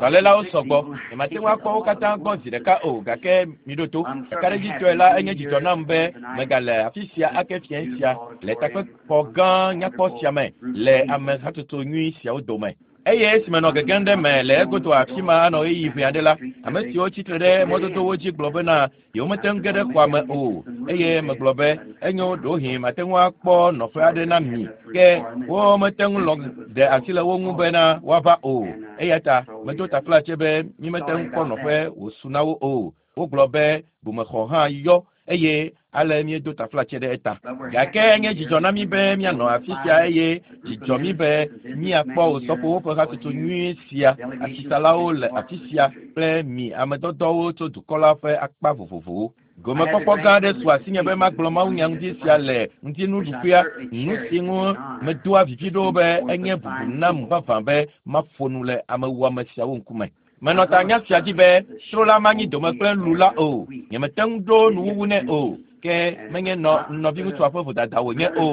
Dɔlélawo sɔgbɔ. Nyemate ŋu akpɔ wo katã gbɔ zi ɖeka o gake miɖo to. Kakaɖedzitɔe la enye dzidzɔ nam be megale afi sia ake fiẽ sia le takpekpɔ gã nyakpɔ sia me le ame hatsotso nyui siawo dome. Eye esime nɔ gegem ɖe me le egodo afi ma anɔ ɣeyiɣi ʋɛ aɖe la, ame siwo tsitre ɖe mɔdodowo dzi gblɔ bena yewomete ŋu ge ɖe xɔa me o eye megblɔ be enyo ɖewohĩ mate ŋu akpɔ nɔƒe aɖe na mi ke womete ŋu lɔ ɖe asi le wo ŋu bena woava o eya ta medo taflatse be mímete ŋu kpɔ nɔƒe wòsu na wo o wogblɔ be bumexɔ hã yɔ eye ale míedo taflatse ɖe eta gake enye dzidzɔ na mí be míanɔ afi sia eye dzidzɔ mí be míakpɔ osɔfowo ƒe hatsotso nyui sia asisalawo le afi sia kple mi amedɔdɔwo tso dukɔ la ƒe akpa vovovowo gomekpɔkpɔ gã aɖe su asinye be magblɔ mawunya ŋuti sia le ŋutinuɖuƒea nu si ŋu medoa vivi ɖo be enye bubu nam vavã be maƒo nu le amewuame siawo ŋkume menɔ ta nya sia dzi be tro la manyi dome kple lu la o nyemete ŋu ɖo nuwuwu nɛ o ke menye nɔ nɔviŋutsua ƒe vodada wònye o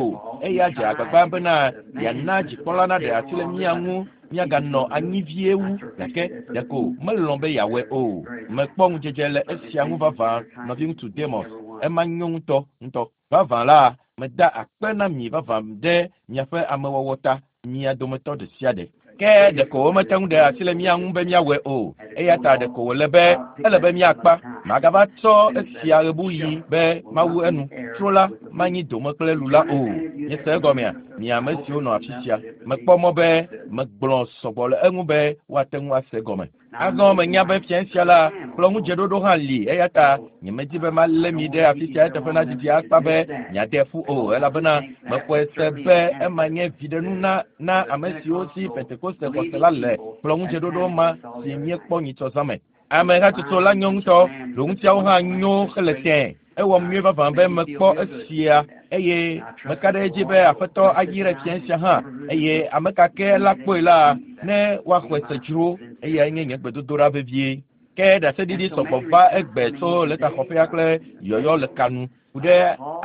eya dze agbagba bena yeana dzikpɔla naɖe asi le mía ŋu míaganɔ anyi vie wu gake ɖeko melɔ̃ be yeawɔe o mekpɔ ŋudzedze le esia ŋu vavã nɔviŋutsu demos ema nyo ŋutɔ ŋutɔ vavã la meda akpe na mi vavã ɖe miaƒe amewɔwɔ ta mia dometɔ ɖe sia ɖe ke ɖeko womete ŋu ɖe asi le mía ŋu be míawɔe o eya ta ɖeko wòle be ele be míakpa magava tsɔ esia ɣebuɣi be mawu enu tro la manyi dome kple lu la o miese egɔmea mi ame siwo nɔ afi sia mekpɔ mɔ be megblɔ sɔgbɔ le eŋu be woate ŋu ase egɔme azɔ menya be fiẽ sia la kplɔ ŋudzeɖoɖo hã li eya ta nyemedi be malé mi ɖe afi sia eteƒe na didi akpa be miade ƒu o elabena mexɔe se be ema nye viɖenu na na ame siwo si pentekoste xɔse la le kplɔ ŋudzeɖoɖo ma si míekpɔ nyitsɔ zã me ame hatsotso la nyo ŋutɔ ɖoŋutiawo hã nyo hele tẽ ewɔm nyuie vavã be mekpɔ esia eye meka ɖe edzi be aƒetɔ ayi ɖe fiẽ sia hã eye ame ka ke la kpɔe la ne woaxɔe se dzro eyae nye nye gbedodoɖa vevie ke ɖaseɖiɖi sɔgbɔ va egbe tso letaxɔƒea kple yɔyɔ le kanu ku ɖe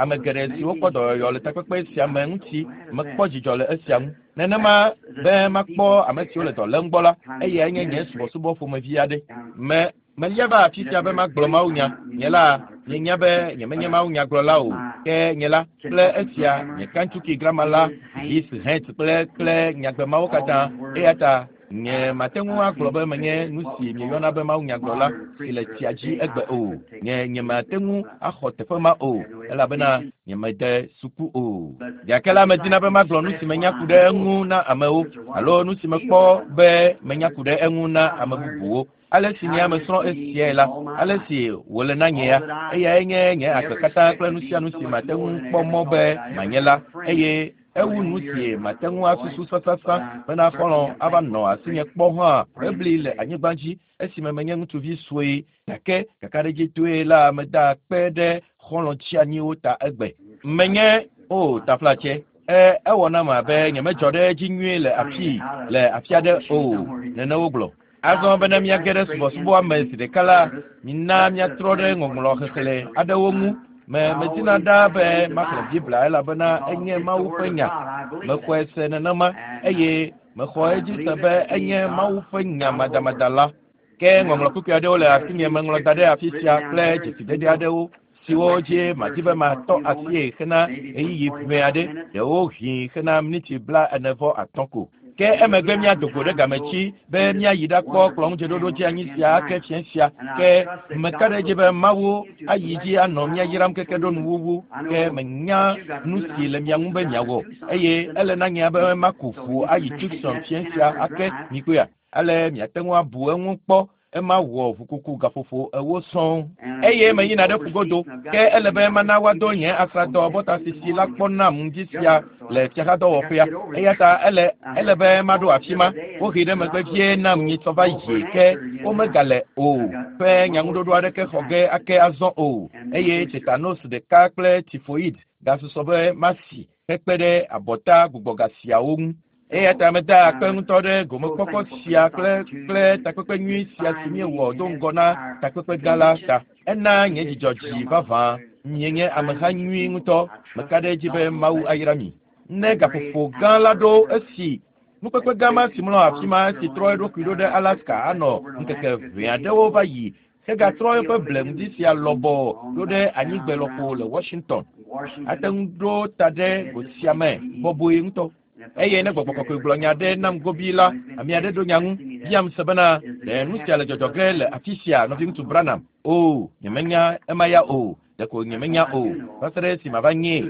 ame geɖe siwo kpɔ dɔyɔyɔ le takpekpe sia me ŋuti mekpɔ dzidzɔ le esia ŋu nenema be makpɔ ame siwo le dɔ lém gbɔ la eyae nye nye subɔsubɔ ƒomevi aɖe me melia va afi sia be magblɔ mawunya nye la mienya be nyemenye mawunyagblɔla o ke nye la kple esia nye kantsuki grama la his het kple kple nyagbe mawo katã eya ta nye mate ŋu agblɔ be menye nu si mieyɔna be mawunyagblɔla si le tsia dzi egbe o nye nyemate ŋu axɔ teƒe ma o elabena nyemede suku o gake la medina be magblɔ nu si menya ku ɖe eŋu na amewo alo nu si mekpɔ be menya ku ɖe eŋu na ame bubuwo ale si nye ame srɔ̃ esiae la ale si wòle na nye ya eyae nye nye agbe katã kple nu sia nu si mate ŋu kpɔ mɔ be manye la eye ewu nu si mate ŋu asusu sasasã bena xɔlɔ̃ ava nɔ asinye kpɔ hã ebli le anyigba dzi esime menye ŋutsuvi sue gake kakaɖedzitɔe la meda kpe ɖe xɔlɔ̃ tsianyiwo ta egbe menye o taflatse e ewɔ nam abe nyemedzɔ ɖe edzi nyuie le afi le afi aɖe o nene wogblɔ azɔ bena míage ɖe subɔsubɔa me zi ɖeka la mina míatrɔ ɖe ŋɔŋlɔ xexlẽ aɖewo ŋu me medina ɖaa be maxlẽ biblia elabena enye mawu ƒe nya mexɔe se nenema eye mexɔ edzi se be enye mawu ƒe nya madamada la ke ŋɔŋlɔ kpukpui aɖewo le asinye meŋlɔ da ɖe afi sia kple dzesidede aɖewo siwo dzi madi be matɔ asie hena ɣeyiɣi ʋɛ aɖe ɖewohĩ hena miniti bla ene vɔ atɔ̃ ko ke emegbe míado go ɖe gametsi be míayi ɖakpɔ kplɔŋudzeɖoɖo dzi anyi sia ake fiẽ sia ke meka ɖe edzi be mawu ayi dzi anɔ mía yram keke ɖo nuwuwu ke menya nu si le mia ŋu be miawɔ eye ele na nye be maku ʋu ayi Tucson fiẽ sia ake mikpɔea ale miate ŋu abu eŋu kpɔ ema wɔ ʋukuku gaƒoƒo ewo sɔŋ eye meyina ɖe ƒugodo ke ele be mana woado nye asradɔ bɔtasisi la kpɔ nam ŋdi sia le fiaxadɔwɔƒea eya ta ele ele be maɖo afi ma wohee ɖe megbe vie nam nyitsɔ va yi ke womegale o ƒe nyaŋuɖoɖo aɖeke xɔ ge ake azɔ o eye tetanos ɖeka kple tifoid gasusɔ be masi hekpe ɖe abɔta gbugbɔga siawo ŋu eya ta meda akpe ŋutɔ ɖe gomekpɔkpɔ sia kple kple takpekpe nyui sia si míewɔ do ŋgɔ na takpekpe gã la ta ena nye dzidzɔ dzi vavã mienye ameha nyui ŋutɔ meka ɖe edzi be mawu ayra mi ne gaƒoƒo gã la ɖo esi Nukpekpe gã ma si mlɔ afi ma si trɔ eɖokui ɖo ɖe Alaska anɔ ŋkeke ʋɛ aɖewo va yi hegatrɔ eƒe ble ŋdi sia lɔbɔ ɖo ɖe anyigbe lɔƒo le Washington. Ate ŋu ɖo ta ɖe go sia me bɔbɔe ŋutɔ. Eye ne gbɔgbɔ kɔkɔe gblɔ nya ɖe nam gobii la, ame aɖe ɖo nya ŋu biam se bena, ɖe nu sia le dzɔdzɔ ge le afi sia, nɔviŋutsu Branham? O, nyemenya ema ya o. Ɖeko nyemenya o, va se ɖe esi mava nyee.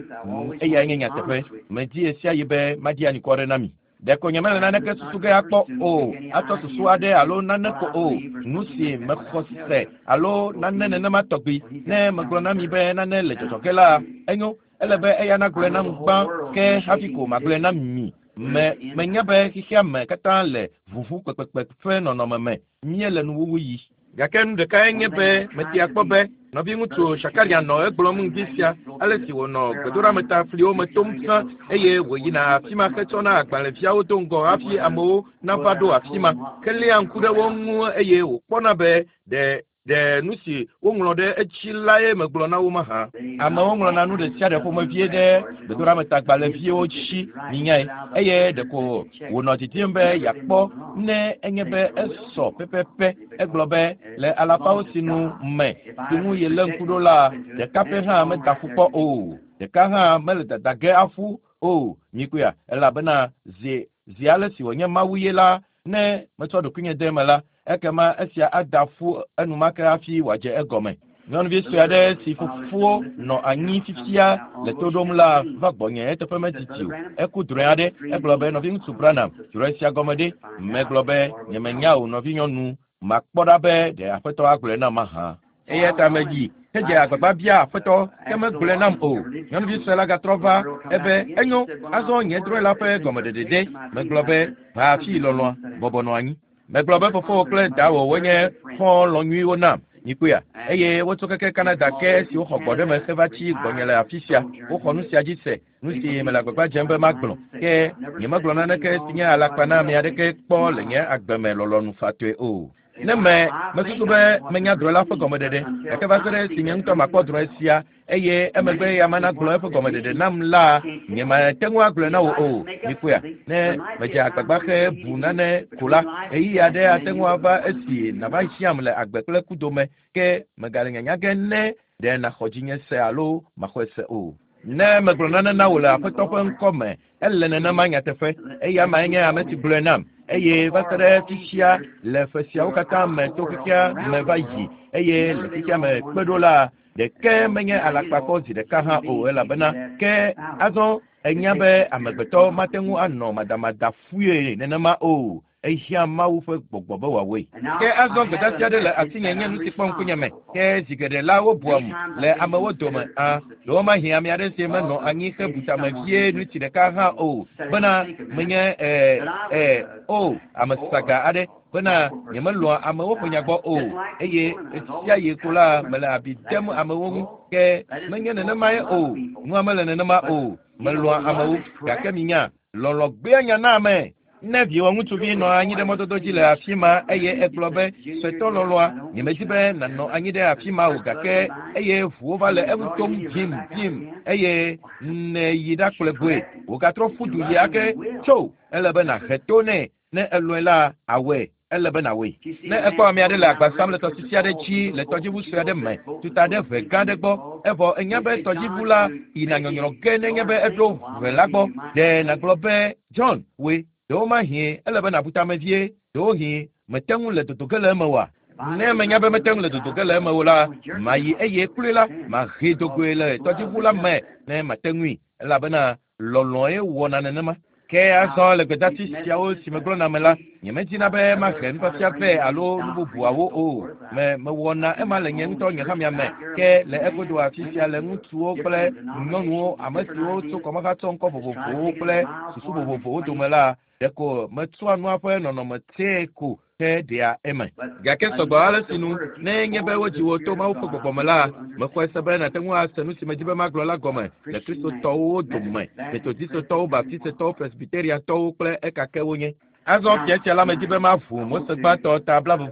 Eyae nye nyateƒe. Medi ɣesiaɣi be maɖi anukware na mi. Ɖeko nyemele naneke susu ge akpɔ o, atsɔ susu aɖe alo nane ko o, nu si mexɔ se alo nane nenema tɔgbi. Ne megblɔ na mi be nane le dzɔdzɔ ge la, enyo, ele be eya nagblɔe nam gbã ke hafi ko magblɔe na mi. Me, menya be xexea me katã le ʋuʋu kpekpekpe ƒe nɔnɔme me. Míele nuwuwu yi. Gake nu ɖekae nye be metea kpɔ be nɔviŋutsu Shakarian nɔ egblɔm ŋdi sia ale si wònɔ gbedoɖametafliwo me tom sã eye wòyina afi ma hetsɔna agbalẽviawo do ŋgɔ hafi amewo nava ɖo afi ma heléa ŋku ɖe wo ŋu eye wòkpɔna be ɖe ɖe nu si woŋlɔ ɖe edzi lae megblɔ na wo mahã. Amewo ŋlɔna nu ɖe sia ɖe ƒomevie ɖe gbedoɖametagbalẽviwo dzi, minyae, eye ɖeko wònɔ didim be yeakpɔ ne enye be esɔ pɛpɛpɛ. Egblɔ be le alafawo sinu me si ŋu yelé ŋku ɖo la, ɖeka pɛ hã meda ƒu kpɔ o. Ɖeka hã mele dada ge aƒu o. Mikpɔea? Elabena zi zi ale si wònye Mawu ye la, ne metsɔ ɖokuinye de eme la, ekema esia ada ƒu enumake hafi wòadze egɔme. Nyɔnuvi sue aɖe si fofowo nɔ anyi fifia le to ɖom la va gbɔnye eteƒe medidi o. Eku drɔ̃e aɖe. Egblɔ be, Nɔviŋutsu Branham, drɔ̃e sia gɔme ɖe? Megblɔ be, Nyemenya o, nɔvinyɔnu. Makpɔ ɖa be ɖe Aƒetɔ agblɔe nam mahã. Eya ta meyi hedze agbagba bia Aƒetɔ, ke megblɔe nam o. Nyɔnuvi sue la gatrɔ va ebe, Enyo, azɔ nye drɔ̃e la ƒe gɔmeɖeɖe ɖe? Megblɔ be, Va afii lɔlɔ̃a, bɔbɔ nɔ anyi. Megblɔ be fofowò kple dawò wonye xɔlɔ̃ nyuiwo nam. Mikpɔea? Eye wotso keke Canada ke esi woxɔ gbɔɖeme heva tsi gbɔnye le afi sia. Woxɔ nu sia dzi se, nu si mele agbagba dzem be magblɔ. Ke nyemegblɔ naneke si nye alakpa na ame aɖeke kpɔ le nye agbe me lɔlɔ̃nu fatɔe o. Ne me, mesusu be menya drɔ̃e la ƒe gɔmeɖeɖe, gake va se ɖe esi nye ŋutɔ makpɔ drɔ̃e sia eye emegbe ya mana gblɔ eƒe gɔmeɖeɖe nam la, nyemate ŋu agblɔe na wò o. Mikpɔea? Ne medze agbagba xe bu nane ko la, ɣeyiɣi aɖe ate ŋu ava esi nàva hiãm le agbe kple ku dome, ke mègale nyanya ge ne ɖe nàxɔ dzinye se alo màxɔe se o. Ne megblɔ nane na wò le Aƒetɔ ƒe ŋkɔ me, ele nenema nyateƒe. Eya mae nye ame si gblɔe nam. Eye va se ɖe fifia, le ƒe siawo katã me to xexea me va yi, eye le xexea me kpe ɖo la, ɖeke menye alakpa kpɔ zi ɖeka hã o, elabena ke azɔ ènya be amegbetɔ mate ŋu anɔ madamada fue nenema o. Ehiã Mawu ƒe gbɔgbɔ be wòawɔe. Ke azɔ gbedeasi aɖe le asinye nye nu si kpɔ ŋkunye me. Ke zi geɖe la wobuam le amewo dome. Ã, ɖewomahi ame aɖe si menɔ anyi hebu tame vie ɣleti ɖeka hã o bena menye e, e, o, ame saga aɖe bena nyemelɔ̃a amewo ƒe nya gbɔ o eye ɣesiaɣi ko la mele abi dem amewo ŋu. Ke menye nenemae o. Nua mele nenema o. Melɔ̃a amewo gake minya, lɔlɔ̃ gbea nya na ame. Ne viwò ŋutsuvi nɔ anyi ɖe mɔdodo dzi le afi ma eye egblɔ be, Suetɔ lɔlɔ̃a, nyemedi be nànɔ anyi ɖe afi ma o gake eye ʋuwo va le eŋu tom vim vim eye nèyi ɖakplɔe gbɔe wògatrɔ ƒu du yi ake tso, ele be nàhe to nɛ. Ne elɔ̃e la, awɔe. Ele be nàwɔe. Ne èkpɔ ame aɖe le agba sam le tɔsisi aɖe dzi le tɔdziʋu sue aɖe me tuta ɖe ʋe gã aɖe gbɔ, evɔ ènya be tɔdziʋu la yina nyɔnyrɔ ge nenye be eɖo ʋe la gbɔ, ɖe nàgblɔ be, John, wòe, ɖewomahĩ ele be nàbu tame vie, ɖewohĩ mète ŋu le dodo ge le eme oa? Ne menya be mete ŋu le dodo ge le eme o la, mayi eye kloe la, mahee do goe le tɔdziʋu la me ne mate ŋui, elabena lɔlɔ̃e wɔna nenema. Ke azɔ le gbedeasi siawo si megblɔna me la, nyemedina be mahe nufiafia vɛ alo nu bubuawo o. Me, mewɔna ema le nye ŋutɔ nye hamea me. Ke le egodo afi sia le ŋutsuwo kple nyɔnuwo, ame siwo tso kɔmahatsɔ ŋkɔ vovovowo kple susu vovovowo dome la, ɖeko metsɔa nua ƒe nɔnɔme tẽe ko ke ɖea eme. Gake sɔgbɔ ale si nu, ne enye be wodzi wò to Mawu ƒe gbɔgbɔ me la, mexɔe se be nàte ŋu ase nu si medi be magblɔ la gɔme le Kristotɔwo dome, Metodistetɔwo, Baptistetɔwo, Presbyteriatɔwo kple ekake wonye. Azɔ fia sia la medi be maʋu Mose gbãtɔ ta blaeve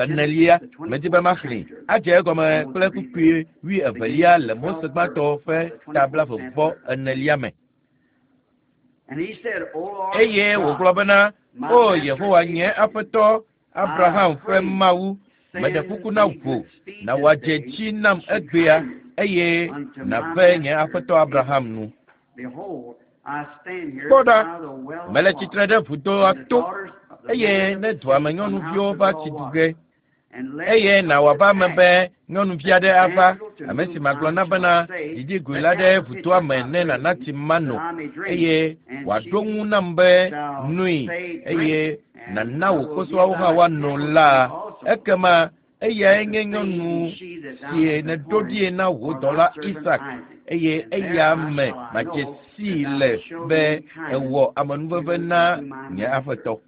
enelia, medi be maxlẽe. Adze egɔme kple kpukpui wuievelia le Mose gbãtɔ ƒe ta blaeve enelia me. Eye wògblɔ bena, O Yehowa nye Aƒetɔ, Abraham ƒe Mawu, meɖe kuku na wò, na wòadze dzi nam egbea, eye nàve nye aƒetɔ Abraham nu. Kpɔ ɖa, mele tsitre ɖe vudoa to, eye ne dua me nyɔnuviwo va tsi du ge, eye na wòava eme be nyɔnuvi aɖe ava, ame si magblɔ na bena, Didi goe la ɖe vudoa me ne nàna tsi mano, eye wòaɖo ŋu nam be, Noe, eye nàna wò kposɔawo hã woano la, ekema eyae nye nyɔnu si nèɖo ɖie na wò dɔla Isak, eye eya me madze sii le be èwɔ amenuveve na nye aƒetɔ.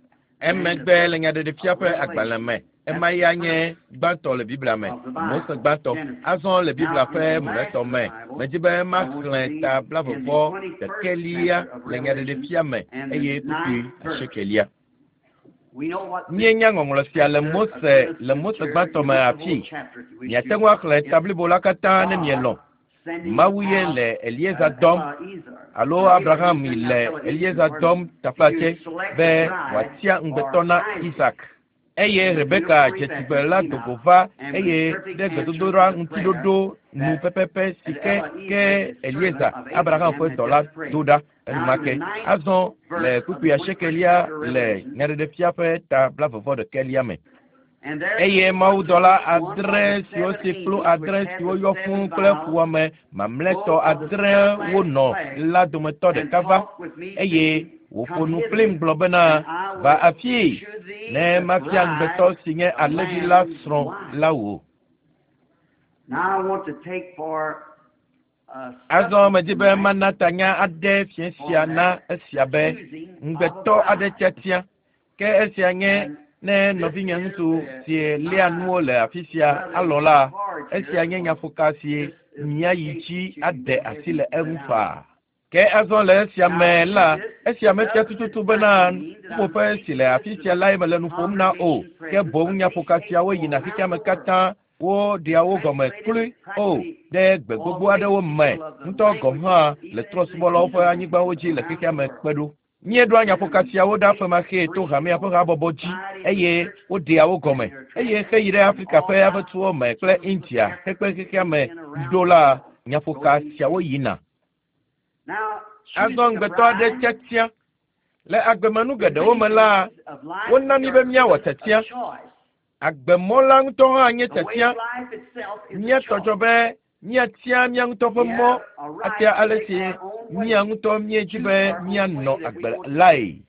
Emegbe le Nyaɖeɖefia ƒe agbalẽ me, ema ya nye gbãtɔ le Biblia me, Mose gbãtɔ. Azɔ le Biblia ƒe mlɔetɔ me, medi be maxlẽ ta 21 le Nyaɖeɖefia me eye kpukpui 9. Míenya ŋɔŋlɔ sia le Mose le Mose gbãtɔ me afii. Miate ŋu axlẽ ta blibo la katã ne mielɔ̃. Mawu ye le Eliezer dɔm alo Abraham le Eliezer dɔm taflatse be wòatia ŋugbetɔ na Isak. Eye Rebeka dze tugbe la do go va eye ɖe gbedodoɖa ŋutiɖoɖo nu pɛpɛpɛ si ke ke Eliezer, Abraham ƒe dɔla do ɖa enumake. Azɔ le kpukpui 8 le Nyaɖeɖefia ƒe ta 21 me. Eye mawudɔla 7 siwo si kplu 7 siwo yɔ fũu kple fuwɔame mamlɛtɔ 8 wonɔ la dometɔ ɖeka va, eye wòƒo nu kplim gblɔ bena, Va afii, ne mafia ŋugbetɔ si nye alẽvi la srɔ̃ la wò. Azɔ medi be mana tanya aɖe fiẽ sia na esia be ŋugbetɔ aɖe tiatia. Ke esia nye ne nɔvinye ŋutsu si léa nuwo le afi sia alɔ̃ la, esia nye nyaƒoka si míayi dzi aɖe asi le eŋu faa. Ke azɔ le esia me la, esia mefia tututu bena ƒuƒoƒe si le afi sia lae mele nu ƒom na o, ke boŋ nyaƒoka siawo yina xexeame katã, woɖea wo gɔme kloe o ɖe gbe gbogbo aɖewo me ŋutɔ gɔ̃ hã le trɔ̃subɔlawo ƒe anyigbawo dzi le xexeame kpe ɖo. Míeɖoa nyaƒoka siawo ɖa femaxee to hamea ƒe habɔbɔ dzi eye woɖea wo gɔme. Eye heyi ɖe Afrika ƒe aƒetuwo me kple India hekpe xexeame ɖo la, nyaƒoka siawo yina. Azɔ ŋugbetɔ aɖe tiatia. Le agbemenu geɖewo me la, wona mí be míawɔ tiatia. Agbemɔ la ŋutɔ hã nye tiatia. Míatɔ dzɔ be míatia mía ŋutɔ ƒe mɔ atia ale si mía ŋutɔ míedzi be míanɔ agbe lae.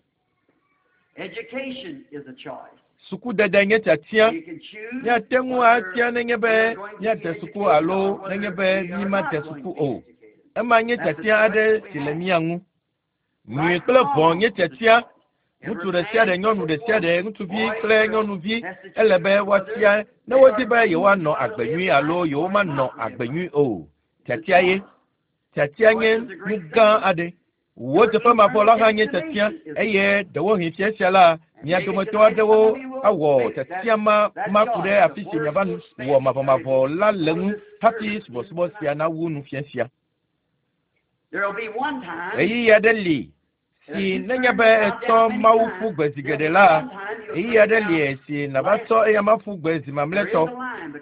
Sukudede nye tiatia. Míate ŋu atia nenye be míade suku alo nenye be mímade suku o. Ema nye tiatia aɖe si le mía ŋu. Nyui kple vɔ̃ nye tiatia. Ŋutsu ɖe sia ɖe, nyɔnu ɖe sia ɖe, ŋutsuvi kple nyɔnuvi ele be woatia ne wodi be yewoanɔ agbe nyui alo yewomanɔ agbe nyui o. Tiatia ye. Tiatia nye nu gã aɖe. Wò teƒe mavɔ la hã nye tiatia eye ɖewohĩ fia sia la, mia dometɔ aɖewo awɔ tiatia ma maku ɖe afi si miava wɔ mavɔmavɔ la le ŋu hafi subɔsubɔ sia nawu nu fia sia. Ɣeyiɣi aɖe li si nenye be etsɔ Mawu ƒu gbe zi geɖe la, ɣeyiɣi aɖe li si nàva tsɔ eyama ƒu gbe zi mamlɛtɔ.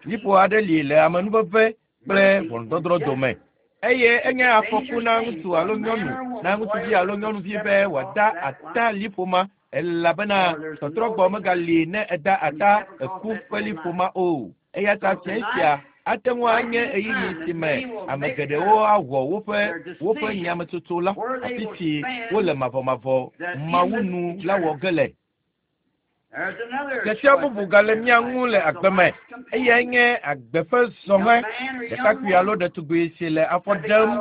Liƒo aɖe li le amenuveve kple ʋɔnudɔdrɔ̃ dome. Eye enye afɔku na ŋutsu alo nyɔnu, na ŋutsuvi alo nyɔnuvi be wòada ata liƒo ma, elabena tɔtrɔgbɔ megali ne eda ata eku ƒe liƒo ma o. Eya ta fia sia ate ŋu anye ɣeyiɣi si me ame geɖewo awɔ woƒe woƒe nyametsotso la, afi si wole mavɔmavɔ Mawu nu la wɔ ge le. Tiatia bubu gale mía ŋu le agbe me, eyae nye agbe ƒe zɔhɛ. Ɖekakpui alo ɖetugbui si le afɔ ɖem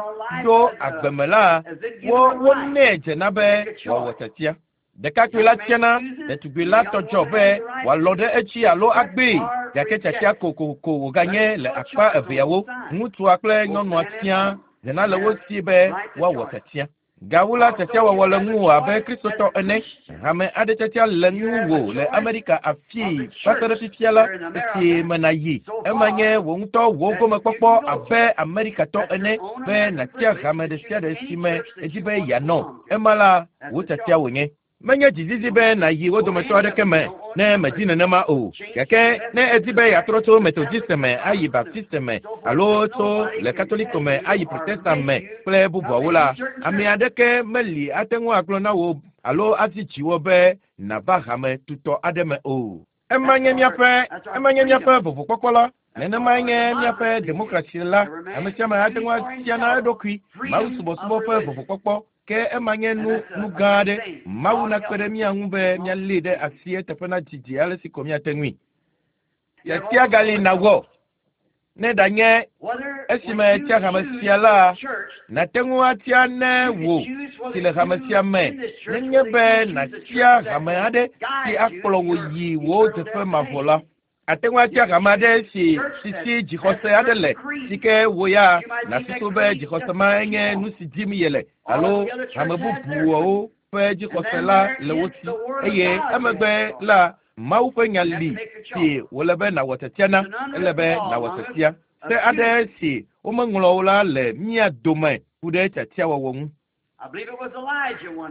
ɖo agbe me la, wo wonɛ dzena be wòawɔ tiatia. Ɖekakpui la tiana, ɖetugbui la tɔ dzɔ be wòalɔ̃ ɖe edzi alo agbee, gake tiatia kokoko wòganye le akpa eveawo, ŋutsua kple nyɔnua sia dzena le wo si be woawɔ tiatia. Gawu la, tiatiawɔwɔ le ŋuwò abe Kristotɔ ene. Hame aɖe tiatia le ŋuwò le Amerika afii va se ɖe fifia la, esi me nàyi. Ema nye wò ŋutɔ wò gomekpɔkpɔ abe Amerikatɔ ene be nàtia hame ɖe sia ɖe si me èdi be yeanɔ. Ema la, wò tiatia wònye. Menye dzizizi be nàyi wo dometɔ aɖeke me ne mèdi nenema o. Gake ne èdi be yeatrɔ tso Metodiste me ayi Baptiste me alo tso le Katoliko me ayi Protestant me kple bubuawo la, ame aɖeke meli ate ŋu agblɔ na wò alo azi dziwò be nàva hame tutɔ aɖe me o. Ema nye míaƒe ema nye míaƒe vovokpɔkpɔ la. Nenemae nye míaƒe demokrasi la. Ame sia ame ate ŋu atia na eɖokui mawusubɔsubɔ ƒe vovokpɔkpɔ. Ke ema nye nu nu gã aɖe. Mawu nakpe ɖe mía ŋu be míalée ɖe asi eteƒe nadzidzi ale si ko míate ŋui. Tiatia gali nàwɔ. Ne ɖanye esime ètia hame sia la, nàte ŋu atia ne wò si le hame sia me nenye be nàtia hame aɖe si akplɔ wò yi wò teƒe mavɔ la. Ate ŋu atia hame aɖe si si si dzixɔse aɖe le si ke wò ya nàsusu be dzixɔse ma nye nu si dim yele alo hame bubuawo ƒe dzixɔse la le wo si eye emegbe la Mawu ƒe nya li si wòle be nàwɔ tiatia na. Ele be nàwɔ tiatia. Se aɖe si womeŋlɔ o la le mía dome ku ɖe tiatiawɔwɔ ŋu.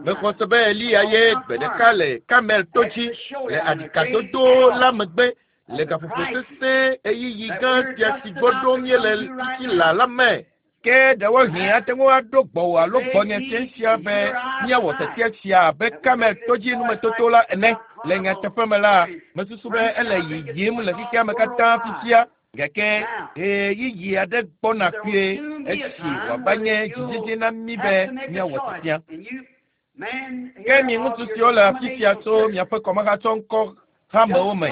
Mexɔ se be Eliya ye gbe ɖeka le Karmel to dzi le aɖikadodo la megbe le gaƒoƒo sesẽ ɣeyiɣi gã sia si gbɔ ɖom míele fifi laa la me. Ke ɖewohĩ ate ŋu aɖo gbɔwò alo gbɔnye fiẽ sia be míawɔ tiatia sia abe Karmel to dzi numetoto la ene. Le nyateƒe me la, mesusu be ele yiyim le xexea me katã fifia gake ɣeyiɣi aɖe gbɔna kpuie esi wòava nye dzidzedze na mí be míawɔ tiatia. Ke mi ŋutsu siwo le afi sia tso miaƒe kɔmehatsɔŋkɔ hamewo me,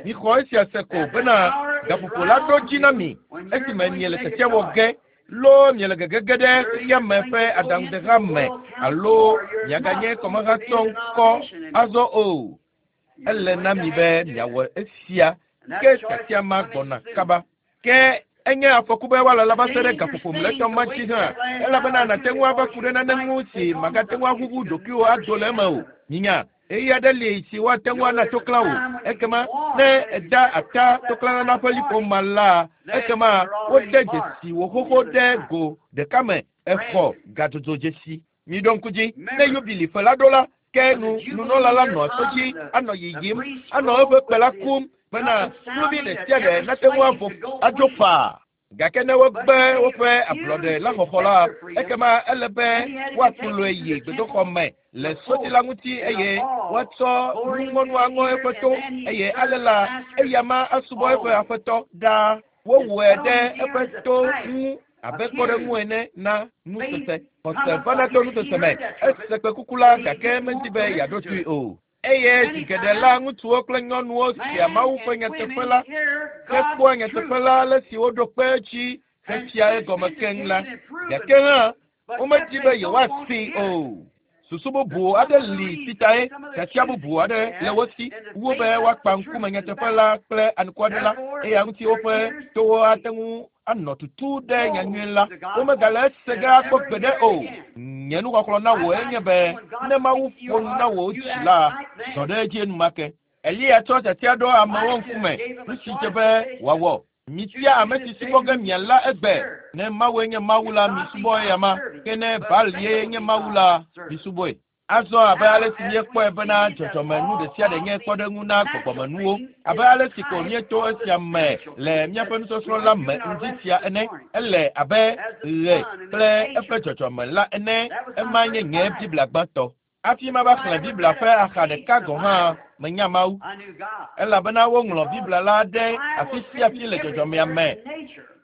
mixɔ esia se ko bena gaƒoƒo la ɖo dzi na mi esime miele tiatia wɔ ge loo miele gegege ɖe xexea me ƒe aɖaŋudeha me alo miaganye kɔmehatsɔŋkɔ azɔ o. Ele na mi be miawɔ esia ke tiatia ma gbɔna kaba. Ke enye afɔku be woalala va se ɖe gaƒoƒo mlɔetɔ ma dzi hã elabena nàte ŋu ava ku ɖe nane ŋu si màgate ŋu aʋuʋu ɖokuiwò ado le eme o. Minya, ɣeyiɣi aɖe li si woate ŋu ana toklã wò. Ekema ne èda ata toklãnana ƒe liƒo ma la, ekema wode dzesi wò xoxo ɖe go ɖeka me exɔ gadzodzo dzesi. Miɖo ŋku dzi, ne yubili ƒe la ɖo la, ke nu nunɔla la nɔ to dzi anɔ yiyim, anɔ eƒe kpe la kum bena kluvi ɖe sia ɖe nate ŋu avo adzo faa. Gake ne wogbe woƒe ablɔɖe la xɔxɔ la, ekema ele be woakplɔe yi gbedoxɔ me le soti la ŋuti eye woatsɔ nuŋɔnu aŋɔ eƒe to eye ale la eya ma asubɔ eƒe aƒetɔ ɖaa. Wowɔe ɖe eƒe to ŋu abe kpɔɖeŋu ene na nusese. Xɔse vana to nusese me. Ese kpẽkuku la gake medi be yeaɖo toe o. Eye zi geɖe la, ŋutsuwo kple nyɔnuwo sea Mawu ƒe nyateƒe la hekpɔa nyateƒe la ale si woɖo kpe edzi hefia egɔme keŋ la. Gake hã, womedi be yewoasee o. Susu bubu aɖe li si tae tiatia bubu aɖe le wo si wu be woakpa ŋkume nyateƒe la kple anukware la eya ŋuti woƒe towo ate ŋu anɔ tutu ɖe nyanyui la. Womegale ese ge akpɔ gbeɖe o. Nye nuxɔxlɔ̃ na wò enye be ne Mawu ƒo nu na wò dzi la, zɔ ɖe edzi enumake. Eliya tsɔ tiatia ɖo amewo ŋkume nu si dze be wòawɔ. Mitia ame si subɔ ge miala egbe. Ne Mawue nye Mawu la, misubɔ eya ma. Ke ne Baal ye nye Mawu la, misubɔe. Azɔ abe ale si míekpɔe bena dzɔdzɔmenu ɖe sia ɖe nye kpɔɖeŋu na gbɔgbɔmenuwo, abe ale si ko míeto esia me le míaƒe nusɔsrɔ̃ la me ŋdi sia ene, ele abe ɣe kple eƒe dzɔdzɔme la ene. Ema nye nye Biblia gbãtɔ. Hafi mava xlẽ Biblia ƒe axa ɖeka gɔ̃ hã, menya Mawu. Elabena woŋlɔ Biblia la ɖe afi sia afi le dzɔdzɔmea me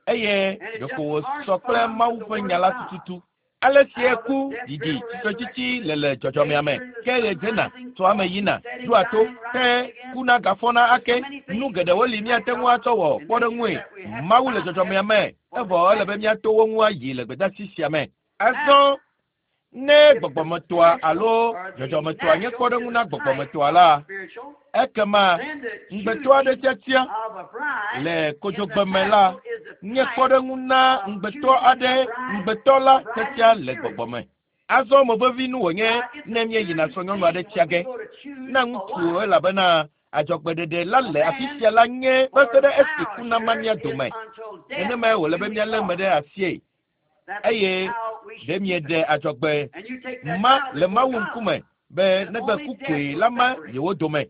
eye ɖeko wòsɔ kple Mawu ƒe nya la tututu. Ale si eku, ɖiɖi, tsitretsitsi le le dzɔdzɔmea me, ke ɣe dzena, tsoa eme yina, ɖoa to, ke kuna gafɔna ake. Nu geɖewo li míate ŋu atsɔ wɔ kpɔɖeŋue. Mawu le dzɔdzɔmea me, evɔ ele be míato wo ŋu ayi le gbedeasi sia me. Azɔ ne gbɔgbɔmetɔa alo dzɔdzɔmetɔa nye kpɔɖeŋu na gbɔgbɔmetɔa la, ekema ŋugbetɔ aɖe tiatia le kodzogbeme la nye kpɔɖeŋu na ŋugbetɔ aɖe ŋugbetɔ la tiatia le gbɔgbɔ me. Azɔ mo vevi nu wònye ne míeyina srɔ̃nyɔnu aɖe tia ge na ŋutsu elabena adzɔgbeɖeɖe la le afi sia la nye va se ɖe esi ku nama mía dome. Nenemae wòle be míalé eme ɖe asie. Eye ɖe mieɖe adzɔgbe ma le Mawu ŋkume be negbe ku koe la ma yewo dome.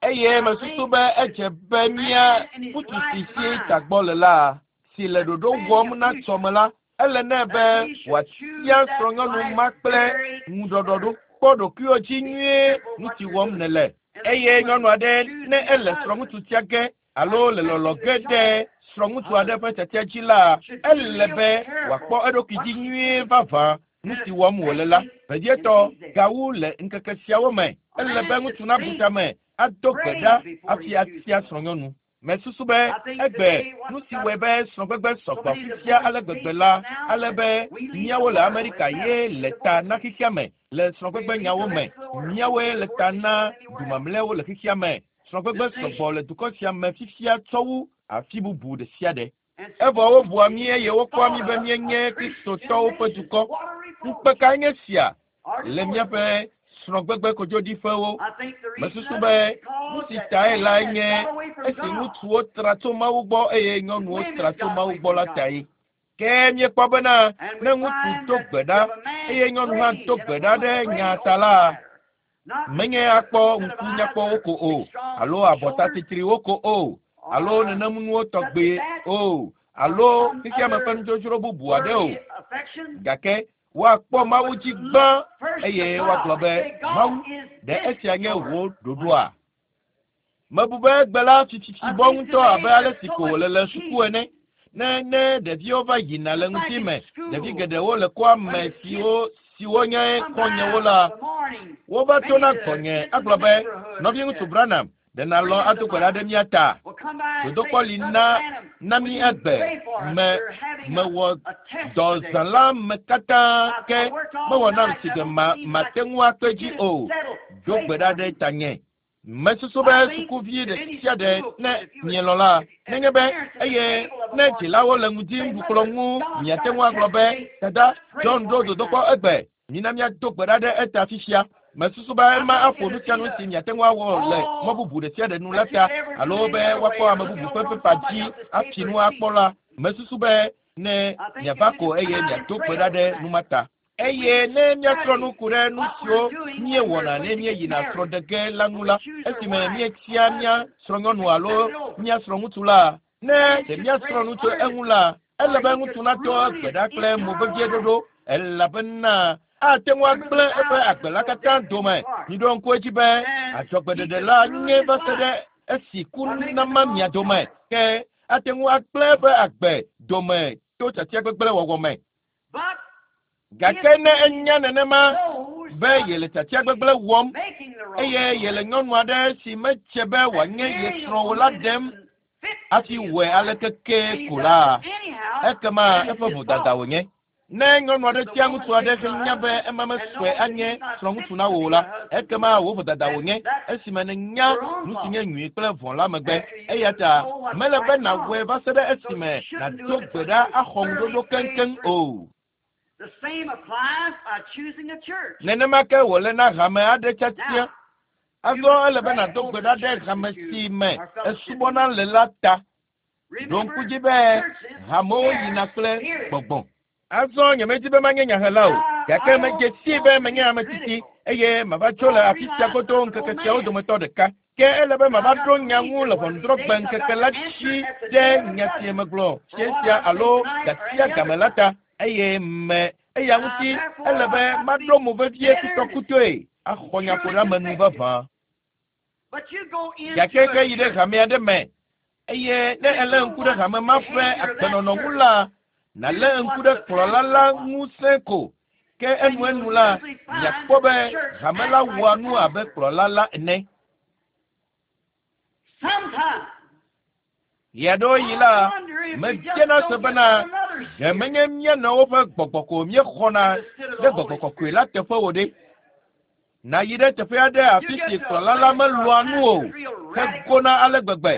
Eye mesusu be edze be mía ŋutsu si si tagbɔ le la, si le ɖoɖo wɔm na tsɔme la, ele nɛ be wòatia srɔ̃nyɔnu ma kple ŋuɖɔɖɔɖo. Kpɔ ɖokuiwò dzi nyuie nu si wɔm nèle. Eye nyɔnu aɖe ne ele srɔ̃ŋutsu tia ge alo le lɔlɔ ge ɖe srɔ̃ŋutsu aɖe ƒe tiatia dzi la, ele be wòakpɔ eɖokui dzi nyuie vavã nu si wɔm wòle la. Vevietɔ gawu le ŋkeke siawo me, ele be ŋutsu nabu tame ado gbe ɖa hafi atia srɔ̃nyɔnu. Mesusu be egbe nu si wɔe be srɔ̃gbegbe sɔgbɔ fifia ale gbegbe la, ale be míawo le Amerika ye le ta na xexea me le srɔ̃gbegbe nyawo me. Míawoe le ta na du mamlɛawo le xexea me. Srɔ̃gbegbe sɔgbɔ le dukɔ sia me fifia tsɔ wu afi bubu ɖe sia ɖe. Evɔ wobua mí eye wokpɔa mí be míenye Kristotɔwo ƒe dukɔ. Ŋukpe kae nye sia le míaƒe srɔ̃gbegbe kodzoɖiƒewo? Mesusu be nu si tae lae nye esi ŋutsuwo tra tso Mawu gbɔ eye nyɔnuwo tra tso Mawu gbɔ la tae. Ke míekpɔ bena ne ŋutsu do gbe ɖa eye nyɔnu hã do gbe ɖa ɖe nya ta la, menye akpɔ ŋku nyakpɔwo ko o, alo abɔta titriwo ko o, alo nenemunuwo tɔgbe o, alo xexeame ƒe nudzodzro bubu aɖe o. Gake woakpɔ Mawu dzi gbã eye woagblɔ be, Mawu, ɖe esia nye wò ɖoɖoa? Mebu be egbe la fififi bɔ ŋutɔ abe ale si ko wòle le suku ene. Ne ne ɖeviwo va yina le ŋdi me, ɖevi geɖewo le kɔa me siwo siwo nye xɔ̃nyewo la, wova tona gbɔnye agblɔ be, nɔviŋutsu Branham, ɖe nàlɔ̃ ado gbe ɖa ɖe mía ta? Dodokpɔ li na na mí egbe me mewɔ dɔ zã la me katã ke mewɔ nam si ge ma mate ŋu akpe dzi o. Do gbe ɖa ɖe tanye. Mesusu be sukuvi ɖe sia ɖe ne mielɔ̃ la, nenye be eye ne dzilawo le ŋdi ŋuɖukplɔ ŋu, miate ŋu agblɔ be, Dada, John ɖo dodokpɔ egbe. Mina míado gbe ɖa ɖe eta fifia. Mesusu be ema aƒo nu sia nu si miate ŋu awɔ le mɔ bubu ɖe sia ɖe nu la ta, alo be woakpɔ ame bubu ƒe pepa dzi afi nu akpɔ la. Mesusu be ne miava ko eye miado gbe ɖa ɖe nu ma ta. Eye ne míasrɔ̃ nu ku ɖe nu siwo míewɔna ne míeyina srɔ̃ɖege la ŋu la, esime míetia mía srɔ̃nyɔnu alo mía srɔ̃ŋutsu la, ne ɖe míasrɔ̃ nu tso eŋu la, ele be ŋutsu natɔ gbe ɖa kple mo vevie ɖoɖo elabena ate ŋu agblẽ eƒe agbe la katã dome. Miɖo ŋku edzi be adzɔgbeɖeɖe la nye va se ɖe esi ku nama mia dome ke ate ŋu agblẽ eƒe agbe dome to tiatia gbegblẽ wɔwɔ me. Gake ne enya nenema be yele tiatia gbegblẽ wɔm eye yele nyɔnu aɖe si medze be wòanye ye srɔ̃ o la ɖem hafi wɔe aleke ke ko la, ekema eƒe vodada wònye. Ne nyɔnu aɖe tia ŋutsu aɖe henya be ema mesɔe anye srɔ̃ŋutsu na wò o la, ekema wò vodada wònye esime nènya nu si nye nyui kple vɔ̃ la megbe. Eya ta mele be nàwɔe va se ɖe esime nàdo gbe ɖa axɔ ŋuɖoɖo keŋkeŋ o. The same applies by choosing a church. Nenema ke wòle na hame aɖe tiatia. Azɔ ele be nàdo gbe ɖa ɖe hame si me esubɔna le la ta. Ɖo ŋku dzi be hamewo yina kple gbɔgbɔ. Azɔ nyemedi be manye nyahela o, gake medze sii be menye ame tsitsi eye mava tso le afi sia godo ŋkeke siawo dometɔ ɖeka. Ke ele be mava ɖo nya ŋu le ʋɔnudrɔ̃gbe ŋkeke la dzi ɖe nya si megblɔ fiẽ sia alo gasia game la ta eye me eya ŋuti ele be maɖo mo vevie kutɔkutɔe axɔ nyaƒoɖeamenu vavã. But you go into Gake ke a yi ɖe hame aɖe me eye ne èlé ŋku ɖe hame ma ƒe agbenɔnɔ ŋu la, nàlé ŋku ɖe kplɔla la ŋusẽ ko. Ke enuenu la, miakpɔ be hame la wɔa nu abe kplɔla la ene. Sometimes Ɣeaɖewoɣi la, medzena se bena ɖe menye mía nɔewo ƒe gbɔgbɔ ko míexɔna ɖe gbɔgbɔ kɔkɔe la teƒe o ɖe. Nàyi ɖe teƒe aɖe afi si kplɔla la melɔ̃a nu o hegona ale gbegbe.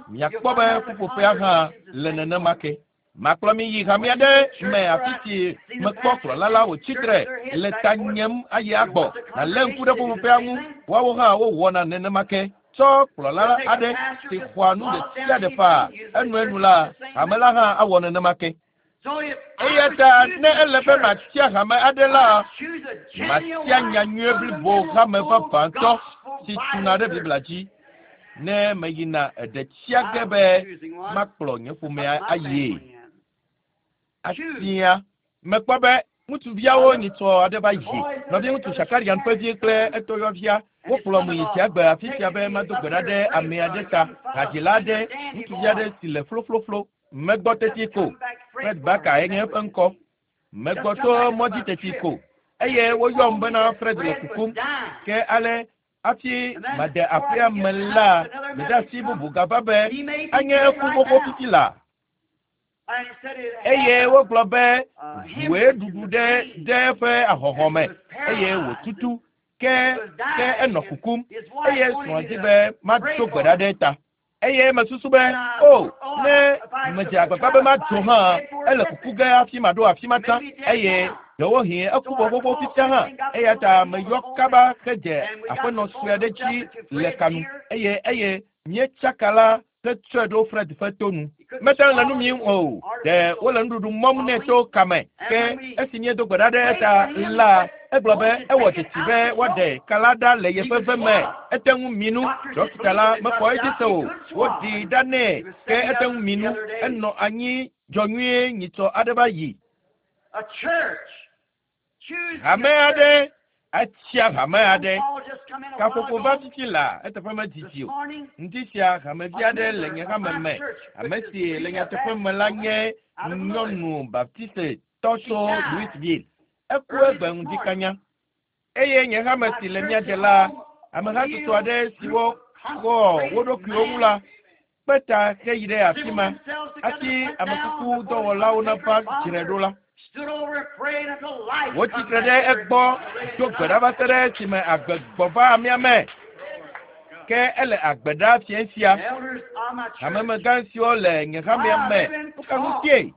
Miakpɔ be ƒuƒoƒea hã le nenema ke. Makplɔ mi yi hame aɖe me afi si mekpɔ kplɔla la wòtsi tre le ta nyem ayi agbɔ. Nàlé ŋku ɖe ƒuƒoƒea ŋu. Woawo hã wowɔna nenema ke. Tsɔ kplɔla aɖe si xɔa nu ɖe sia ɖe faa enuenu la, hame la hã awɔ nenema ke. Eya ta ne ele be matia hame aɖe la, matia nyanyuie blibo hame vavãtɔ si tuna ɖe Biblia dzi. Ne meyina eɖe tia ge be makplɔ nye ƒomea ayie. Atia mekpɔ be ŋutsuviawo nyitsɔ aɖe va yi. Nɔviŋutsu Shakarian ƒe vi kple etɔyɔvia wokplɔm yi tsiagbe afi sia be mado gbe ɖa ɖe ame aɖe ta, hadzila aɖe, ŋutsuvi aɖe si le flofloflo. Megbɔ teti ko. Fred Barker enye eƒe ŋkɔ. Megbɔ tso mɔdzi teti ko eye woyɔm bena Fred le kukum. Ke ale hafi made aƒea me la, gbedeasi bubu gava be anye eku xoxo fifi la. Eye wogblɔ be ʋue ɖuɖu ɖe ɖe eƒe ahɔhɔ̃ me eye wòtutu ke ke enɔ kukum eye srɔ̃a di be mado gbe ɖa ɖe eta. Eye mesusu be, o, ne medze agbagba be madzo hã, ele kuku ge hafi maɖo afi ma tsã eye ɖewohĩ eku vɔ xoxo fifia hã. Eya ta meyɔ kaba hedze aƒenɔ sue aɖe dzi le kanu eye eye míetsaka la hetsɔe ɖo Fred ƒe to nu. Mete ŋu le nu mim o. Ɖe wole nuɖuɖu mɔm nɛ tso kame. Ke esi míedo gbe ɖa ɖe eta la, egblɔ be ewɔ dzesi be woaɖe ka la ɖa le yeƒe ve me. Ete ŋu mi nu. Ɖɔkita la mexɔ edzi se o. Woɖii ɖa nɛ ke ete ŋu mi nu. Enɔ anyi dzɔ nyuie nyitsɔ aɖe va yi. Hame aɖe atsia hame aɖe. Kaƒoƒo va fifi la eteƒe medidi o. Ŋdi sia hamevi aɖe le nye hame me. Ame si le nyateƒe me la nye nyɔnu Baptiste tɔ tso Louisville. Eku egbe ŋdi kanya. Eye nye hame si le mía de la, amehatsotso aɖe siwo kɔ wo ɖokuiwo ŋu la, kpe ta heyi ɖe afi ma hafi amekuku dɔwɔlawo nava dzrae ɖo la. Wotsi tre ɖe egbɔ do gbe ɖa va se ɖe esime agbe gbɔ va amea me. Ke ele agbe ɖa fiẽ sia. Hamemegã siwo le nye hamea me, nu ka ŋutie?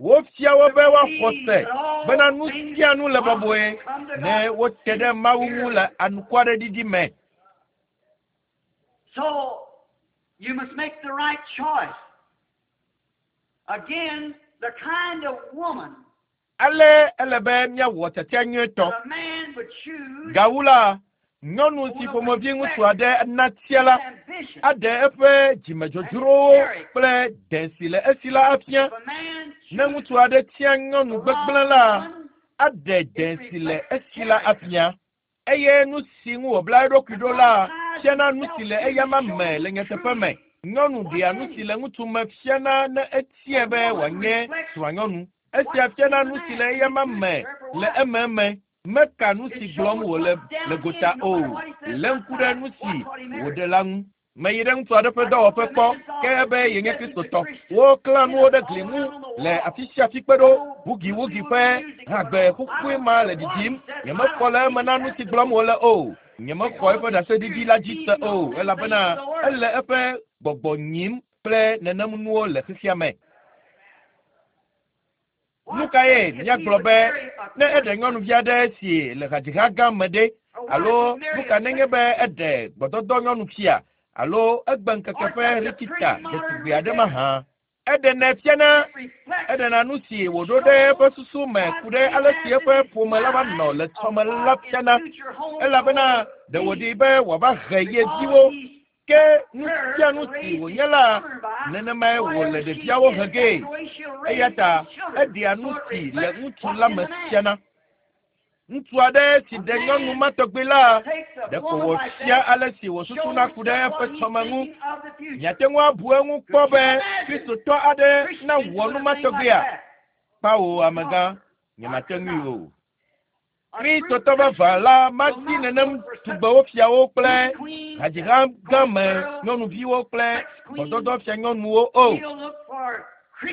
Wofia wo be woaxɔ se bena nu sia nu le bɔbɔe ne wote ɖe Mawu ŋu le anukwareɖiɖi me. So you must make the right choice. Again, the kind of woman Ale ele be míawɔ tiatia nyuietɔ. that a man would choose Gawu la, nyɔnu si ƒomevi ŋutsu aɖe natia la ambition. aɖe eƒe dzimedzodzrowo kple dẽ si le esi la afia. If a man Ne ŋutsu aɖe tia nyɔnu gbegblẽ la, aɖe dẽ si le esi la afia. Eye nu si ŋu wòbla eɖokui ɖo la fiana nu si le eyama me le nyateƒe me. Nyɔnu ɖea nu si le ŋutsu me fiana ne etiae be wòanye srɔ̃anyɔnu. Esia fiana nu si le eyama me le ememe. Meka nu si gblɔm wòle le gota o. Lé ŋku ɖe nu si wòɖe la ŋu. Meyi ɖe ŋutsu aɖe ƒe dɔwɔƒe kpɔ ke ebe yenye Kristotɔ. Woklã nuwo ɖe gli ŋu le afi sia afi kpe ɖo. Wugiwugi ƒe hagbe xoxoe ma le ɖiɖim. Nyemekpɔ le eme na nu si gblɔm wòle o. Nyemexɔ eƒe ɖaseɖiɖi la dzi se o elabena ele eƒe gbɔgbɔ nyim kple nenem nuwo le xexea me. Nu kae míagblɔ be ne eɖe nyɔnuvi aɖe si le hadziha gã me ɖe alo nu ka nenye be eɖe gbɔdɔdɔ nyɔnufia alo egbe ŋkeke ƒe rikita ɖetugbi aɖe mahã? Eɖenɛ fiana, eɖena nu si wòɖo ɖe eƒe susu me ku ɖe ale si eƒe ƒome la va nɔ le tsɔme la fiana elabena ɖe wòɖi be wòava he ye viwo. Ke nu sia nu si wònye la, nenemae wòle ɖeviawo he gee. Eya ta eɖea nu si le ŋutsu la me fiana. Ŋutsu aɖe si ɖe nyɔnu ma tɔgbi la, ɖeko wòfia ale si wòsusuna ku ɖe eƒe tsɔme ŋu. Miate ŋu abu eŋu kpɔ be Kristotɔ aɖe nawɔ nu ma tɔgbia? Kpao, amegã, nyemate ŋui o. Kristotɔ vavã la madi nenem tugbewo fiawo kple hadziha gã me nyɔnuviwo kple gbɔdɔdɔ fia nyɔnuwo o.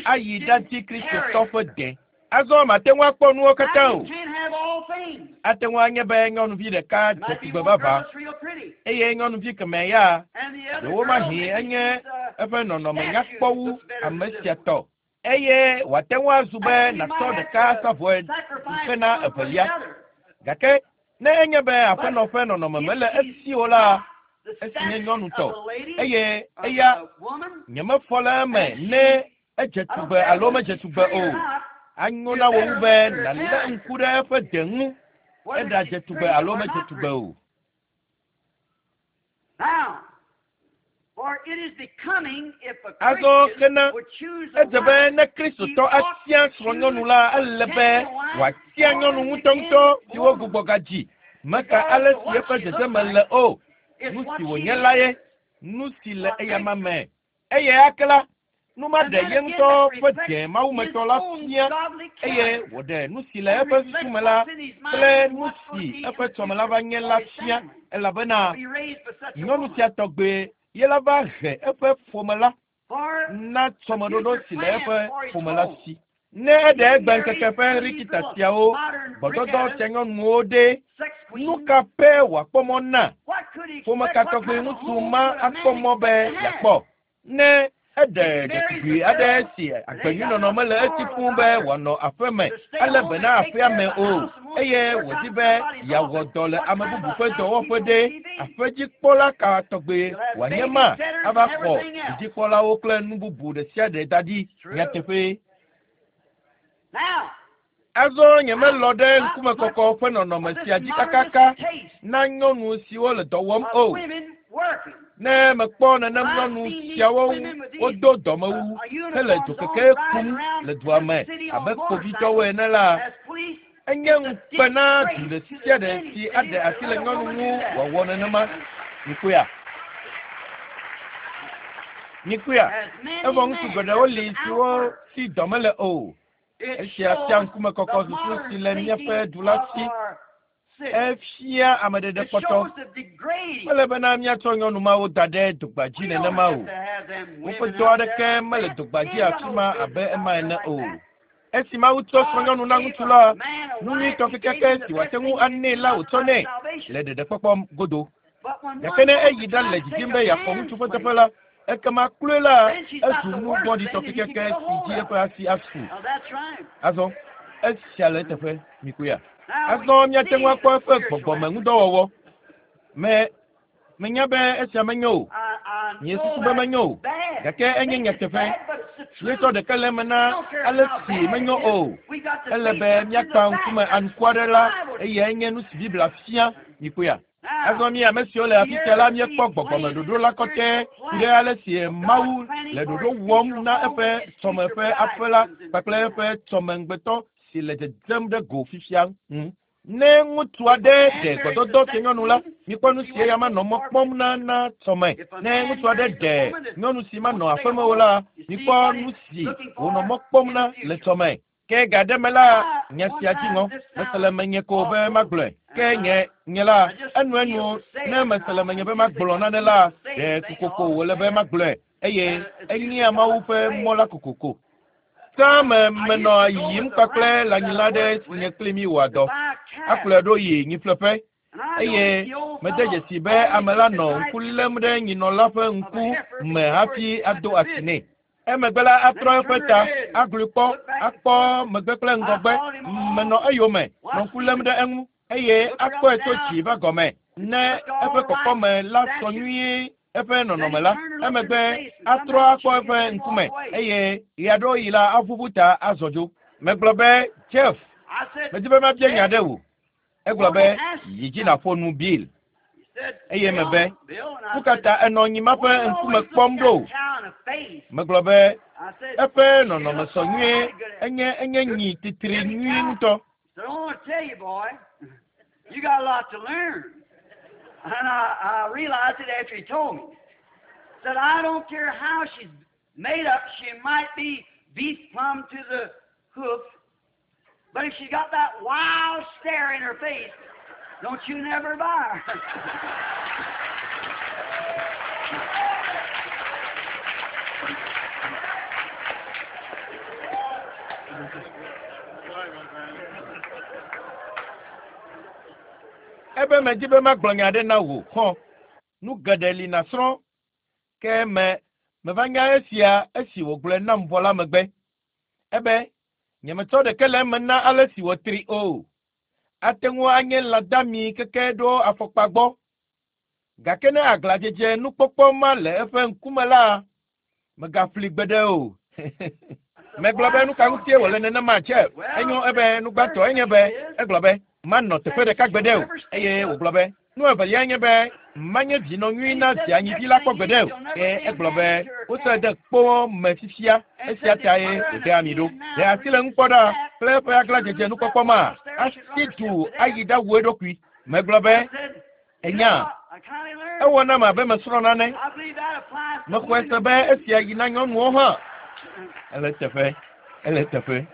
Ayi ɖadi Kristotɔ ƒe de. Azɔ mate ŋu akpɔ nuwo katã o. Ate ŋu anye be nyɔnuvi ɖeka dze tugbe vavã eye nyɔnuvi kemɛ ya ɖewomahi enye eƒe nɔnɔme nyakpɔ wu ame sia tɔ. Eye wòate ŋu azu be nàtsɔ ɖeka asa vɔe hena evelia. Gake ne enye be aƒenɔ ƒe nɔnɔme mele esi o la, esi nye nyɔnu tɔ, eye eya nyemefɔ le eme ne edze tugbe alo medze tugbe o. Anyo na wò wu be nàlé ŋku ɖe eƒe de ŋu, eɖadze tugbe alo medze tugbe o. Azɔ ke na edze be ne Kristotɔ atia srɔ̃nyɔnu la, ele be wòatia nyɔnu ŋutɔŋutɔ si wogbugbɔ gadzi, meka ale si eƒe dzedzeme le o, nu si wònye la ye, nu si le eyama me. Eye ake la, nu ma ɖe ye ŋutɔ ƒe dze mawumetɔ la fia, eye wòɖe nu si le eƒe susu me la kple nu si eƒe tsɔme la va nye la fia, elabena nyɔnu sia tɔgbe ye la va he eƒe ƒome la na tsɔmeɖoɖo si le eƒe ƒome la si. Ne eɖe egbe ŋkeke ƒe rikita siawo, gbɔdɔdɔ sia nyɔnuwo ɖe, nu ka pɛ wòakpɔ mɔ na? Ƒome ka tɔgbi ŋutsu ma akpɔ mɔ be yeakpɔ? Ne eɖe ɖetugbui aɖe si agbenyuinɔnɔ mele esi fũu be wòanɔ aƒe me alé be na aƒea me o, eye wòdi be yeawɔ dɔ le ame bubu ƒe dɔwɔƒe ɖe, aƒedzikpɔla ka tɔgbi wòanye ma ava xɔ vidzikpɔlawo kple nu bubu ɖe sia ɖe da ɖi? Nyateƒee. Azɔ nyemelɔ̃ ɖe ŋkumekɔkɔ ƒe nɔnɔme sia dzi kakaka na nyɔnu siwo le dɔ wɔm o. Ne mekpɔ nenem nyɔnu siawo wodo dɔmewu hele dzokeke kum le dua me abe kpovitɔwo ene la, enye ŋukpe na du ɖe sia ɖe si aɖe asi le nyɔnu ŋu wòawɔ nenema. Mikpɔea? Mikpɔea? Evɔ ŋutsu geɖewo li siwo si dɔ mele o. Esia fia ŋkumekɔkɔ susu si le míaƒe du la si. Efia ameɖeɖe kpɔtɔ. Mele bena míatsɔ nyɔnu mawo da ɖe dogba dzi nenema o. Woƒe dɔ aɖeke mele dogba dzi afi ma abe ema ene o. Esi Mawu tsɔ srɔ̃nyɔnu na ŋutsu la, nu nyuitɔ kekeake si wòate ŋu anɛ la wòtsɔ nɛ le ɖeɖekpɔkpɔ godo. Gake ne eyi ɖale didim be yeaxɔ ŋutsu ƒe teƒe la, ekema kloe la, ezu nu vɔ̃ɖitɔ kekeake si dzi eƒe asi asu. Azɔ, esia le eteƒe, mikpɔea? Azɔ míate ŋu akpɔ eƒe gbɔgbɔme ŋudɔwɔwɔ. Me, menya be esia menyo o. Miesusu be menyo o, gake enye nyateƒe. Míetsɔ ɖeke le eme na ale si menyo o. Ele be míakpa ŋkume anukware la, eyae nye nu si Biblia fia. Mikpɔea? Azɔ mi ame siwo le afi sia la míekpɔ gbɔgbɔme ɖoɖo la kɔtɛ ku ɖe ale si Mawu le ɖoɖo wɔm na eƒe tsɔme ƒe aƒe la kpakple eƒe tsɔmeŋugbetɔ si le dzedzem ɖe go fifia ŋu. Ne ŋutsu aɖe ɖe gbɔdɔdɔ fianyɔnu la, mikpɔ nu si eya manɔ mɔ kpɔm na na tsɔme. Ne ŋutsu aɖe ɖe nyɔnu si manɔ aƒeme o la, mikpɔ nu si wònɔ mɔ kpɔm na le tsɔme. Ke ga ɖe me la, nya sia dzi ŋɔ. Mese le menye ko be magblɔe. Ke nye, nye la, enuenu ne mese le menye be magblɔ nane la, ɖe kokoko wòle be magblɔe, eye enyea Mawu ƒe mɔ la kokoko. Tsã me menɔ yiyim kpakple lãnyila aɖe si nye kpli mi wɔa dɔ. Akplɔe ɖo yi nyiƒleƒe eye mede dzesi be ame la nɔ ŋku lém ɖe nyinɔ la ƒe ŋku me hafi ado asi nɛ. Emegbe la atrɔ eƒe ta, aglui kpɔ, akpɔ megbe kple ŋgɔgbe. Menɔ eyome, nɔ ŋku lém ɖe eŋu eye akpɔe tso dzi va gɔme ne eƒe kɔkɔme la sɔ nyuie eƒe nɔnɔme la. Emegbe atrɔ akpɔ eƒe ŋkume eye ɣeaɖewoɣi la aʋuʋu ta azɔ dzo. Megblɔ be, Jeff, medi be mabia nya aɖe wò. Egblɔ be, yi dzi nàƒo nu Bill. Eye mebe, nu ka ta enɔ nyi ma ƒe ŋkume kpɔm ɖo? Megblɔ be, eƒe nɔnɔme sɔ nyuie, enye enye nyi titri nyui ŋutɔ. You got a lot to learn. And I realized it after he told me. Said, I don't care how she's made up, she might be beef plumb to the hoof, but if she got that wild stare in her face, don't you never buy her. Ebe medi be magblɔ nya aɖe na wò, xɔ̃. Nu geɖe li nàsrɔ̃. Ke me, meva nya esia esi wògblɔe nam vɔ la megbe. Ebe nyemetsɔ ɖeke le eme na ale si wòtri o. Ate ŋu anye lãdami keke ɖo afɔkpa gbɔ. Gake ne aglãdzedze nukpɔkpɔ ma le eƒe ŋkume la, megaƒli gbeɖe o. Megblɔ be nu ka ŋutie wòle nenema Jeff? Enyo ebe nu gbãtɔ enye be egblɔ be manɔ teƒe ɖeka gbeɖe o eye wògblɔ be nu evelia nye be manye vinɔ nyui na via nyivi la kpɔ gbeɖe o. Ke egblɔ be wosɔe de kpo me fifia esia tae wòde ami ɖo. Ɖe asi le ŋu kpɔ ɖa kple eƒe aglãdzedze nukpɔkpɔ ma asi du ayi ɖawu eɖokui. Megblɔ be enya ewɔ nam abe mesrɔ̃ nane. Mexɔe se be esia yi na nyɔnuwo hã. Ele teƒe, ele teƒe.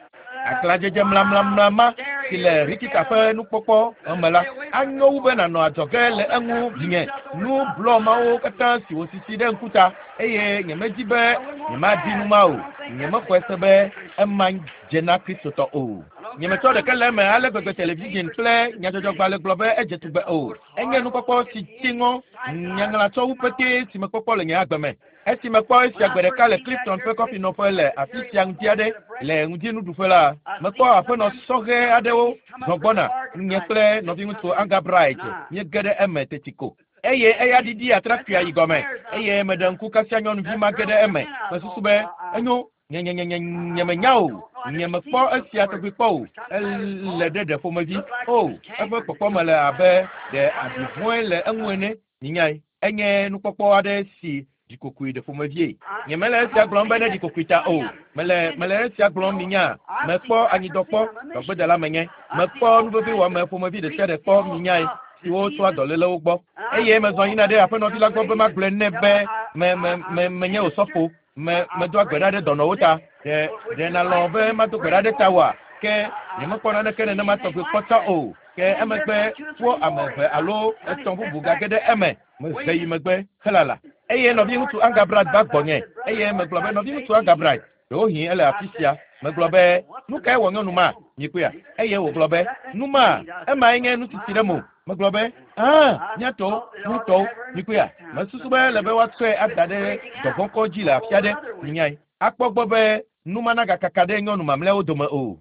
Aglãdzedze mlamlamla ma si le Rikita ƒe nukpɔkpɔ me la anyo wu be nànɔ adzɔge le eŋu vinye. Nu blɔ mawo katã si wòsisi ɖe ŋkuta eye nyemedi be nyemadi nu ma o. Nyemexɔe se be ema dze na Kristotɔ o. Nyemetsɔ ɖeke le eme ale gbegbe television kple nyadzɔdzɔgbalẽ gblɔ be edze tugbe o. Enye nukpɔkpɔ si dzi ŋɔ nyaŋlatsɔwu petee si mekpɔkpɔ le nye agbe me. Esi mekpɔ esia gbe ɖeka le Clifton ƒe kɔfinɔƒe le afi sia ŋdi aɖe le ŋdinuɖuƒe la, mekpɔ aƒenɔ sɔhɛ aɖewo zɔ gbɔna. Nye kple nɔviŋutsu Anga Bright míege ɖe eme teti ko. Eye eya ɖiɖi atrakpuia yi gɔme eye meɖe ŋku kasia nyɔnuvi ma ge ɖe eme. Mesusu be enyo nye nye nye nye nyemenya o. Nyemekpɔ esia tɔgbi kpɔ o. Ele ɖe ɖe ƒomevi. O, eƒe kpɔkpɔme le abe ɖe abi vɔ̃e le eŋu ene. Minyae, enye nukpɔkpɔ aɖe si ɖikokoe ɖe ƒomevie. Nyemele esia gblɔm be ne ɖikokoe ta o. Mele mele esia gblɔm minya. Mekpɔ anyidɔ kpɔ, dɔgbedela menye. Mekpɔ nuveviwɔame ƒomevi ɖe sia ɖe kpɔ minyae siwo tsoa dɔlélewo gbɔ. Eye mezɔ yina ɖe aƒenɔvi la gbɔ be magblɔe nɛ be me me me menye osɔfo. Me medoa gbe ɖa ɖe dɔnɔwo ta. Ɖe ɖe nalɔ̃ be mado gbe ɖa ɖe tawòa? Ke nyemekpɔ naneke nenema tɔgbi kpɔ tsã o. Ke emegbe wo ame eve alo etɔ̃ bubu gage ɖe eme. Mehe yi megbe helala. Eye nɔviŋutsu Anga Bright va gbɔnye eye megblɔ be nɔviŋutsu Anga Bright, ɖewohĩ ele afi sia. Megblɔ be nu kae wɔ nyɔnu ma? Mikpɔea? Eye wògblɔ be nu ma emae nye nutiti ɖe mo. Megblɔ be aa míatɔwo míatɔwo mikpɔea? Mesusu be ele be woatsɔe ada ɖe dɔvɔ̃kɔ dzi le afi aɖe. Minyae akpɔ gbɔ be nu ma nagakaka ɖe nyɔnu mamlɛawo dome o.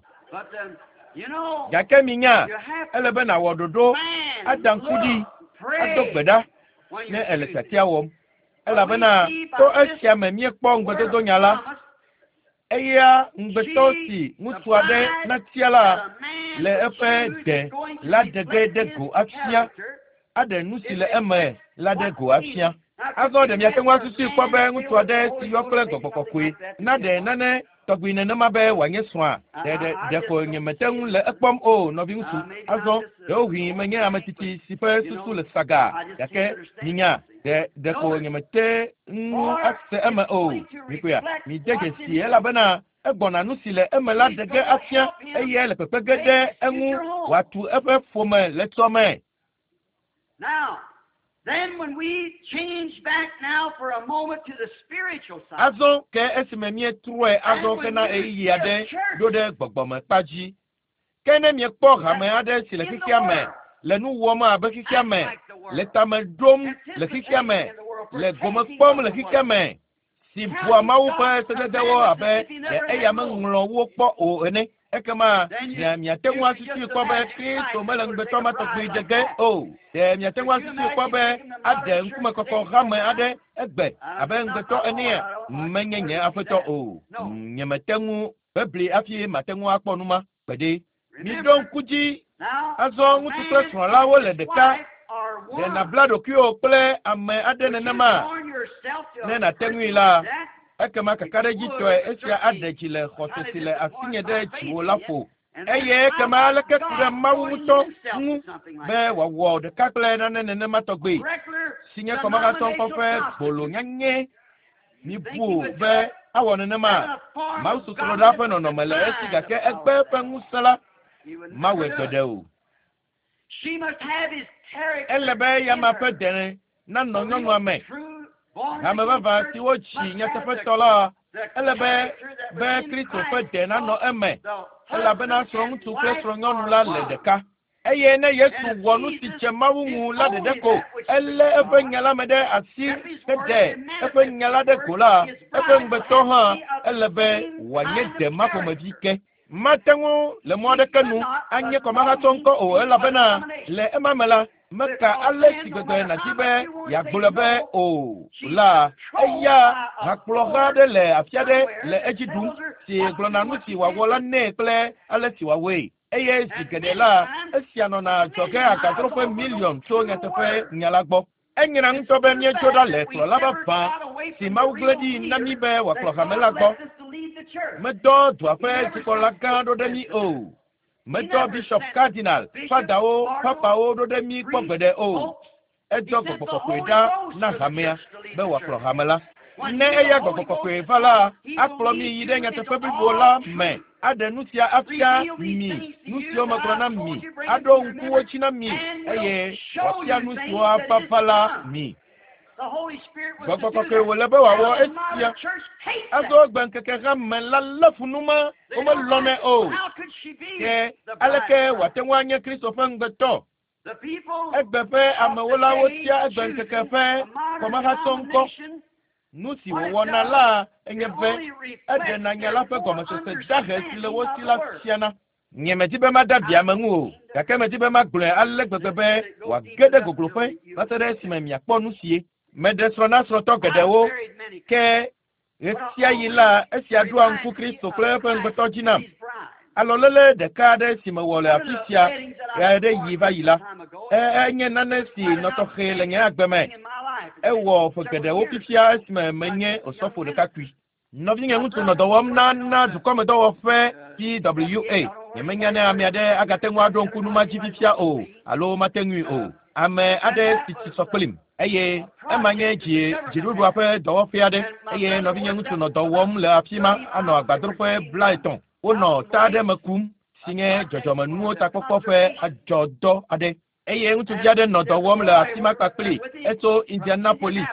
Gake minya ele be nàwɔ ɖoɖo ada ŋku ɖi ado gbe ɖa ne ele tiatia wɔm. Elabena to esia me míekpɔ ŋugbedodonya la. Eya ŋugbetɔ si ŋutsu aɖe natia la le eƒe de la ɖe ge ɖe go afia, aɖe nu si le eme la ɖe go afia. Azɔ ɖe miate ŋu asusui kpɔ be ŋutsu aɖe si yɔ kple gbɔgbɔ kɔkɔe naɖe nane tɔgbi nenema be wòanye srɔ̃a? Ɖe ɖe ɖeko nyemete ŋu le ekpɔm o, nɔviŋutsu. Azɔ ɖewohĩ menye ame tsitsi si ƒe susu le saga gake minya ɖe ɖeko nyemete ŋu ase eme o. Mikpɔea, mide dzesi elabena egbɔna nu si le eme la ɖe ge afia eye le kpekpe ge ɖe eŋu wòatu eƒe ƒome le tsɔme. Now, then when we change back now for a moment to the spiritual side. Azɔ ke esime míetrɔe azɔ hena ɣeyiɣi aɖe ɖo ɖe gbɔgbɔmekpa dzi. Ke ne miekpɔ hame aɖe si le xexea me le nu wɔm abe xexea me, le tame ɖom le xexea me, le gome kpɔm le xexea me, si bua Mawu ƒe sededewo abe ɖe eya meŋlɔ wo kpɔ o ene. Ekema mia miate ŋu asusui kpɔ be Kristo mele ŋugbetɔ ma tɔgbi dze ge o. Ɖe miate ŋu asusui kpɔ be aɖe ŋkumekɔkɔ hame aɖe egbe abe ŋugbetɔ enea? Menye nye aƒetɔ o. Nyemete ŋu bebli hafi mate ŋu akpɔ nu ma gbeɖe. Miɖo ŋku dzi azɔ ŋutsu kple srɔ̃ la wole ɖeka. Ɖe nàbla ɖokuiwò kple ame aɖe nenema? Ne nàte ŋui la, ekema kakaɖedzitɔe esia aɖe dzi le xɔse si le asinye ɖe dziwò la ƒo. Eye ekema aleke ku ɖe Mawu ŋutɔ ŋu be wòawɔ ɖeka kple nane nenema tɔgbi si nye kɔmahatsɔŋkɔ ƒe gbolo nyanyɛ. Mibu be awɔ nenema. Mawu sosroɖa ƒe nɔnɔme le esi gake egbe eƒe ŋusẽ la mawɔe gbeɖe o. Ele be eyama ƒe dene nanɔ nyɔnua me. Hame vavã si wotsi nyateƒetɔ la, ele be be Kristo ƒe de nanɔ eme elabena srɔ̃ŋutsu kple srɔ̃nyɔnu la le ɖeka. Eye ne Yesu wɔ nu si dze Mawu ŋu la ɖeɖe ko, elé eƒe nya la me ɖe asi heɖe eƒe nya la ɖe go la, eƒe ŋugbetɔ hã ele be wòanye dema ƒomevi ke. Mate ŋu le mɔ aɖeke nu anye kɔmahatsɔ ŋkɔ o elabena le ema me la, meka ale si gbegbe nàdi be yeagblɔe be o la, eya hakplɔha aɖe le afi aɖe le edzi ɖum si gblɔna nu si wòawɔ la nɛ kple ale si wòawɔe. Eye zi geɖe la, esia nɔna adzɔge agadroƒe miliɔn tso nyateƒe nya la gbɔ. Enyra ŋutɔ be míedzo ɖa le kplɔla vavã si Mawu gblẽ ɖi na mí be wòakplɔ hame la gbɔ. Medɔ dua ƒe dzikpɔla gã ɖo ɖe mí o. Medɔ bishop, cardinal, fadawo, papawo ɖo ɖe mí kpɔ gbeɖe o. Edɔ gbɔgbɔ kɔkɔe ɖa na hamea be wòakplɔ hame la. Ne eya gbɔgbɔ kɔkɔe va la, akplɔ mi yi ɖe nyateƒe blibo la me, aɖe nu sia afia mi, nu siwo megblɔ na mi, aɖo ŋku wo dzi na mi, eye wòafia nu siwo ava va la mi. Gbɔgbɔ kɔkɔe wòle be wòawɔ esia. Azɔ egbe ŋkeke hame la lé fu nu ma, womelɔnɛ o. Ke aleke wòate ŋu anye Kristo ƒe ŋugbetɔ? Egbe ƒe amewo la wotia egbe ŋkeke ƒe kɔmahatsɔ ŋkɔ. Nu si wòwɔna la enye be eɖena nya la ƒe gɔmesese dahe si le wo si la fiana. Nye medi be mada vi ame ŋu o, gake medi be magblɔe ale gbegbe be wòage ɖe gogloƒe va se ɖe esime miakpɔ nu sie. Meɖe srɔ̃ na srɔ̃tɔ geɖewo, ke ɣesiaɣi la esia ɖoa ŋku Kristo kple eƒe ŋugbetɔ dzi nam. Alɔléle ɖeka aɖe si mewɔ le afi sia ɣeaɖeɣi va yi la, enye nane si nɔ tɔxɛ le nye agbe me. Ewɔ ƒe geɖewo fifia esime menye osɔfo ɖekakpui. Nɔvinye ŋutsu nɔ dɔ wɔm na na dukɔmedɔwɔƒe PWA. Nyemenya ne ame aɖe agate ŋu aɖo ŋku nu ma dzi fifia o alo mate ŋui o. Ame aɖe si tsi sɔ kplim eye ema nye dzi dziɖuɖua ƒe dɔwɔƒe aɖe eye nɔvinye ŋutsu nɔ dɔ wɔm le afi ma anɔ agbadroƒe 30. Wonɔ ta aɖe me kum si nye dzɔdzɔmenuwo takpɔkpɔ ƒe adzɔdɔ aɖe. Eye ŋutsuvi aɖe nɔ dɔ wɔm le afi ma kpakpli etso Indianapolis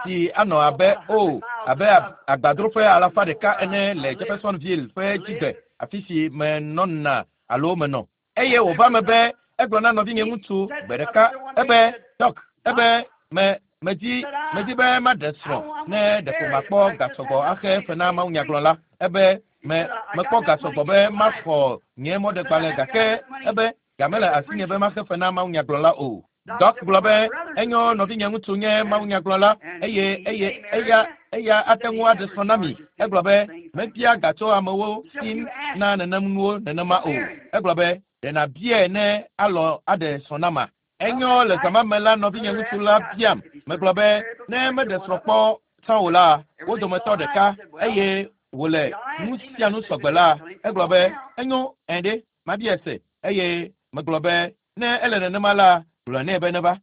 si anɔ abe o abe agbadroƒe 100 ene le Jeffersonville ƒe dzigbe afi si menɔna alo menɔ. Eye wòva me be egblɔ na nɔvinye ŋutsu gbe ɖeka ebe Doc, ebe me medi medi be maɖe srɔ̃ ne ɖeko makpɔ gasɔgbɔ axe fe na mawunyagblɔla. Ebe me mekpɔ gasɔgbɔ be maxɔ nye mɔɖegbalẽ gake ebe game le asinye be maxe fe na mawunyagblɔla o. Doc gblɔ be enyo nɔvinye ŋutsu nye mawunyagblɔla eye eye eya eya ate ŋu aɖe srɔ̃ na mi. Egblɔ be mebia ga tso amewo si na nenem nuwo nenema o. Egblɔ be ɖe nàbiae ne alɔ aɖe srɔ̃ na ma. Enyo le zã me la nɔvinye ŋutsu la biam. Megblɔ be ne meɖe srɔ̃ kpɔ tsã o la, wo dometɔ ɖeka eye wòle nu sia nu sɔgbe la, egblɔ be enyo ɛ̃ ɖe mabia se eye megblɔ be ne ele nenema la, gblɔ nɛ be neva.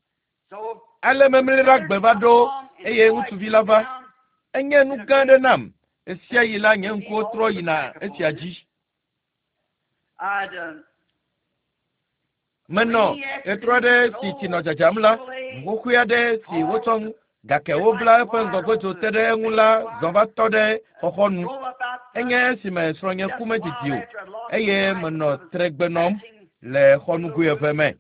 Ale memli ɖa gbe va ɖo eye ŋutsuvi la va. Enye nu gã aɖe nam. Ɣesiaɣi la nye ŋkuwo trɔ yina esia dzi. Menɔ ɣetrɔ aɖe si tsi nɔ dzadzam la, ʋu xoxoe aɖe si wotsɔ gake wobla eƒe ŋgɔgbedzo te ɖe eŋu la zɔ va tɔ ɖe xɔxɔnu. Enye esime srɔ̃nye ku medidi o eye menɔ tregbe nɔm le xɔnugoe eve me.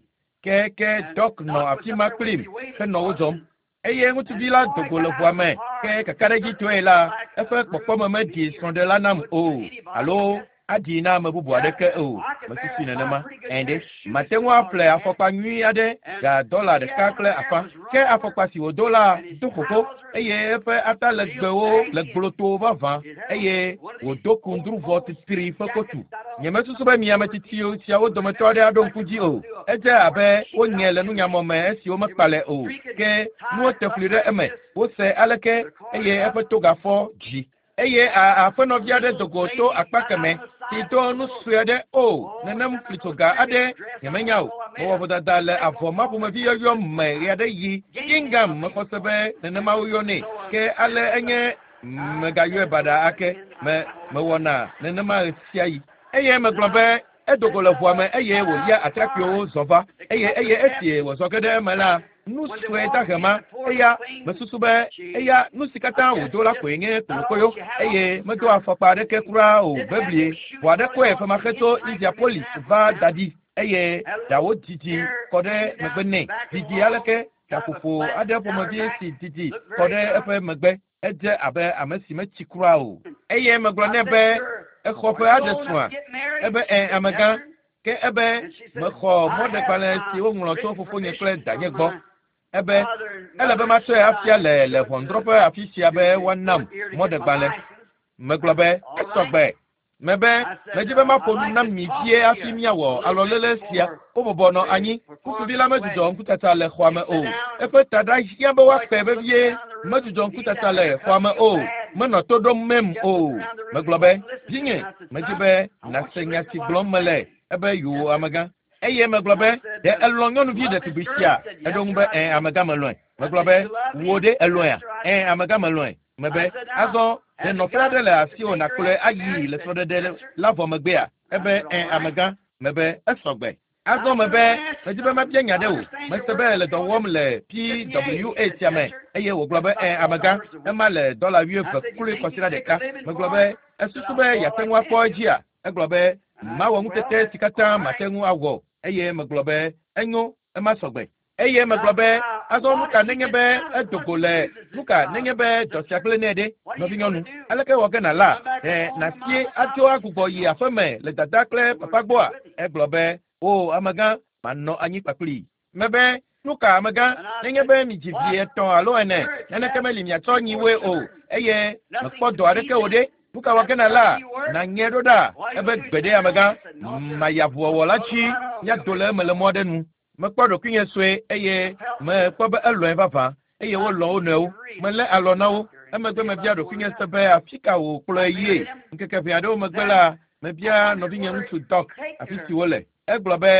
Ke ke Doc nɔ afi ma kplim henɔ wo zɔm. Eye ŋutsuvi la do go le ʋua me ke kakaɖedzitɔe la eƒe kpɔkpɔme meɖi srɔ̃ɖela nam o alo aɖi na ame bubu aɖeke o. Mesusui nenema. Ɛ̃ ɖe, mate ŋu aƒle afɔkpa nyui aɖe ga $1.50. Ke afɔkpa si wòdo la do xoxo eye eƒe atalegbewo le gblotoo vavã eye wòdo kundruvɔ titri ƒe kotu. Nyemesusu be mi ame tsitsi siawo dometɔ aɖe aɖo ŋku dzi o. Edze abe wonye le nunyamɔ me esi womekpalɛ o. Ke nuwo te fli ɖe eme. Wose aleke eye eƒe togafɔ dzi. Eye aƒenɔvi aɖe do go to akpa keme si do nu sue aɖe o nenem flitsoga aɖe nyemenya o. Mewɔ vodada le avɔ ma ƒomevi yɔyɔ me ɣeaɖeɣi. Gingham mexɔ se be nenema woyɔnɛ. Ke ale enye megayɔe baɖa ake. Me mewɔna nenema ɣesiaɣi. Eye megblɔ be edo go le ʋua me eye wòlia atrakpuiwo zɔ va. Eye eye esi wòzɔ ge ɖe eme la, nu sue dahe ma eya mesusu be eya nu si katã wòdo la koe nye kolokoyo eye medo afɔkpa aɖeke kura o beblie. Ʋu aɖe kɔe femaxe tso Indianapolis va da ɖi. eye ɖawo didi kɔ ɖe megbe nɛ. Didi aleke gaƒoƒo aɖe ƒomevi si didi kɔ ɖe eƒe megbe. Edze abe ame si metsi kura o. Eye megblɔ nɛ be exɔ ƒe aɖe srɔ̃a. Ebe ẽ amegã. Ke ebe mexɔ mɔɖegbalẽ si woŋlɔ tso fofonye kple danye gbɔ. Ebe ele be matsɔe afia le le ʋɔnudrɔ̃ƒe afi sia be woanam mɔɖegbalẽ. Megblɔ be esɔgbe. Mebe medzi be maƒo nu na mi vie hafi míawɔ alɔlele sia. Wobɔbɔ nɔ anyi. Ŋutsuvi la medzudzɔ ŋkutata le xɔa me o. Eƒe taɖa hiã be woakpe vevie. Medzudzɔ ŋkutata le xɔa me o. Menɔ to ɖom mem o. Megblɔ be, vinye, medzi be nàse nya si gblɔm mele. Ebe yoo amegã. Eye megblɔ be, ɖe elɔ̃ nyɔnuvi ɖetugbi sia? Eɖo ŋu be, ẽ amegã melɔ̃e. Megblɔ be, wò ɖe elɔ̃ea? Ẽ amegã melɔ̃e. Mebe, azɔ ɖe nɔƒe aɖe le asiwò nàkplɔe ayi le srɔ̃ɖeɖe la vɔ megbea? Ebe, ẽ amegã. Mebe, esɔgbe. Azɔ mebe, medzi be mabia nya ɖe wò. Mese be le dɔ wɔm le PWA sia me eye wògblɔ be ẽ amegã, ema le dɔla wuieve kloe kɔsiɖa ɖeka. Megblɔ be, esusu be yeate ŋu akpɔ edzia? Egblɔ be, mawɔ ŋutete si katã mate ŋu awɔ. Eye megblɔ be, enyo, ema sɔgbe. Eye megblɔ be, azɔ nu ka nenye be edo go le nu ka nenye be dɔ sia gblẽ nɛ ɖe, nɔvinyɔnu? Aleke wɔ ge nàla? Ɖe nàsie adzo agbugbɔ yi aƒeme le dada kple papa gbɔa? Egblɔ be, o amegã, manɔ anyi kpakplii. Mebe, nu ka amegã, nenye be midzi vi etɔ̃ alo ene, naneke meli miatsɔ nyiwoe o, eye mekpɔ dɔ aɖeke o ɖe, nu ka wɔ ge nàla? Nàŋe ɖo ɖa. Ebe gbe ɖe amegã, mayi avuwɔwɔ la dzi, míado le eme le mɔ aɖe nu. Mekpɔ ɖokuinye sue eye mekpɔ be elɔ̃e vavã eye wolɔ̃ wo nɔewo. Melé alɔ na wo. Emegbe mebia ɖokuinye se be afi ka wòkplɔe yie. Ŋkeke ʋɛ aɖewo megbe la, mebia nɔvinye ŋutsu Doc afi si wole. Egblɔ be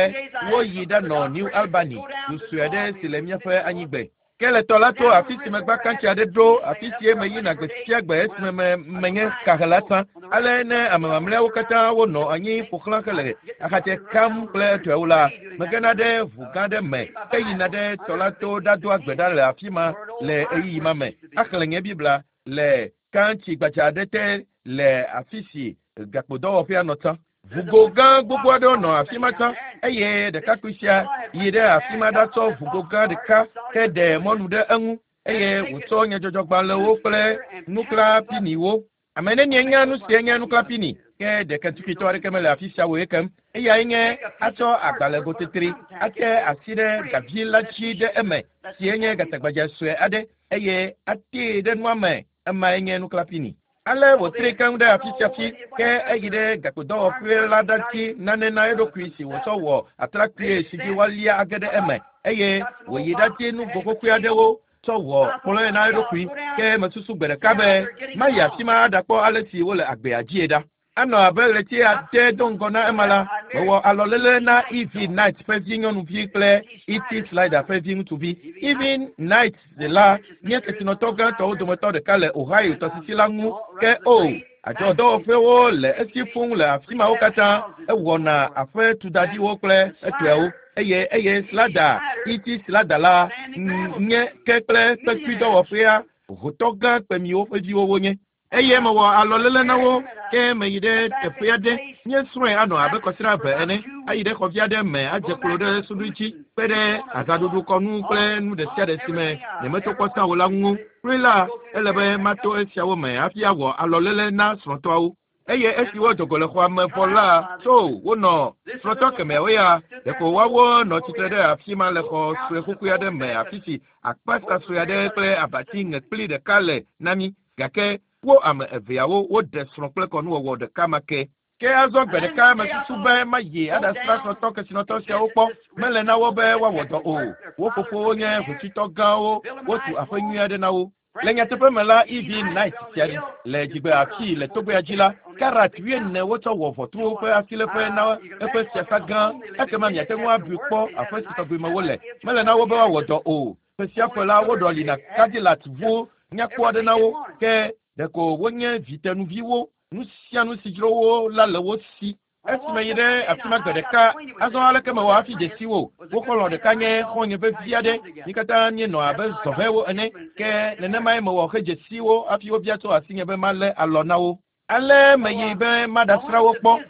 woyi ɖanɔ New Albany, du sue aɖe si le míaƒe anyigbe. Ke le tɔ la to afi si megba kantsi aɖe ɖo, afi sie meyina gbe sia gbe esime me menye kahela tsã. Ale ne ame mamlɛawo katã wonɔ anyi ƒo xlã hele axatsɛ kam kple etɔewo la, megena ɖe ʋu gã ɖe me heyina ɖe tɔ la to ɖadoa gbe ɖa le afi ma le ɣeyiɣi ma me. Axlẽ nye Biblia le kantsi gbadza aɖe te le afi si gakpodɔwɔƒea nɔ tsã. Ʋugo gã gbogbo aɖewo nɔ afi ma tsã eye ɖekakpui sia yi ɖe afi ma ɖatsɔ ʋugo gã ɖeka heɖe mɔnu ɖe eŋu eye wòtsɔ nyadzɔdzɔgbalẽwo kple nuklãpiniwo. Ame nenie nya nu sie nye nuklãpini? Ke ɖeke tukitɔ aɖeke mele afi sia wòye kem. Eyae nye atsɔ agbalẽgotetri ate asi ɖe gavi la dzi ɖe eme sie nye gatagbadze sue aɖe eye atee ɖe nua me. Emae nye nuklãpini. Ale wòtri keŋ ɖe afi sia fi ke eyi ɖe gakpodɔwɔƒe la ɖati nane na eɖokui si wòtsɔ wɔ atrakpui si dzi woalia age ɖe eme eye wòyi ɖati nugo xoxoe aɖewo tsɔ wɔ kplɔ̃e na eɖokui. Ke mesusu gbe ɖeka be mayi afi ma aɖakpɔ ale si wole agbea dzie ɖa. Anɔ abe ɣleti ade do ŋgɔ na ema la, mewɔ alɔlele na E.V. Knight ƒe vi nyɔnuvi kple E.T. Slider ƒe vi ŋutsuvi. E.V. Knight la nye kesinɔtɔ gãtɔwo dometɔ ɖeka le Ohio tɔsisi la ŋu. Ke o, adzɔdɔwɔƒewo le esi fũu le afi mawo katã. Ewɔna aƒe tudadiwo kple etɔewo eye eye Slider, E.T. Slider la nye ke kple kpekuidɔwɔƒea hotɔ gã kpemiwo ƒe viwo wonye. Eye mewɔ alɔlele na wo ke meyi ɖe teƒe aɖe. Míesrɔ̃e anɔ abe kɔsiɖa eve ene. Ayi ɖe xɔvi aɖe me adze klo ɖe suɖui dzi kpe ɖe azãɖuɖu kɔnu kple nu ɖe sia ɖe si me nyemeto kpɔ tsã o la ŋu. Kloe la, ele be mato esiawo me hafi awɔ alɔlele na srɔ̃tɔawo. Eye esi wodo go le xɔa me vɔ la, tso wonɔ srɔ̃tɔ kemɛawo ya ɖeko woawo nɔ tsitre ɖe afi ma le xɔ sue xoxoe aɖe me afi si akpasa sue aɖe kple abati ŋekpli ɖeka le na mí. Gake wo ame eveawo woɖe srɔ̃ kple kɔnuwɔwɔ ɖeka ma ke. Ke azɔ gbe ɖeka mesusu be mayi aɖasrã srɔ̃tɔ kesinɔtɔ siawo kpɔ. Mele na wo be woawɔ dɔ o. Wo fofowo nye hotsuitɔ gãwo, wotu aƒe nyui aɖe na wo. Le nyateƒe me la, E.V. Knight sia le dzigbe afii le togbea dzi la, karat wuiene wotsɔ wɔ ʋɔtruwo ƒe asiléƒe na eƒe fiasa gã. Ekema miate ŋu abui kpɔ aƒe si tɔgbi me wole. Mele na wo be woawɔ dɔ o. Ƒe sia ƒe la, woɖɔlina Cadillac ʋu nyakpɔ aɖe na wo. Ke ɖeko wonye vitenuviwo. Nu sia nu si dzro wo la le wo si. Esi meyi ɖe afi ma gbe ɖeka, azɔ aleke mewɔ hafi dze si wo? Wo xɔlɔ̃ ɖeka nye xɔ̃nye vevi aɖe. Mí katã míenɔ abe zɔhɛwo ene. Ke nenemae mewɔ hedze si wo hafi wobia tso asinye be malé alɔ na wo. Ale meyi be maɖasrã wo kpɔ.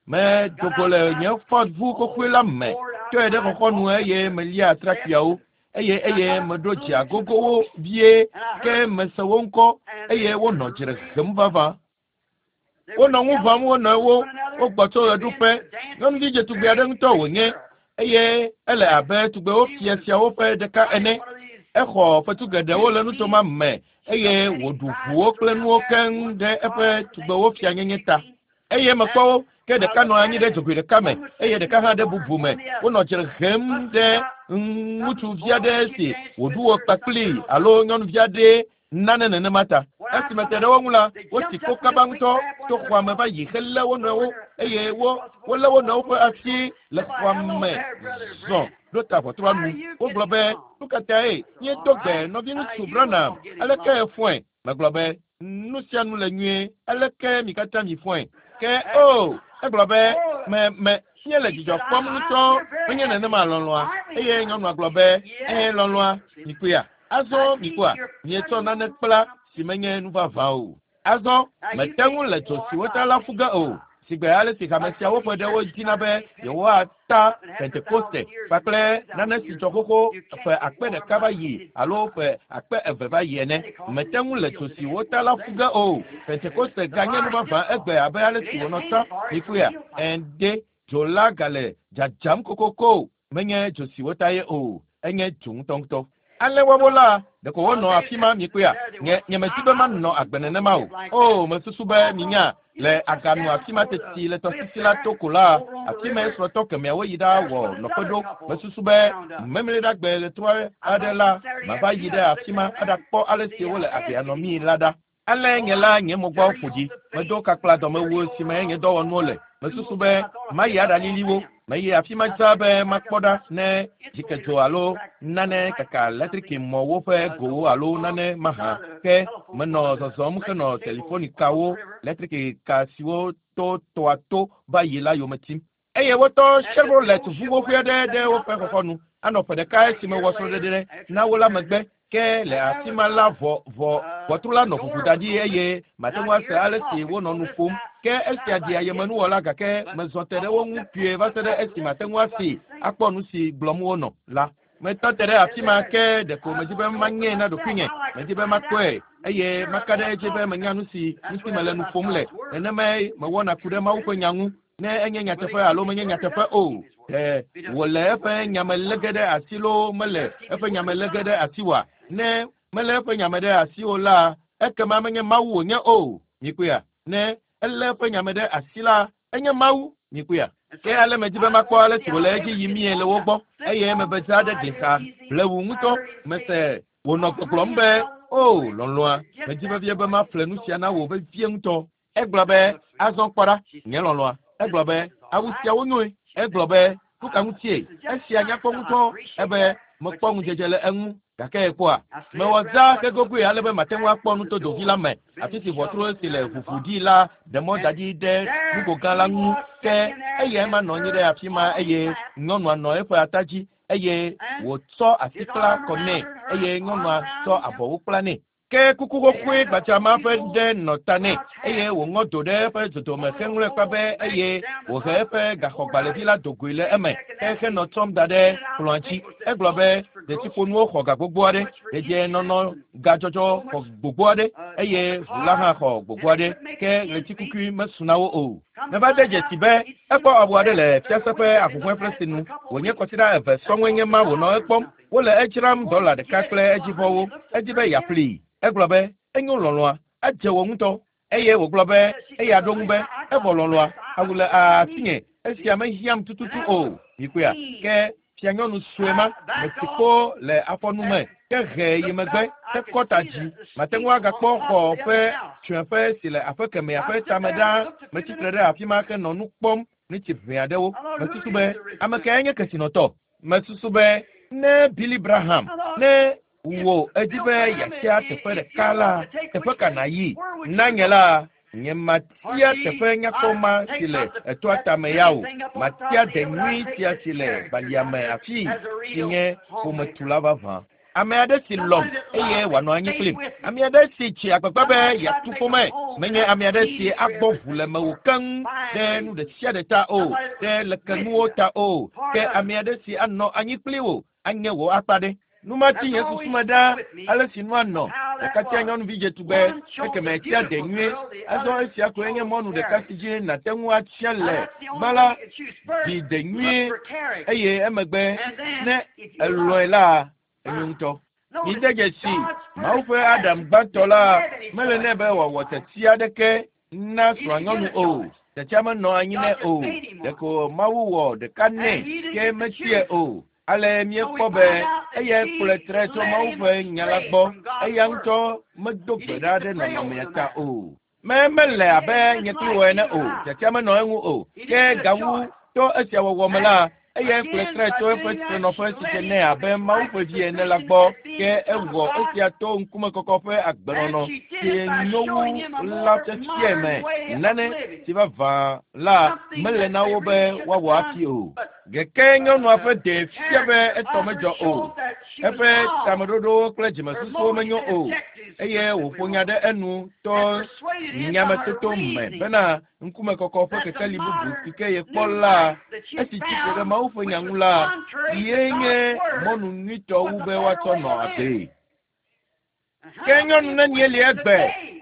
Medo go le nye Ford ʋu xoxoe la me, tɔe ɖe xɔxɔnu eye melia atrakpuiawo eye meɖo dze agogowo vie ke mese wo ŋkɔ eye wonɔ dzre hem vavã. Wonɔ ŋu ʋãm wo nɔewo, wogbɔ tso ɣeɖuƒe. Nyɔnuvi dzetugbe aɖe ŋutɔ wònye eye ele abe tugbewo fia siawo ƒe ɖeka ene. Exɔ fetu geɖewo le nutoma me eye wòɖu ʋuwo kple nuwo keŋ ɖe eƒe tugbewo fianyenye ta. Eye mekpɔ wo ke ɖeka nɔ anyi ɖe dzogoe ɖeka me eye ɖeka hã ɖe bubu me. Wonɔ dzre hem ɖe ŋutsuvi aɖe si wòɖu wɔ kpakpli alo nyɔnuvi aɖe nane nenema ta. Esime te ɖe wo ŋu la, wosi ko kaba ŋutɔ to xɔa me va yi helé wo nɔewo eye wolé wo nɔewo ƒe asi le xɔa me zɔ ɖo ta ʋɔtrua nu. Wogblɔ be, nu ka tae míedo gbe nɔviŋutsu Branham, aleke efɔe? Megblɔ be, nu sia nu le nyuie, aleke mi katã mi fɔe? Ke o, egblɔ be, me míele dzidzɔ kpɔm ŋutɔ, menye nenema lɔlɔ̃a. Eye nyɔnua gblɔ be, lɔlɔ̃a, mikpɔea? Azɔ mikpɔa, mietsɔ nane kpla si menye nu vavã o. Azɔ mete ŋu le dzo si wota la ƒu ge o. Sigbe ale si hame siawo ƒe ɖewo dzina be yewoata Pentekoste kpakple nane si dzɔ xoxo ƒe akpe ɖeka va yi alo ƒe akpe eve va yi ene. Mete ŋu le dzo si wota la ƒu ge o. Pentekoste ganye nu vavã egbe abe ale si wònɔ tsã. Mikpɔea? Ende dzo la gale dzadzam kokoko. Menye dzo si wota ye o, enye dzo ŋutɔŋutɔ. Ale woawo la, ɖeko wonɔ afi ma mikpɔea? Nye medi be manɔ agbe nenema o. O, mesusu be minya le aganu afi ma teti le tɔsisi la to ko la, afi ma srɔ̃tɔ kemɛawo yi ɖawɔ nɔƒe ɖo. Mesusu be memleɖagbe ɣetrɔ aɖe la, mava yi ɖe afi ma aɖakpɔ ale si wole agbea nɔmii la ɖa. Ale nye la nye mo gbɔ ƒo dzi. Medo kakpla dɔmewu si me nye dɔwɔnuwo le. Mesusu be mayi aɖalili wo. Meyi afi ma dzaa be makpɔ ɖa ne dzikedzo alo nane kaka eletrikimɔwo ƒe gowo alo nane mahã. Ke menɔ zɔzɔm henɔ telefonikawo, eletrikika siwo to tɔa to va yi la yome tim. Eye wotɔ Chevrolet ʋu xoxoe aɖe ɖe woƒe xɔxɔnu. Anɔ ƒe ɖeka esime wɔ srɔ̃ɖeɖe na wo la megbe. Ke le afi ma la ʋɔtru la nɔ ʋuʋu da ɖi eye mate ŋu ase ale si wonɔ nu ƒom. Ke esia ɖi ayemenuwɔla gake mezɔ te ɖe wo ŋu kpuie va se ɖe esi mate ŋu asi akpɔ nu si gblɔm wonɔ la. Metɔ te ɖe afi ma ke ɖeko medi be manyee na ɖokuinye. Medi be makpɔe eye maka ɖe edzi be menya nu si mele nu ƒom le. Nenemae mewɔna ku ɖe Mawu ƒe nya ŋu. Ne enye nyateƒe alo menye nyateƒe o, ɖe wòle eƒe nyame lé ge ɖe asi loo mele eƒe nyame lé ge ɖe asi oa? Ne mele eƒe nyame ɖe asi o la, ekema menye Mawu wònye o. Mikpɔea? Ne elé eƒe nyame ɖe asi la, enye Mawu. Mikpɔea? Ke ale medi be makpɔ ale si wòle edzi yimie le wo gbɔ eye mebe dzra ɖe gli xa blewu ŋutɔ. Mese wònɔ gbɔgblɔm be, o lɔlɔ̃a, medi vevie be maƒle nu sia na wò vevie ŋutɔ. Egblɔ be, azɔ kpɔ ɖa, nye lɔlɔ̃a. Egblɔ be, awu siawo nyoe. Egblɔ be, nu ka ŋutie? Esia nyakpɔ ŋutɔ. Ebe, mekpɔ ŋudzedze le eŋu. Gake ekpɔa, mewɔ zã hegogoe ale be mate ŋu akpɔ nutodovi la me, afi si ʋɔtru si le ʋuʋu ɖi la ɖe mɔ da ɖi ɖe nugo gã la ŋu. Ke eyae ma nɔ anyi ɖe afi ma eye nyɔnua nɔ eƒe ata dzi eye wòtsɔ asi kpla kɔ nɛ eye nyɔnua tsɔ abɔwo kpla nɛ. Ke kuku xoxoe gbadza ma ƒe ɖe nɔ ta nɛ eye wòŋɔ do ɖe eƒe dodome heŋlɔe kpa be eye wòhe eƒe gaxɔgbalẽvi la do goe le eme ke henɔ tsɔm da ɖe kplɔ̃a dzi. Egblɔ be detsiƒonuwo xɔ ga gbogbo aɖe, dedienɔnɔ gadzɔdzɔ xɔ gbogbo aɖe eye ʋu la hã xɔ gbogbo aɖe ke ɣletikukui mesu na wo o. Meva de dzesi be ekpɔ awu aɖe le fiase ƒe ahuhɔ̃eƒlesi nu wònye kɔsiɖa eve sɔŋue nye ma wònɔ ekpɔm. Wole edzram $1 kple edzivɔwo. Edi be yeaƒlee. Egblɔ be, enyo lɔlɔ̃a, edze wò ŋutɔ. Eye wògblɔ be, eya ɖo ŋu be, evɔ lɔlɔ̃a, awu le asinye, esia mehiãm tututu o. Mikpɔea? Ke fianyɔnu sue ma, mesi kpo le afɔnu me, ke he yi megbe, ke kɔ ta dzi. Mate ŋu agakpɔ xɔ ƒe tsyɔ̃eƒe si le aƒe kemɛa ƒe tame ɖaa. Metsitre ɖe afi ma henɔ nu kpɔm nutsi ʋɛ aɖewo. Mesusu be, ame kae nye kesinɔtɔ? Mesusu be, ne Billy Graham, ne wò edi be yeatia teƒe ɖeka la, teƒe ka nàyi? Na nye la, nye matia teƒe nyakpɔ ma si le etoa tame ya o. Matia de nyui sia si le balia me afii si nye ƒometula vavã. Ame aɖe si lɔ̃m eye wòanɔ anyi kplim. Ame aɖe si tsi agbagba be yeatu ƒome. Menye ame aɖe si agbɔ ʋu le mewò keŋ ɖe nu ɖe sia ɖe ta o, ɖe lekenuwo ta o, ke ame aɖe si anɔ anyi kpli wò anye wò akpa ɖe. Nu ma tsi nye susu me ɖaa ale si nua nɔ. Ɖeka tia nyɔnuvi dzetugbe, ekeme tia de nyuie. Azɔ esia koe nye mɔnu ɖeka si dzi nàte ŋu atsia le. Gbã la, dzi de nyuie eye emegbe ne elɔ̃e la, enyo ŋutɔ. Mide dzesi, Mawu ƒe Adam gbãtɔ la mele nɛ be wòawɔ tiatia aɖeke na srɔ̃anyɔnu o. Tiatia menɔ anyi nɛ o. Ɖeko Mawu wɔ ɖeka nɛ ke metiae o. Ale míekpɔ be eyae kplɔe tre tso Mawu ƒe nya la gbɔ. Eya ŋutɔ medo gbe ɖa ɖe nɔnɔmea ta o. Me mele abe nye kpli wò ene o. Tiatia menɔ eŋu o. Ke gawu to esia wɔwɔ me la, eyae kplɔe tre tso eƒe trenɔƒe si dze nɛ abe Mawu ƒe vi ene la gbɔ. Ke ewɔ esia to ŋkumekɔkɔ ƒe agbenɔnɔ si nyo wu la fiafiae me. Nane si vavã la mele na wo be woawɔ hafi o. Gake nyɔnua ƒe ɖee fia be etɔ medzɔ o. Eƒe tameɖoɖowo kple dzimesusuwo menyo o eye wòƒo nya ɖe enu to nyametoto me bena ŋkumekɔkɔ ƒe kekeli bubu si ke yekpɔ la, esi tsi tre ɖe Mawu ƒe nya ŋu la, ye nye mɔnu nyuitɔ wu be woatsɔ nɔ agbee. Ke nyɔnu nenie li egbe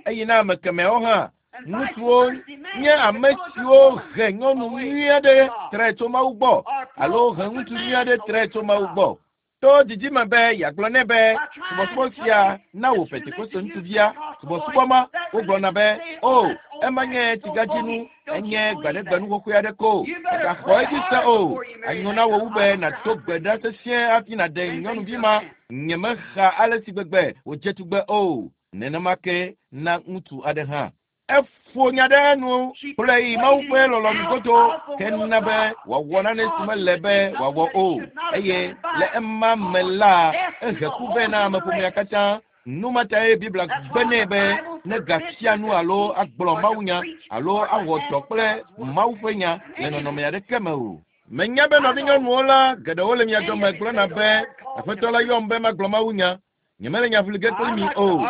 eye na ame kemɛwo hã, ŋutsuwo nye ame siwo he nyɔnu nyui aɖe tre tso Mawu gbɔ alo he ŋutsu nyui aɖe tre tso Mawu gbɔ. To didi me be yeagblɔ nɛ be subɔsubɔ sia na wò Pentekoste ŋutsuvia subɔsubɔ ma, wogblɔna be, o, ema nye tsigadzinu, enye gbaɖegbenu xoxoe aɖe ko. Mègaxɔ edzi se o. Anyo na wò wu be nàdo gbe ɖa sesĩe hafi nàɖe nyɔnuvi ma. Nyemexa ale si gbegbe wòdze tugbe o. Nenema ke na ŋutsu aɖe hã. Eƒo nya ɖe enu kplɔe yi Mawu ƒe lɔlɔ̃nu godo ke na be wòawɔ nane si mele be wòawɔ o. Eye le ema me la, ehe ku vɛ na ameƒomea katã. Nu ma tae Biblia gbe nɛ be negafia nu alo agblɔ mawunya alo awɔ dɔ kple Mawu ƒe nya le nɔnɔme aɖeke me o. Menya be nɔvinyɔnuwo la geɖewo le mia dome gblɔna be Aƒetɔ la yɔm be magblɔ mawunya. Nyemele nya ʋli ge kpli mi o,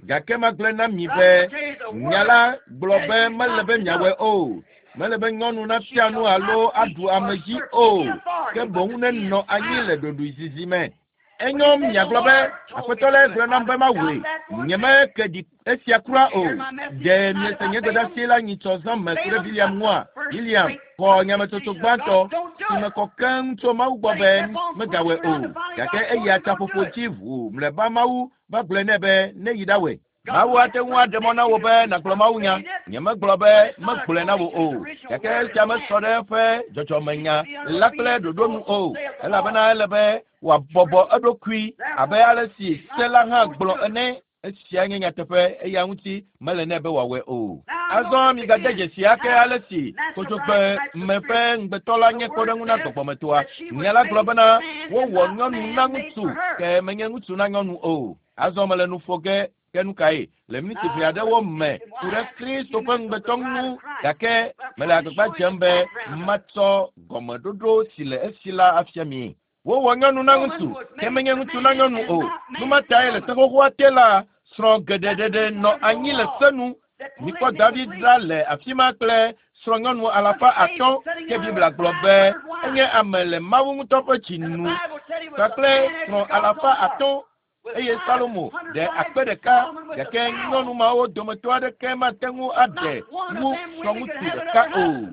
gake magblɔe na mi be nya la gblɔ be mele be miawɔe o. Mele be nyɔnu nafia nu alo aɖu ame dzi o, ke boŋ nenɔ anyi le ɖoɖoezizi me. Enyo miagblɔ be Aƒetɔ la gblɔ nam be mawɔe. Nyemeke ɖi esia kura o. Ɖe miese nye gbedeasi la nyitsɔ zã me ku ɖe Biliam ŋua? Biliam xɔ nyametsotso gbãtɔ si me kɔ keŋ tso Mawu gbɔ be megawɔe o. Gake eya tsaƒoƒo dzi ʋuu mlɔeba Mawu va gblɔe nɛ be neyi ɖawɔe. Mawu ate ŋu aɖe mɔ na wò be nàgblɔ mawunya. Nyemegblɔ be megblɔe na wò o, gake esia mesɔ ɖe eƒe dzɔdzɔmenya la kple ɖoɖo nu o, elabena ele be wòabɔbɔ eɖokui abe ale si se la hã gblɔ ene. Esia nye nyateƒe, eya ŋuti mele nɛ be wòawɔe o. Azɔ migade dzesi ake ale si kodzogbe me ƒe ŋugbetɔ la nye kpɔɖeŋu na gbɔgbɔmetoa. Nya la gblɔ bena wowɔ nyɔnu na ŋutsu, ke menye ŋutsu na nyɔnu o. Azɔ mele nu ƒo ge ke nu kae le miniti ʋɛ aɖewo me ku ɖe Kristo ƒe ŋugbetɔ ŋu, gake mele agbagba dzem be matsɔ gɔmeɖoɖo si le esi la afia mi. Wowɔ nyɔnu na ŋutsu, ke menye ŋutsu na nyɔnu o. Nu ma tae le se xoxoa te la, srɔ̃ geɖe ɖeɖe nɔ anyi le se nu. Mikpɔ David ɖa le afi ma kple srɔ̃nyɔnu 500, ke Biblia gblɔ be enye ame le Mawu ŋutɔ ƒe dzi nu kpakple srɔ̃ 500 eye Salomo ɖe 1000, gake nyɔnu mawo dometɔ aɖeke mate ŋu aɖe wu srɔ̃ŋutsu ɖeka o.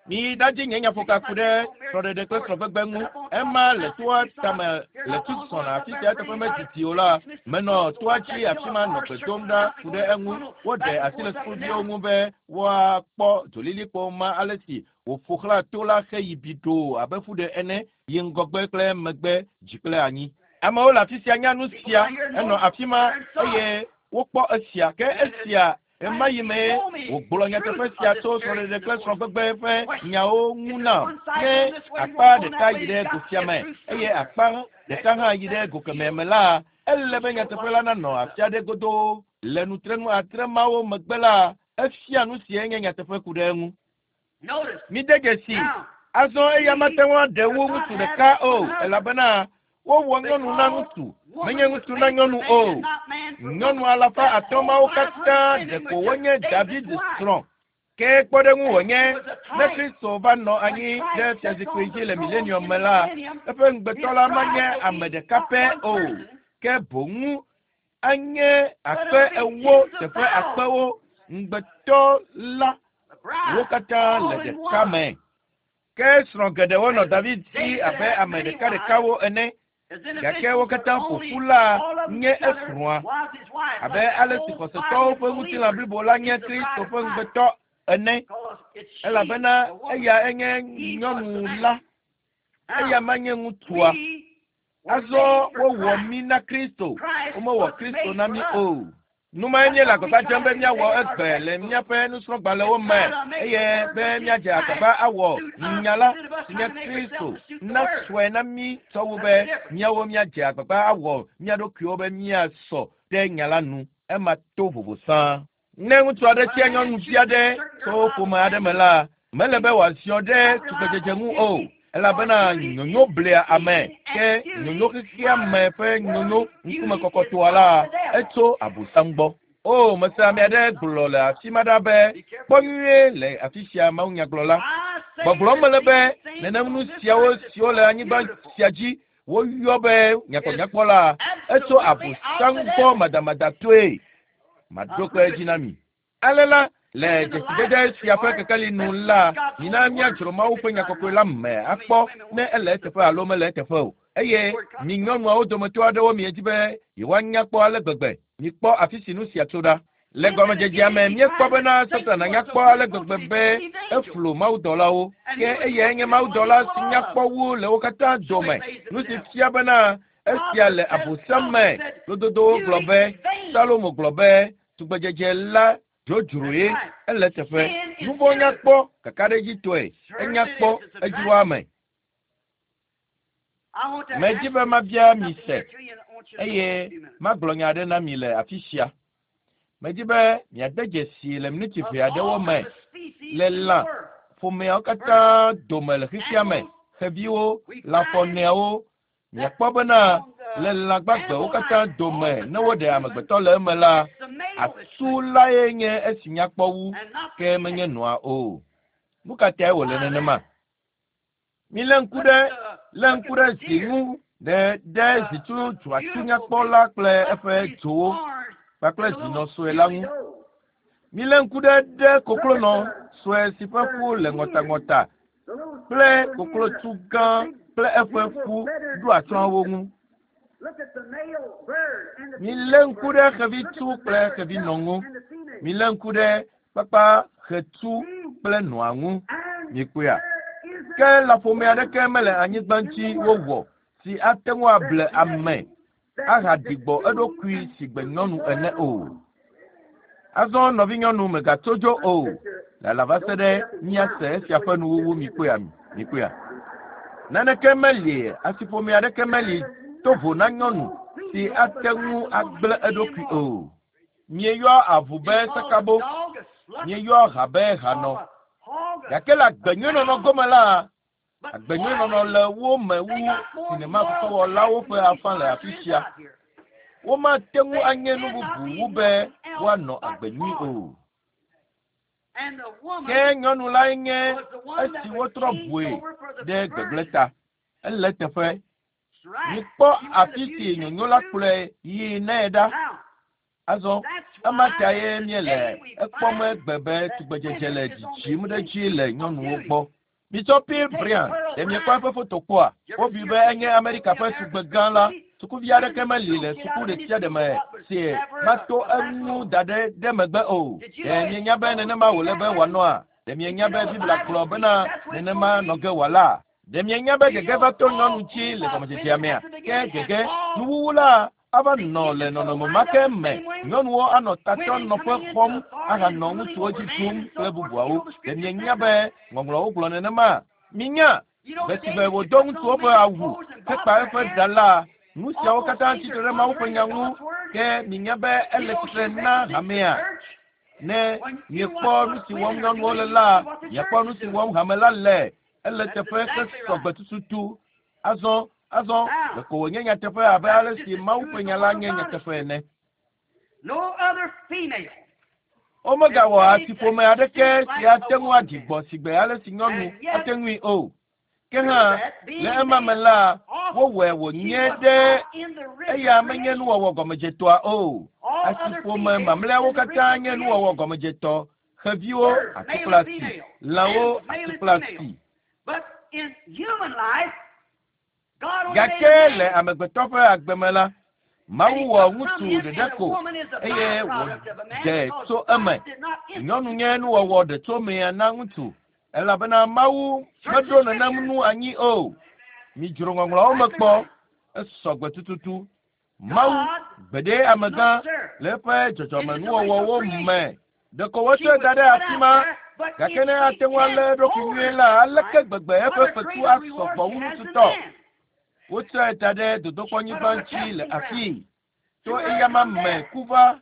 Miyi ɖadzi nye nyaƒoka ku ɖe srɔ̃ɖeɖe kple srɔ̃gbegbe ŋu. Ema le toa tame le Tucson, afi sia teƒe medidi o la, menɔ toa dzi afi ma nɔ gbe dom ɖa ku ɖe eŋu. Woɖe asi le sukuviwo ŋu be woakpɔ dzolilikpo ma ale si wòƒo xlã to la heyi biɖoo abe ƒuɖe ene, yi ŋgɔgbe kple megbe, dzi kple anyi. Amewo le afi sia nya nu sia, enɔ afi ma eye wokpɔ esia. Ke esia ɣemaɣi yi mee wògblɔ nyateƒe sia tso srɔ̃ɖeɖe kple srɔ̃gbegbe ƒe nyawo ŋu nam. Ne akpa ɖeka yi ɖe go sia me eye akpa ɖeka hã yi ɖe go kemɛ me la, ele be nyateƒe la nanɔ afi aɖe godoo. Le nutrenu 6 mawo megbe la, efia nu si nye nyateƒe ku ɖe eŋu. Mide dzesi, azɔ eya mate ŋu aɖe wu ŋutsu ɖeka o, elabena Wowɔ nyɔnu na ŋutsu, menye ŋutsu na nyɔnu o. Nyɔnu 500 mawo katã ɖeko wonye David srɔ̃. Ke kpɔɖeŋu wònye ne Kristo va nɔ anyi ɖe fiazikpui dzi le milenium me la, eƒe ŋugbetɔ la manye ame ɖeka pɛ o, ke boŋ anye 40,000 teƒe akpewo. Ŋugbetɔ la wo katã le ɖeka me. Ke srɔ̃ geɖewo nɔ David si abe ame ɖekaɖekawo ene, gake wo katã ƒo ƒu la nye esrɔ̃a, abe ale si xɔsetɔwo ƒe ŋutilã blibo la nye Kristo ƒe ŋugbetɔ ene, elabena eya enye nyɔnu la, eya manye ŋutsua. Azɔ wowɔ mí na Kristo, womewɔ Kristo na mí o. Numae míele agbagba dzem be míawɔ egbe le míaƒe nusrɔ̃gbalẽwo me, eye be míadze agbagba awɔ nya la si nye Kristo nasɔe na mí sɔwu be míawo míadze agbagba awɔ mía ɖokuiwo be míasɔ ɖe nya la nu. Ema to vovo sã. Ne ŋutsu aɖe tia nyɔnuvi aɖe tso ƒome aɖe me la, mele be wòaziɔ ɖe tugbedzedze ŋu o, elabena nyonyo blea ame, ke nyonyo xexea me ƒe nyonyo ŋkume kɔkɔtoa la, etso Abosam gbɔ. O, mese ame aɖe gblɔ le afi ma ɖa be, kpɔ nyuie le afi sia mawunyagblɔla. Gbɔgblɔm mele be nenem nu siawo siwo le anyigba sia dzi woyɔ be nyakpɔnyakpɔ la, etso Abosam gbɔ madamadatɔe. Maɖo kpe edzi na mi. Ale la, le dzesidede sia ƒe kekeli nu la, mina míadzro Mawu ƒe nya kɔkɔe la me akpɔ ne ele eteƒe alo mele eteƒe o. Eye mi nyɔnuawo dometɔ aɖewo miedi be yewoanya kpɔ ale gbegbe. Mikpɔ afi si nu sia tso ɖa. Le gɔmedzedzea me, míekpɔ bena Satana nya kpɔ ale gbegbe be eflu mawudɔlawo. Ke eyae nye mawudɔla si nya kpɔ wu le wo katã dome. Nu si fia bena esia le Abosam me. Lododowo gblɔ be, Salomo gblɔ be, tugbedzedze la dzodzroe ele teƒe. Nuvɔ̃ nya kpɔ kakaɖedzitɔe, enya kpɔ edzroa ame. Medzi be mabia mi se, eye magblɔ nya aɖe na mi le afi sia. Medzi be miade dzesi le miniti ʋɛ aɖewo me le lã ƒomeawo katã dome le xexea me, xeviwo, lãfɔneawo. Miakpɔ bena le lã gbagbewo katã dome ne woɖe amegbetɔ le eme la, asu lae nye esi nyakpɔ wu, ke menye nɔa o. Nu ka tae wòle nenema? Milé ŋku ɖe zi ŋu ɖe zitsu dzɔatsu nyakpɔ la kple eƒe dzowo kpakple zinɔ sue la ŋu. Milé ŋku ɖe koklonɔ sue si ƒe ƒu le ŋɔtaŋɔta kple koklotsu gã kple eƒe ƒu ɖo atsyɔ̃awo ŋu. Milé ŋku ɖe xevitsu kple xevinɔ ŋu. Milé ŋku ɖe kpakpa xetsu kple nɔa ŋu. Mikpɔea? Ke lãƒome aɖeke mele anyigba ŋuti wowɔ si ate ŋu able ame ahaɖi gbɔ eɖokui si gbe nyɔnu ene o. Azɔ nɔvinyɔnu megatso dzo o. Lala va se ɖe míase esia ƒe nuwuwu. Mikpɔea? Mikpɔea? Naneke meli, asiƒome aɖeke meli to vo na nyɔnu si ate ŋu agblẽ eɖokui o. Mieyɔ avu be sakabo, mieyɔ ha be hanɔ. Gake le agbenyuinɔnɔ gome la, agbenyuinɔnɔ le wo me wu sinema fefewɔlawo ƒe afã le afi sia. Womate ŋu anye nu bubu wu be woanɔ agbe nyui o. Ke nyɔnu lae nye esi wotrɔ ʋue ɖe gbegblẽ ta. Ele teƒe. Mikpɔ afi si nyonyo la kplɔe yi nɛ ɖa. Azɔ ema tae míele ekpɔm egbe be tugbedzedze le dzidzim ɖe edzi le nyɔnuwo gbɔ. Mitsɔ Pearl Bryan, ɖe miekpɔ eƒe foto kpɔa? Wobui be enye Amerika ƒe tugbe gã la. Sukuvi aɖeke meli le suku ɖe sia ɖe me si mato eŋu da ɖe megbe o. Ɖe mienya be nenema wòle be wòanɔa? Ɖe mienya be Biblia gblɔ bena nenema nɔ ge wòala? Ɖe mienya be gege va to nyɔnu dzi le gɔmedzedzea mea? Ke gege nuwuwu la ava nɔ le nɔnɔme ma ke me. Nyɔnuwo anɔ tatɔ nɔƒe xɔm ahanɔ ŋutsuwo dzi ɖum kple bubuawo. Ɖe mienya be ŋɔŋlɔwo gblɔ nenema? Minya be si be wòdo ŋutsuwo ƒe awu hekpa eƒe ɖa la, nu siawo katã tsitre ɖe Mawu ƒe nya ŋu. Ke minya be ele tsitre na hamea. Ne miekpɔ nu si wɔm nyɔnuwo le la, miakpɔ nu si wɔm hame la le. Ele teƒe ke sɔgbe tututu. Azɔ Azɔ ɖeko wònye nyateƒe abe ale si Mawu ƒe nya la nye nyateƒe ene. Womegawɔ asiƒome aɖeke si ate ŋu aɖi gbɔ sigbe ale si nyɔnu ate ŋui o. Ke hã, le ema me la, wowɔe wònye ɖe eya menye nuwɔwɔ gɔmedzetɔa o. Asiƒome mamlɛawo katã nye nuwɔwɔ gɔmedzetɔ, xeviwo, ati kple asi, lãwo, ati kple asi. Gake le amegbetɔ ƒe agbe me la, Mawu wɔ ŋutsu ɖeɖe ko eye wòɖe tso eme. Nyɔnu nye nuwɔwɔ ɖetsomea na ŋutsu elabena Mawu meɖo nenem nu anyi o. Midzro ŋɔŋlɔawo me kpɔ, esɔ gbe tututu. Mawu gbeɖe amegã le eƒe dzɔdzɔmenuwɔwɔwo me. Ɖeko wotsɔe da ɖe afi ma, gake ne ate ŋu alé eɖokui nyuie la, aleke gbegbe eƒe fetu asɔ gbɔ wu ŋutsu tɔ? Wotsɔe da ɖe dodokpɔnyigba ŋuti le afii. To eyama me ku va,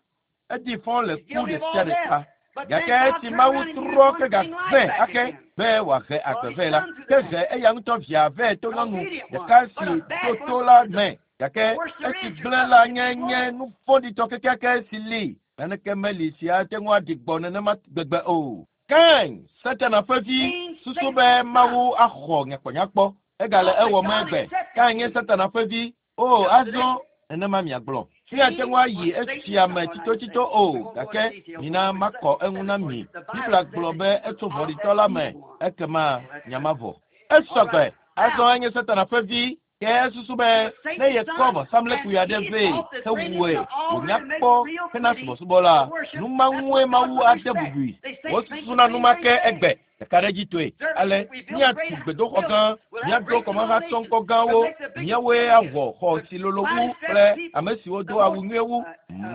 edi fɔ le ku ɖe sia ɖe ta. Gake esi Mawu trɔ ke gavɛ ake be wòahe agbe vɛ la, ke he eya ŋutɔ via vɛ to nyɔnu ɖeka si ɖo to la me. Gake esi gblẽ la nye nye nu vɔ̃ɖitɔ kekeake si li. Naneke meli si ate ŋu aɖi gbɔ nenema gbegbe o. Kain, Satana ƒe vi, susu be Mawu axɔ nyakpɔnyakpɔ. Egale ewɔm egbe. Kain nye Satana ƒe vi. O, azɔ nenema miagblɔ. Míate ŋu ayi esia me tsitotsito o, gake mina makɔ eŋu na mi. Biblia gblɔ be etso vɔ̃ɖitɔ la me, ekema nya ma vɔ. Esɔ gbe. Azɔ enye Satana ƒe vi. Ke esusu be ne yekɔ vɔsamlekpui aɖe vɛ hewɔe wònya kpɔ hena subɔsubɔ la, nu ma ŋue Mawu ade bubui. Wosusuna nu ma ke egbe ɖekaɖedzitɔe. Ale míatu gbedoxɔ gã, míaɖo kɔmahatsɔŋkɔ gãwo, míawoe awɔ xɔ si lolo wu kple ame siwo do awu nyuie wu,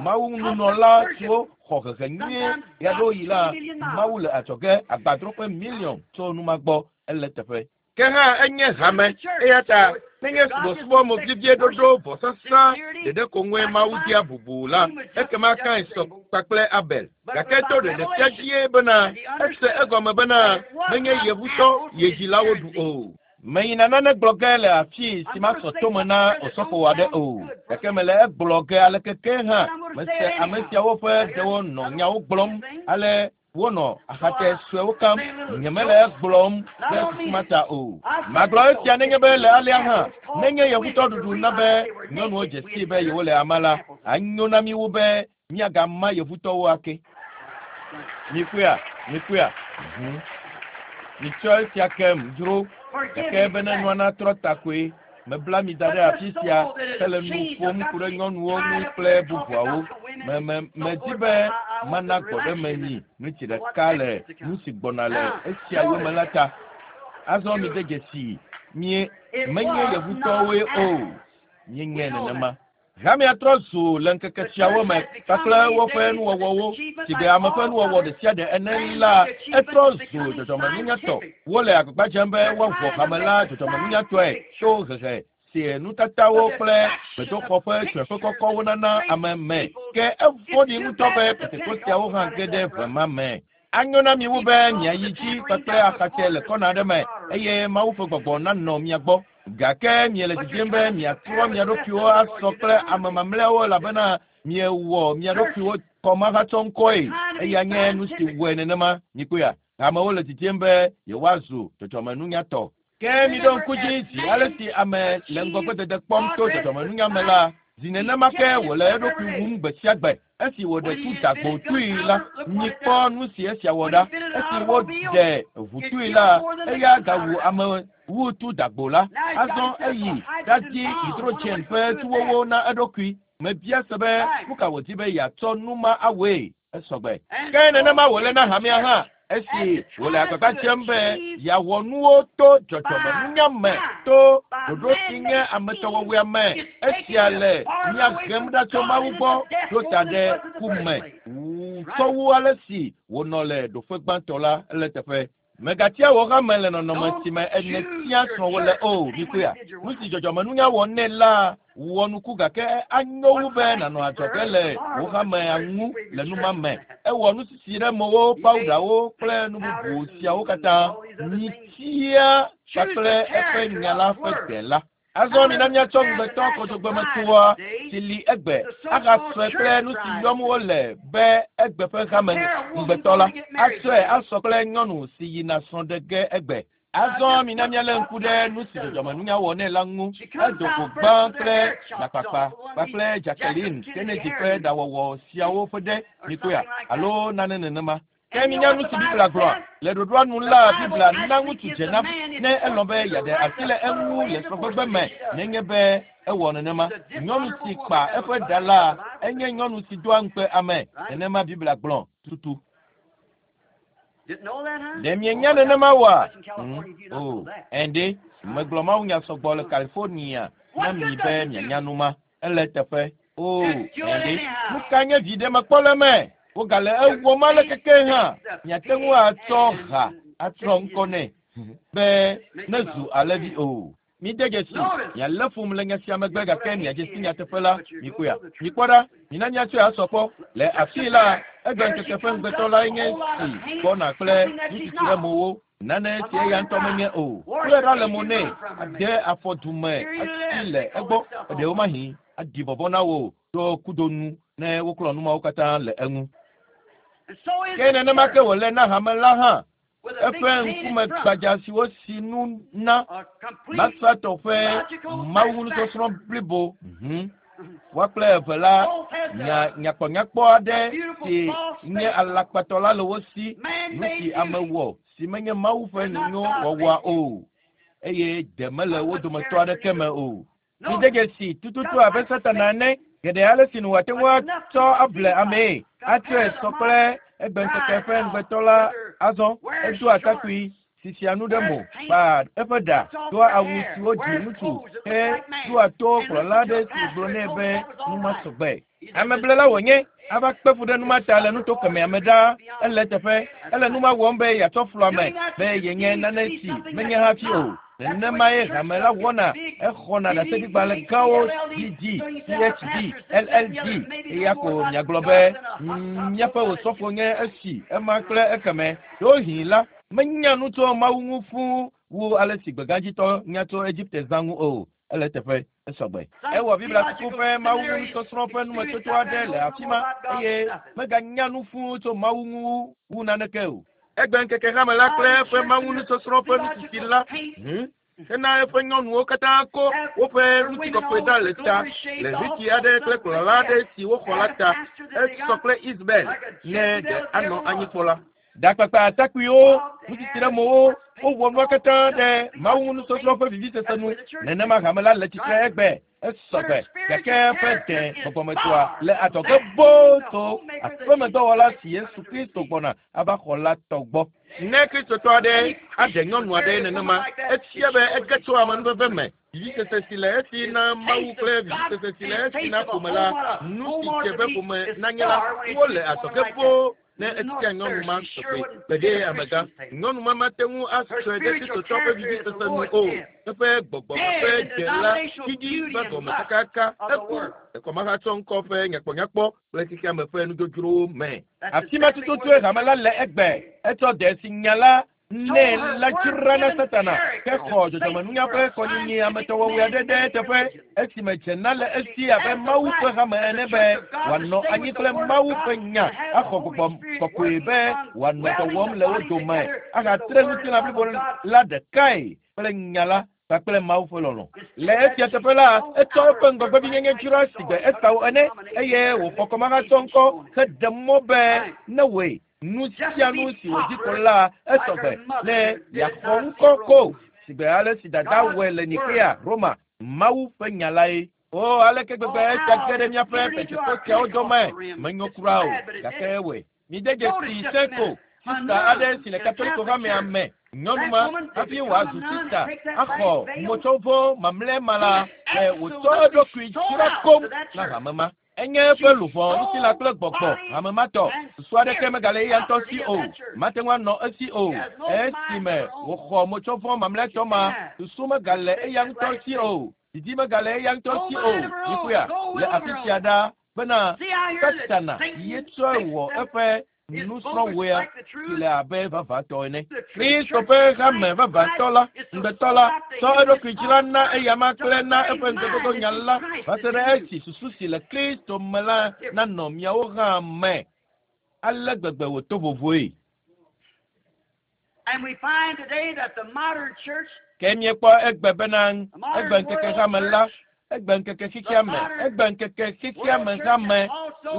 Mawu nunɔla siwo xɔ hehe nyuie ɣeaɖewoɣi la, Mawu le adzɔge agbadroƒe miliɔn tso nu ma gbɔ. Ele eteƒe. Ke hã enye hame, eya ta nenye subɔsubɔ movivie ɖoɖo vɔsasa ɖeɖe ko ŋue Mawu dea bubu la, ekema Kain sɔ kpakple Abel. Gake to ɖeɖefia dzie bena ese egɔme bena menye ye ŋutɔ ye dzilawo ɖu o. Meyina nane gblɔ ge le afii si masɔ tome na osɔfo aɖe o, gake mele egblɔ ge aleke ke hã. Mese ame siawo ƒe ɖewo nɔ nyawo gblɔm ale wonɔ axatɛ suewo kam. Nyemele egblɔm ɖe susu ma ta o. Magblɔ esia nenye be le alea hã, nenye yevutɔ ɖuɖu na be nyɔnuwo dze sii be yewole ama la, anyo na mí wu be míagama yevutɔwo ake. Mikpɔea? Mikpɔea? Mhm. Mitsɔ esia kem dzro, gake bene nua natrɔ ta koe. Mebla mi da ɖe afi sia hele nu ƒom ku ɖe nyɔnuwo ŋu kple bubuawo. Me, me, medi be mana gbɔɖeme mi ɣleti ɖeka le nu si gbɔna le esia yome la ta. Azɔ mide dzesii, mie, menye yevutɔwoe o. Míenyae nenema. Hamea trɔ zu le ŋkeke siawo me kpakple woƒe nuwɔwɔwo, sigbe ame ƒe nuwɔwɔ ɖesiaɖe ene la, etrɔ zu dzɔdzɔmenunyatɔ. Wole agbagba dzem be woaʋɔ hame la dzɔdzɔmenunyatɔe to hehe si nutatawo kple gbedoxɔ ƒe tsyɔ̃eƒe kɔkɔwo nana ame me. Ke evɔ̃ɖi ŋutɔ be Pentekosteawo hã ge ɖe ʋe ma me. Anyo na mi wu be miayi dzi kpakple axatsɛ le kɔna aɖe me eye Mawu ƒe gbɔgbɔ nanɔ mia gbɔ. Gake miele didim be miatrɔ mia ɖokuiwo asɔ kple ame mamlɛawo elabena miewɔ mia ɖokuiwo kɔmahatsɔŋkɔe. Eya nye nu si wɔe nenema. Mikpɔea? Amewo le didim be yewoazu dzɔdzɔmenunyatɔ. Ke miɖo ŋku dzi zi ale si ame le ŋgɔgbedede kpɔm to dzɔdzɔmenunya me la, zi nenema ke wòle eɖokui wum gbe sia gbe. Esi wòɖe tu dagbo tui la, mikpɔ nu si esia wɔ ɖa. Esi woɖe ʋu tui la, eya gawu ame wu tu dagbo la. Azɔ eyi ɖadi hidrogen ƒe tuwowo na eɖokui. Mebia se be nu ka wòdi be yeatsɔ nu ma awɔe. Esɔ gbe. Ke nenema wòle na hamea hã esi wòle agbagba dzem be yeawɔ nuwo to dzɔdzɔmenunya me, to ɖoɖo si nye ametɔwɔwɔea me. Esia le mía hem ɖa tso Mawu gbɔ ɖo ta ɖe ku me tsɔ wu ale si wònɔ le ɖoƒe gbãtɔ la le teƒe. Mègatia wò hame le nɔnɔme si me nètia srɔ̃wò le o. Mikpɔea? Nu si dzɔdzɔmenunya wɔ nɛ la wɔ nuku gake anyo wu be nànɔ adzɔge le wò hamea ŋu le nu ma me. Ewɔ nusisi ɖe mowo, pawuɖawo kple nu bubu siawo katã. Mitia kpakple eƒe nya la ƒe gbe la. Azɔ mina míatsɔ ŋugbetɔ kɔdzogbemetoa si li egbe ahasɔe kple nu si yɔm wole be egbe ƒe hame ŋugbetɔ la. Atsɔe asɔ kple nyɔnu si yina srɔ̃ ɖe ge egbe. Azɔ mina míalé ŋku ɖe nu si dzɔdzɔmenunya wɔ nɛ la ŋu. Edo go gbã kple ɖakpakpa kpakple Jacqueline Kennedy ƒe ɖawɔwɔ siawo ƒe ɖe mikpɔea alo nane nenema. Ke minya nu si Biblia gblɔa? Le ɖoɖoa nu la, Biblia na ŋutsu dzena ne elɔ̃ be yeaɖe asi le eŋu le srɔ̃gbegbe me nenye be ewɔ nenema. Nyɔnu si kpa eƒe ɖa la enye nyɔnu si doa ŋukpe ame. Nenema Biblia gblɔ tutu. Ɖe mienya nenema oa? O, ɛ̃ɖe, megblɔ mawunya sɔgbɔ le California na mi be mianya nu ma. Ele teƒe. O, ɛ̃ɖe, nu ka nye viɖe mekpɔ le eme? Wogale ewɔm ale keke hã. Miate ŋu atsɔ ha atrɔ ŋkɔ nɛ be nezu alẽvi o. Mide dzesi, mialé fum le nya sia megbe gake miadze si nyateƒe la, mikpɔea? Mikpɔ ɖa, mina míatsɔe asɔ kpɔ. Le afii la, egbe ŋkeke ƒe ŋugbetɔ lae nye si gbɔna kple nutsitsi ɖe mowo. Nane si eya ŋutɔ menye o. Klɔe ɖa le mo nɛ, ade afɔ du me atsi le egbɔ, ɖewomahi aɖi vɔvɔ̃ na wò tso kudo nu ne woklɔ nu mawo katã le eŋu. Ke nenema ke wòle na hame la hã. Eƒe ŋkume gbadza si wosi nu na Masatɔ ƒe mawunusɔsrɔ̃ blibo. Woa kple eve la nya nyakpɔnyakpɔ aɖe si nye alakpatɔ la le wo si, nu si ame wɔ si menye Mawu ƒe nyonyo wɔwɔa o, eye de mele wo dometɔ aɖeke me o. Mide dzesi tututu abe Satana ene, geɖe ale si nu wòate ŋu atsɔ able amee, atsɔe sɔ kple egbeŋkeke ƒe ŋugbetɔ la azɔ. Edoa atakpui, sisia nu ɖe mo, kpaa eƒe ɖa, doa awu siwo dzi ŋutsu he ɖoa to kplɔla aɖe si gblɔ nɛ be nu ma sɔgbe. Ameblela wònye, ava kpe fu ɖe nu ma ta le nuto kemɛa me ɖaa. Ele eteƒe. Ele nu ma wɔm be yeatsɔ flu ame be yenye nane si menye hafi o. Nenemae hame la wɔna. Exɔna ɖaseɖigbalẽ gãwo, DD, PhD, LLD, eya ko miagblɔ be, Míaƒe osɔfo nye esi, ema kple ekemɛ. Ɖewohĩ la, menya nu tso Mawu ŋu fũu wu ale si gbegãdzitɔ nya tso Egipte zã ŋu o. Ele eteƒe. Esɔgbe. Ewɔ Biblia suku ƒe mawunusɔsrɔ̃ ƒe numetoto aɖe le afi ma eye meganya nu fũu tso Mawu ŋu wu naneke o. Egbe ŋkeke hame la kple eƒe mawunusɔsrɔ̃ ƒe nusisi la hena eƒe nyɔnuwo katã ko woƒe ŋutikɔkɔe ɖa le ta le ʋitsi aɖe kple kplɔla aɖe si woxɔ la ta. Esɔ kple Isabel ne ɖe anɔ anyi kpɔ la. Ɖakpakpa atakpuiwo, nutsitsi ɖe mowo, wowɔ nua katã ɖe Mawu nusɔsrɔ̃ ƒe vivisese nu. Nenema hame la le tsitre egbe, esɔgbe, gake eƒe dẽ gbɔgbɔmetɔa le adzɔge boo tso aƒemedɔwɔla si Yesu Kristo gbɔna ava xɔ la tɔ gbɔ. Ne Kristotɔ aɖe aɖe nyɔnu aɖe nenema, efia be ege tso amenuveve me. Vivisese si le esi na Mawu kple vivisese si le esi na ƒome la, nu si dze be ƒome nanye la, wole adzɔge boo. Ne etia nyɔnu ma tɔgbe gbeɖe amegã, nyɔnu ma mate ŋu asɔe ɖe Kristotɔ ƒe vivisese nu o. Eƒe gbɔgbɔ ƒe dze la ɖiɖi va gɔme kakaka. Eku ekɔmahatsɔ ŋkɔ ƒe nyakpɔnyakpɔ kple xexeame ƒe nudzodzrowo me. Afi ma tututue hame la le egbe. Etsɔ de si nya la nɛ la dzra na Satana ke xɔ dzɔdzɔmenunya ƒe kɔnyinyi ametɔwɔwɔe aɖe ɖe eteƒe esime dzena le esi abe Mawu ƒe hame ene be wòanɔ anyi kple Mawu ƒe nya axɔ gbɔgbɔ kɔkɔe be wòanɔ dɔ wɔm le wo dome ahatre ŋutilã blibo la ɖekae kple nya la kpakple Mawu ƒe lɔlɔ̃. Le esia teƒe la, etsɔ eƒe ŋgɔgbevinyenye dzra sigbe Esau ene eye wòxɔ kɔmahatsɔ ŋkɔ heɖe mɔ be newɔe nu sia nu si wòdi ko la esɔgbe ne yeaxɔ ŋkɔ ko sigbe ale si dada wɔe le Nikea, Roma. Mawu ƒe nya lae. O, aleke gbegbe esia ge ɖe míaƒe Pentekosteawo dome! Menyo kura o, gake ewɔe. Mide dzesi sẽ ko, sista aɖe si le Katoliko hamea me, nyɔnu ma, hafi wòazu sista, axɔ motsɔvɔ mamlɛ ma la, ɖe wòtsɔ eɖokui dzra koŋ na hame ma. Enye eƒe luʋɔ, ŋutilã kple gbɔgbɔ hame ma tɔ. Susu aɖeke megale eya ŋutɔ si o. Mate ŋu anɔ esi o. Esime wòxɔ motsɔvɔ mamlɛtɔ ma, susu megale eya ŋutɔ si o. Didi megale eya ŋutɔ si o. Mikpɔea? Le afi sia ɖa bena Satana ye tsɔe wɔ eƒe Nusrɔ̃wɔea si le abe vavãtɔ ene. Kristo ƒe hame vavãtɔ la, ŋugbetɔ la, tsɔ eɖokui dzra na eyama kple na eƒe ŋugbedodo nya la va se ɖe esi susu si le Kristo me la nanɔ miawo hã me. Ale gbegbe wòto vovoe. And we find today that the modern church, Ke míekpɔ egbe bena egbe ŋkeke hame la, egbe ŋkeke xexea me, egbe ŋkeke xexea me hame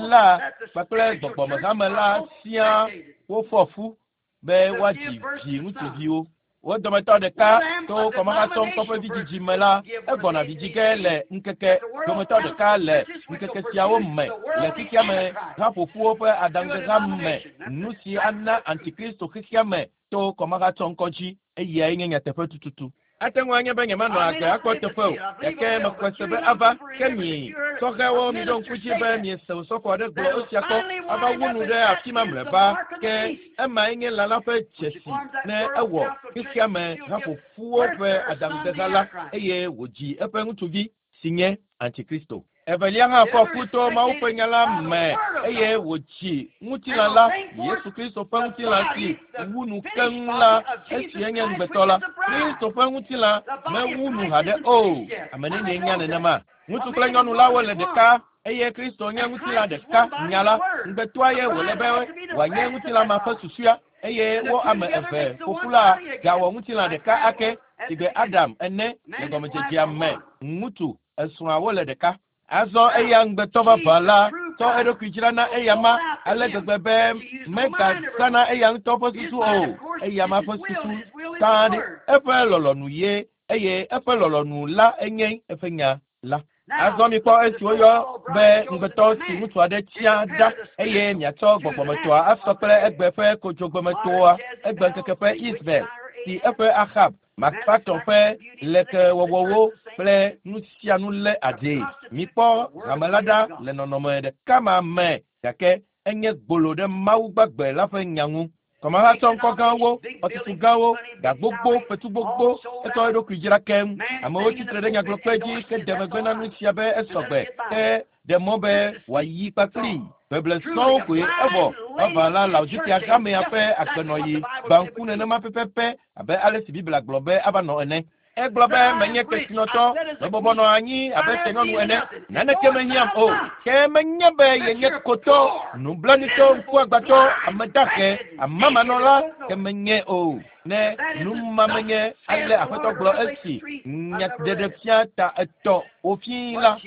la kpakple gbɔgbɔme hame la siaa wofɔ fu be woadzi vi ŋutsuviwo. Wo dometɔ ɖeka to kɔmahatsɔ ŋkɔ ƒe vidzidzi me la, egbɔna vidzi ge le ŋkeke dometɔ ɖeka le ŋkeke siawo me le xexea me haƒoƒuwo ƒe aɖaŋudeha me, nu si ana antikristo xexea me to kɔmahatsɔ ŋkɔ dzi, eyae nye nyateƒe tututu. Ate ŋu anye be nyemanɔ agbe akpɔ teƒe o, gake mexɔe se be ava. Ke mi sɔhɛwo miɖo ŋku dzi be miese osɔfo aɖe gblɔ esia kpɔ ava wu nu ɖe afi ma mlɔeba. Ke emae nye lã la ƒe dzesi ne ewɔ xexea me haƒoƒuwo ƒe aɖaŋudeha la eye wòdzi eƒe ŋutsuvi si nye Antikristo. Evelia hã fɔ fu to Mawu ƒe nya la me eye wòdzi ŋutilã la, Yesu Kristo ƒe ŋutilã si wu nu keŋ la, esi enye ŋugbetɔ la. Kristo ƒe ŋutilã mewu nu haɖe o. Ame nenie nya nenema? Ŋutsu kple nyɔnu la wole ɖeka eye Kristo nye ŋutilã ɖeka nya la. Ŋugbetɔa ye wòle be wòanye ŋutilã ma ƒe susua eye wo ame eve ƒoƒu la gawɔ ŋutilã ɖeka ake sigbe Adam ene le gɔmedzedzea me. Ŋutsu esrɔ̃a wole ɖeka. Azɔ eya ŋugbetɔ vavã la tsɔ eɖokui dzra na eyama ale gbegbe be megazãna eya ŋutɔ ƒe susu o. Eyama ƒe susu sã ɖe eƒe lɔlɔ̃nu ye eye eƒe lɔlɔ̃nu la enye eƒe nya la. Azɔ mikpɔ esi woyɔ be ŋugbetɔ si ŋutsu aɖe tia ɖa eye miatsɔ gbɔgbɔmetɔa asɔ kple egbe ƒe kodzogbemetoa, egbe ŋkeke ƒe Israel si eƒe Ahab Makpatɔ ƒe lekewɔwɔwo kple nu sia nu lé adee. Mikpɔ hame la ɖa le nɔnɔme ɖeka ma me gake enye gbolo ɖe Mawu gbagbe la ƒe nya ŋu. Kɔmahatsɔ ŋkɔ gãwo, xɔtutu gãwo, ga gbogbo, fetu gbogbo, etsɔ eɖokui dzra keŋ. Amewo tsitre ɖe nyagblɔkpe dzi ke ɖe megbe na nu sia be esɔgbe ke ɖe mɔ be wòayi kpakpli. Beble sɔŋ koe evɔ vavã la Laodikea hamea ƒe agbenɔɣi gbã ŋku nenema pɛpɛpɛ abe ale si Biblia gblɔ be ava nɔ ene. Egblɔ be menye kesinɔtɔ, mebɔbɔ nɔ anyi abe tenyɔnu ene, naneke mehiãm o. Ke menye be yenye kotɔ, nublanuitɔ, ŋkuagbãtɔ, ame dahe, amamanɔla ke menye o. Ne numa menye ale Aƒetɔ gblɔ esi nyaɖeɖefia ta etɔ̃ wòfii la,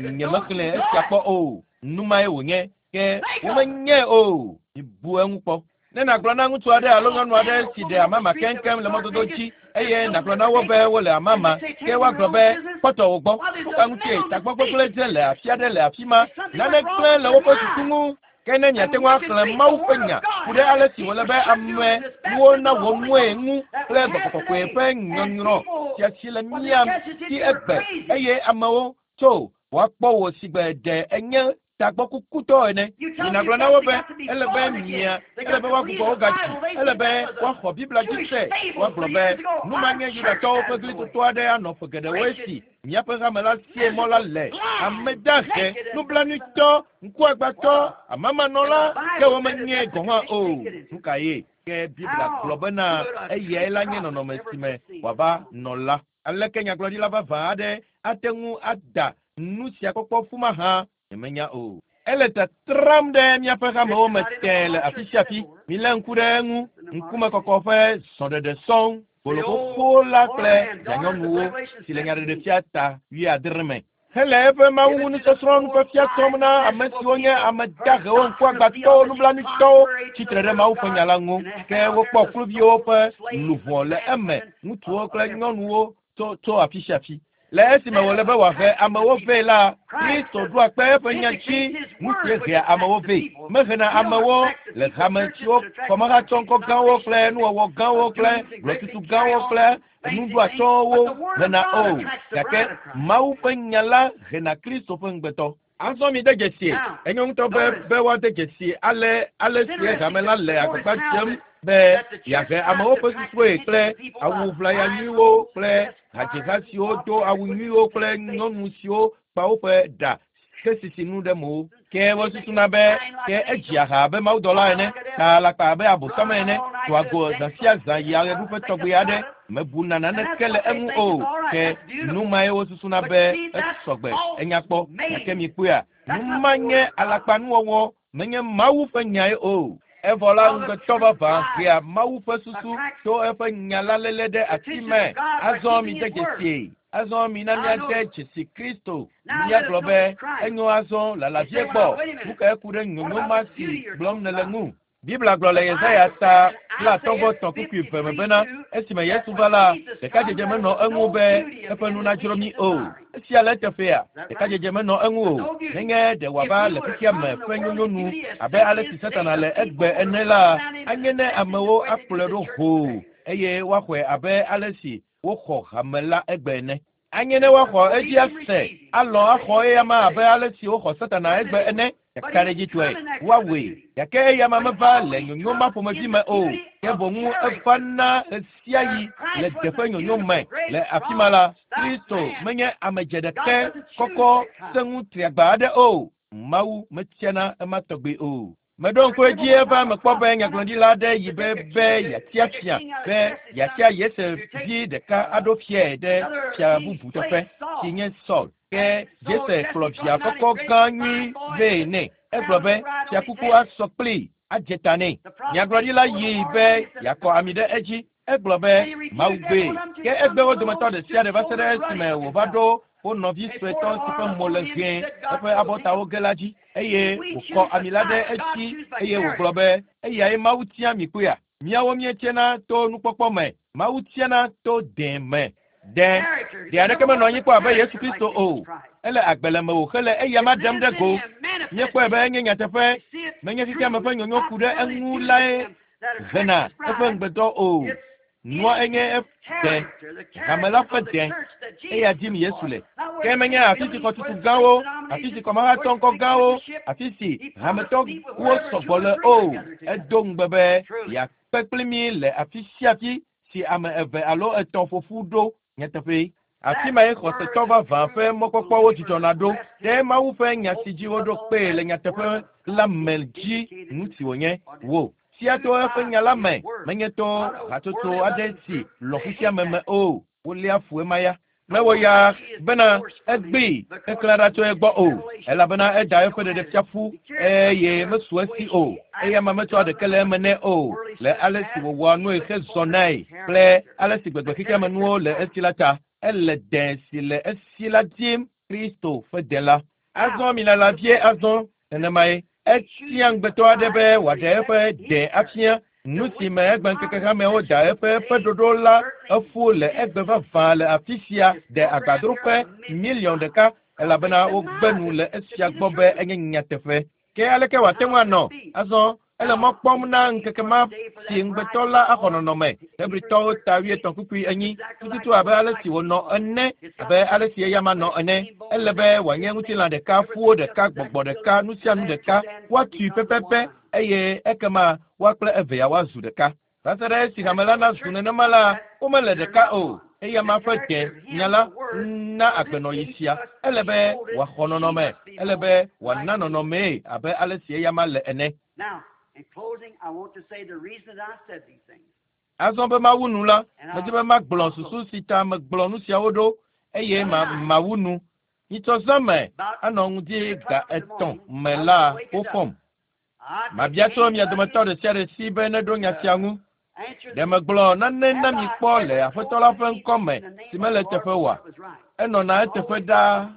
nyemexlẽ esia kpɔ o. Numae wònye, ke womenye o. Mibu eŋu kpɔ. Ne nàgblɔ na ŋutsu aɖe alo nyɔnu aɖe si ɖe amama keŋkeŋ le mɔdodo dzi eye nàgblɔ na wo be wole amama, ke woagblɔ be kpɔtɔ wo gbɔ. Nuka ŋutie tagbɔ gbegblẽ dze le afi aɖe le afi ma? Nane gblẽ le woƒe susu ŋu. Ke ne miate ŋu axlẽ Mawu ƒe nya ku ɖe ale si wòle be amewo nawɔ nue ŋu kple gbɔgbɔ kɔkɔe ƒe nyɔnyrɔ sia si le mía si egbe eye amewo tso woakpɔ wò sigbe ɖe enye tagbɔkukutɔ ene. Minagblɔ na wo be ele be mia, ele be woagbugbɔ wo gadzi, ele be woaxɔ Biblia dzi se. Woagblɔ be nu ma nye Yudatɔwo ƒe glitoto aɖe anɔ ƒe geɖewo esi míaƒe hame la sie mɔ la le. Ame dahe, nublanuitɔ, ŋkuagbãtɔ, amamanɔla, ke womenye gɔ̃ hã o. Nu ka ye? Ke Biblia gblɔ bena eyae la nye nɔnɔme si me wòava nɔ la. Aleke nyagblɔɖila vavã aɖe ate ŋu ada nu sia kpɔkpɔ ƒu mahã? Nyemenya o. Ele tatram ɖe míaƒe hamewo me tẽe le afi sia afi. Milé ŋku ɖe eŋu. Ŋkumekɔkɔ ƒe zɔɖeɖe sɔŋ, gbolo xoxo la kple vianyɔnuwo si le nyaɖeɖefia ta 70 me. Hele eƒe Mawu ŋu nusɔsrɔ̃ nufiafia trɔm na ame siwo nye ame dahewo, ŋkuagbãtɔwo, nublanuitɔwo tsitre ɖe Mawu ƒe nya la ŋu. Ke wokpɔ kluviwo ƒe luʋɔ le eme, ŋutsuwo kple nyɔnuwo tso afi sia afi. Le esime wòle be wòahe amewo vɛ la, Kristo ɖoa kpe eƒe nya dzi nu sie hea amewo vɛ. Mehena amewo le hame siwo kɔmahatsɔ ŋkɔ gãwo kple nuwɔwɔ gãwo kple gblɔtutu gãwo kple nuɖoatɔwo hena o. Gake Mawu ƒe nya la hena Kristo ƒe ŋugbetɔ. Azɔ mi de dzesi, enyo ŋutɔ be woade dzesi ale ale si hame la le agbagba dzem be yeahe amewo ƒe susuwoe kple awu ʋlaya nyuiwo kple hadziha siwo do awu nyuiwo kple nyɔnu siwo kpa woƒe ɖa ke sisi nu ɖe mo. Ke wosusuna be ke edzia ha abe mawudɔla ene, ta alakpa abe abosam ene, tɔa go zã sia zã yia ɣeɖuƒe tɔgbi aɖe, mebuna naneke le eŋu o. Ke nu mae wosusuna be esɔgbe, enya kpɔ. Gake mikpɔea, nu ma nye alakpanuwɔwɔ, menye Mawu ƒe nyae o. Evɔ la ŋugbetɔ vavã hea Mawu ƒe susu to eƒe nya la léle ɖe asi me. Azɔ mide dzesie. Azɔ mina míade dzesi Kristo. Míagblɔ be enyo azɔ lala vie gbɔ. Nu kae ku ɖe nyonyo ma si gblɔm nèle ŋu? Biblia gblɔ le Yesaya ta 53:2 me bena esime Yesu va la, ɖekadzedze menɔ eŋu be eƒe nu nadzro mí o. Esia le eteƒea, ɖekadzedze menɔ eŋu o. Nenye ɖe wòava le xexea me ƒe nyonyo nu abe ale si Satana le egbe ene la, anye ne amewo akplɔe ɖo hoo eye woaxɔe abe ale si woxɔ hame la egbe ene. Anye ne woaxɔ edzi ase, alɔ̃ axɔ eyama abe ale si woxɔ Satana egbe ene. Ɖekaɖedzitɔe woawɔe, gake eyama meva le nyonyo ma ƒomevi me o. Ke boŋ eva na ɣesiaɣi le teƒe nyonyo me. Le afi ma la, Kristo menye ame dzeɖekɛ kɔkɔ sẽŋu triagba aɖe o. Mawu metiana ema tɔgbi o. Meɖo ŋku edzi eva mekpɔ be nyagblɔɖila aɖe yi be yeatia fia, be yeatia Yese vi ɖeka aɖo fiae ɖe fia bubu teƒe, si nye Saul. Ke Jese kplɔ via kɔkɔ gã nyui vɛ nɛ. Egblɔ be fiakuku asɔ kplii, adze ta nɛ. Nyagblɔɖila yi be yeakɔ ami ɖe edzi. Egblɔ be Mawu gbee. Ke egbe wo dometɔ ɖe sia ɖe va se ɖe esime wòva ɖo wo nɔvi suetɔ si ƒe mo le ʋẽ eƒe abɔtawo ge la dzi, eye wòkɔ ami la ɖe edzi eye wògblɔ be eyae Mawu tia mi kpɔea. Míawo míetiana to nukpɔkpɔ me, Mawu tiana to dẽ me. Dẽ, ɖe aɖeke menɔ anyi kpɔ abe Yesu Kristo o. Ele agbe le mewò hele eyama ɖem ɖe go. Míekpɔe be enye nyateƒe, menye xexeame ƒe nyonyo ku ɖe eŋu lae hena eƒe ŋugbetɔ o. Nua enye dẽ, hame la ƒe dẽ, eya dim Yesu le. Ke menye afi si xɔtutu gãwo, afi si kɔmahatɔ ŋkɔ gãwo, afi si hametɔwo sɔgbɔ le o. Edo ŋugbe be yeakpe kpli mí le afi sia afi si ame eve alo etɔ̃ ƒoƒu ɖo nyateƒe. Afi mae xɔsetɔ vavã ƒe mɔkpɔkpɔwo dzidzɔna ɖo ɖe Mawu ƒe nya si dzi woɖo kpee le nyateƒe la me dzi nu si wònye wò. Sia to eƒe nya la me, menye to hatsotso aɖe si lɔ xexeame me o. Woléa fu ema ya. Mewɔ ya bena egbee keklẽ ɖa tso egbɔ o, elabena eda eƒe ɖeɖefia ƒu eye mesu esi o. Eyama metsɔa ɖeke le eme nɛ o le ale si wòwɔa nue hezɔnae kple ale si gbegbe xexeame nuwo le esi la ta. Ele dẽ si le esi la dim, Kristo ƒe dẽ la. Azɔ milala vie azɔ nenemae. Etia ŋugbetɔ aɖe be wòaɖe eƒe dẽ afia. Nu si me egbe ŋkeke hamewo da eƒe ɖoɖo la eƒu le egbe vavã le afi sia ɖe agbadroƒe 1 000 000 elabena wogbe nu le esia gbɔ be enye nyateƒe. Ke aleke wòate ŋu anɔ? Azɔ ele mɔ kpɔm na ŋkeke ma si ŋugbetɔ la axɔ nɔnɔme. Hebritɔwo ta 50:4 tututu abe ale si wònɔ ene, abe ale si eyama nɔ ene. Ele be wòanye ŋutilã ɖeka, ƒuwo ɖeka, gbɔgbɔ ɖeka, nu sia nu ɖeka, woatui pɛpɛpɛ eye ekema woa kple evea woazu ɖeka. Va se ɖe esi hame la nazu nenema la, womele ɖeka o. Eyama ƒe dẽ nya la na agbenɔɣi sia. Ele be wòaxɔ nɔnɔme, ele be wòana nɔnɔmee abe ale si eyama le ene. Azɔ be mawu nu la, medzi be magblɔ susu si ta megblɔ nu siawo ɖo eye mawu nu. Nyitsɔ zã me anɔ ŋdi ga 3 me la wofɔm. Mabia tso mia dometɔ ɖe sia ɖe si be neɖo nya sia ŋu. Ɖe megblɔ nane na mi kpɔ le Aƒetɔ la ƒe ŋkɔ me si mele eteƒe oa? Enɔna eteƒe ɖaa.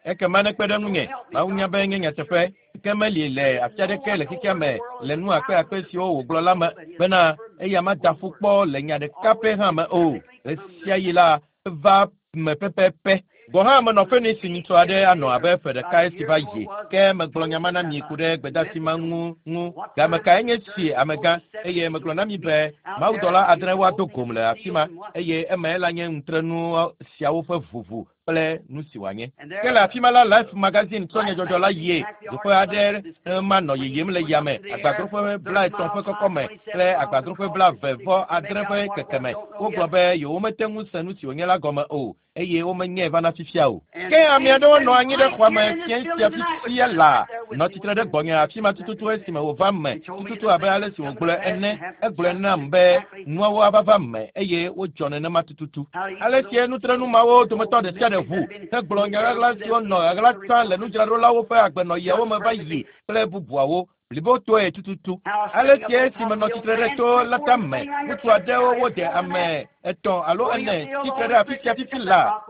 Ekema nekpe ɖe ŋunye. Mawu nya be nye nyateƒe. Ke meli le afi aɖeke le xexea me le nu akpe siwo wògblɔ la me bena eya mada ƒu kpɔ le nya ɖeka pɛ hã me o. Ɣesiaɣi la eva me pɛpɛpɛ. Gɔ hã menɔ Phoenix nyitsɔ aɖe anɔ abe ƒe ɖeka esi va yi. Ke megblɔ nya ma na mi ku ɖe gbedasi ma ŋu. Game kae nye si amegã eye megblɔ na mi be mawudɔla 6 woado gom le afi ma eye eme la nye ŋutrenu siawo ƒe ʋuʋu. Kple nu si wòanye. Ke le afi ma la, Life magazine tsɔ nyadzɔdzɔ la yie. Dzoƒe aɖe ma nɔ yiyim le yame, agbadroƒe 30 ƒe kɔkɔme kple agbadroƒe 26 ƒe kekeme. Wogblɔ be yewomete ŋu se nu si wònye la gɔme o, eye womenyae vana fifia o. Ke ame aɖewo nɔ anyi ɖe xɔa me fiẽ sia fifia laa, nɔ tsitre ɖe gbɔnye afi ma tututu esime wòva me tututu abe ale si wògblɔe ene. Egblɔe nam be nuawo ava va me, eye wodzɔ nenema tututu. Ale sie nutrenu mawo dometɔ ɖe sia ɖe ʋu hegblɔ nya ɣaɣla siwo nɔ ɣaɣla tsã le nudzraɖolawo ƒe agbenɔɣiawo me va yi kple bubuawo blibotɔe tututu. Ale sie esime nɔ tsitre ɖe to la tame, ŋutsu aɖewo wode ame 3 alo 4 tsitre ɖe afi sia fifi la,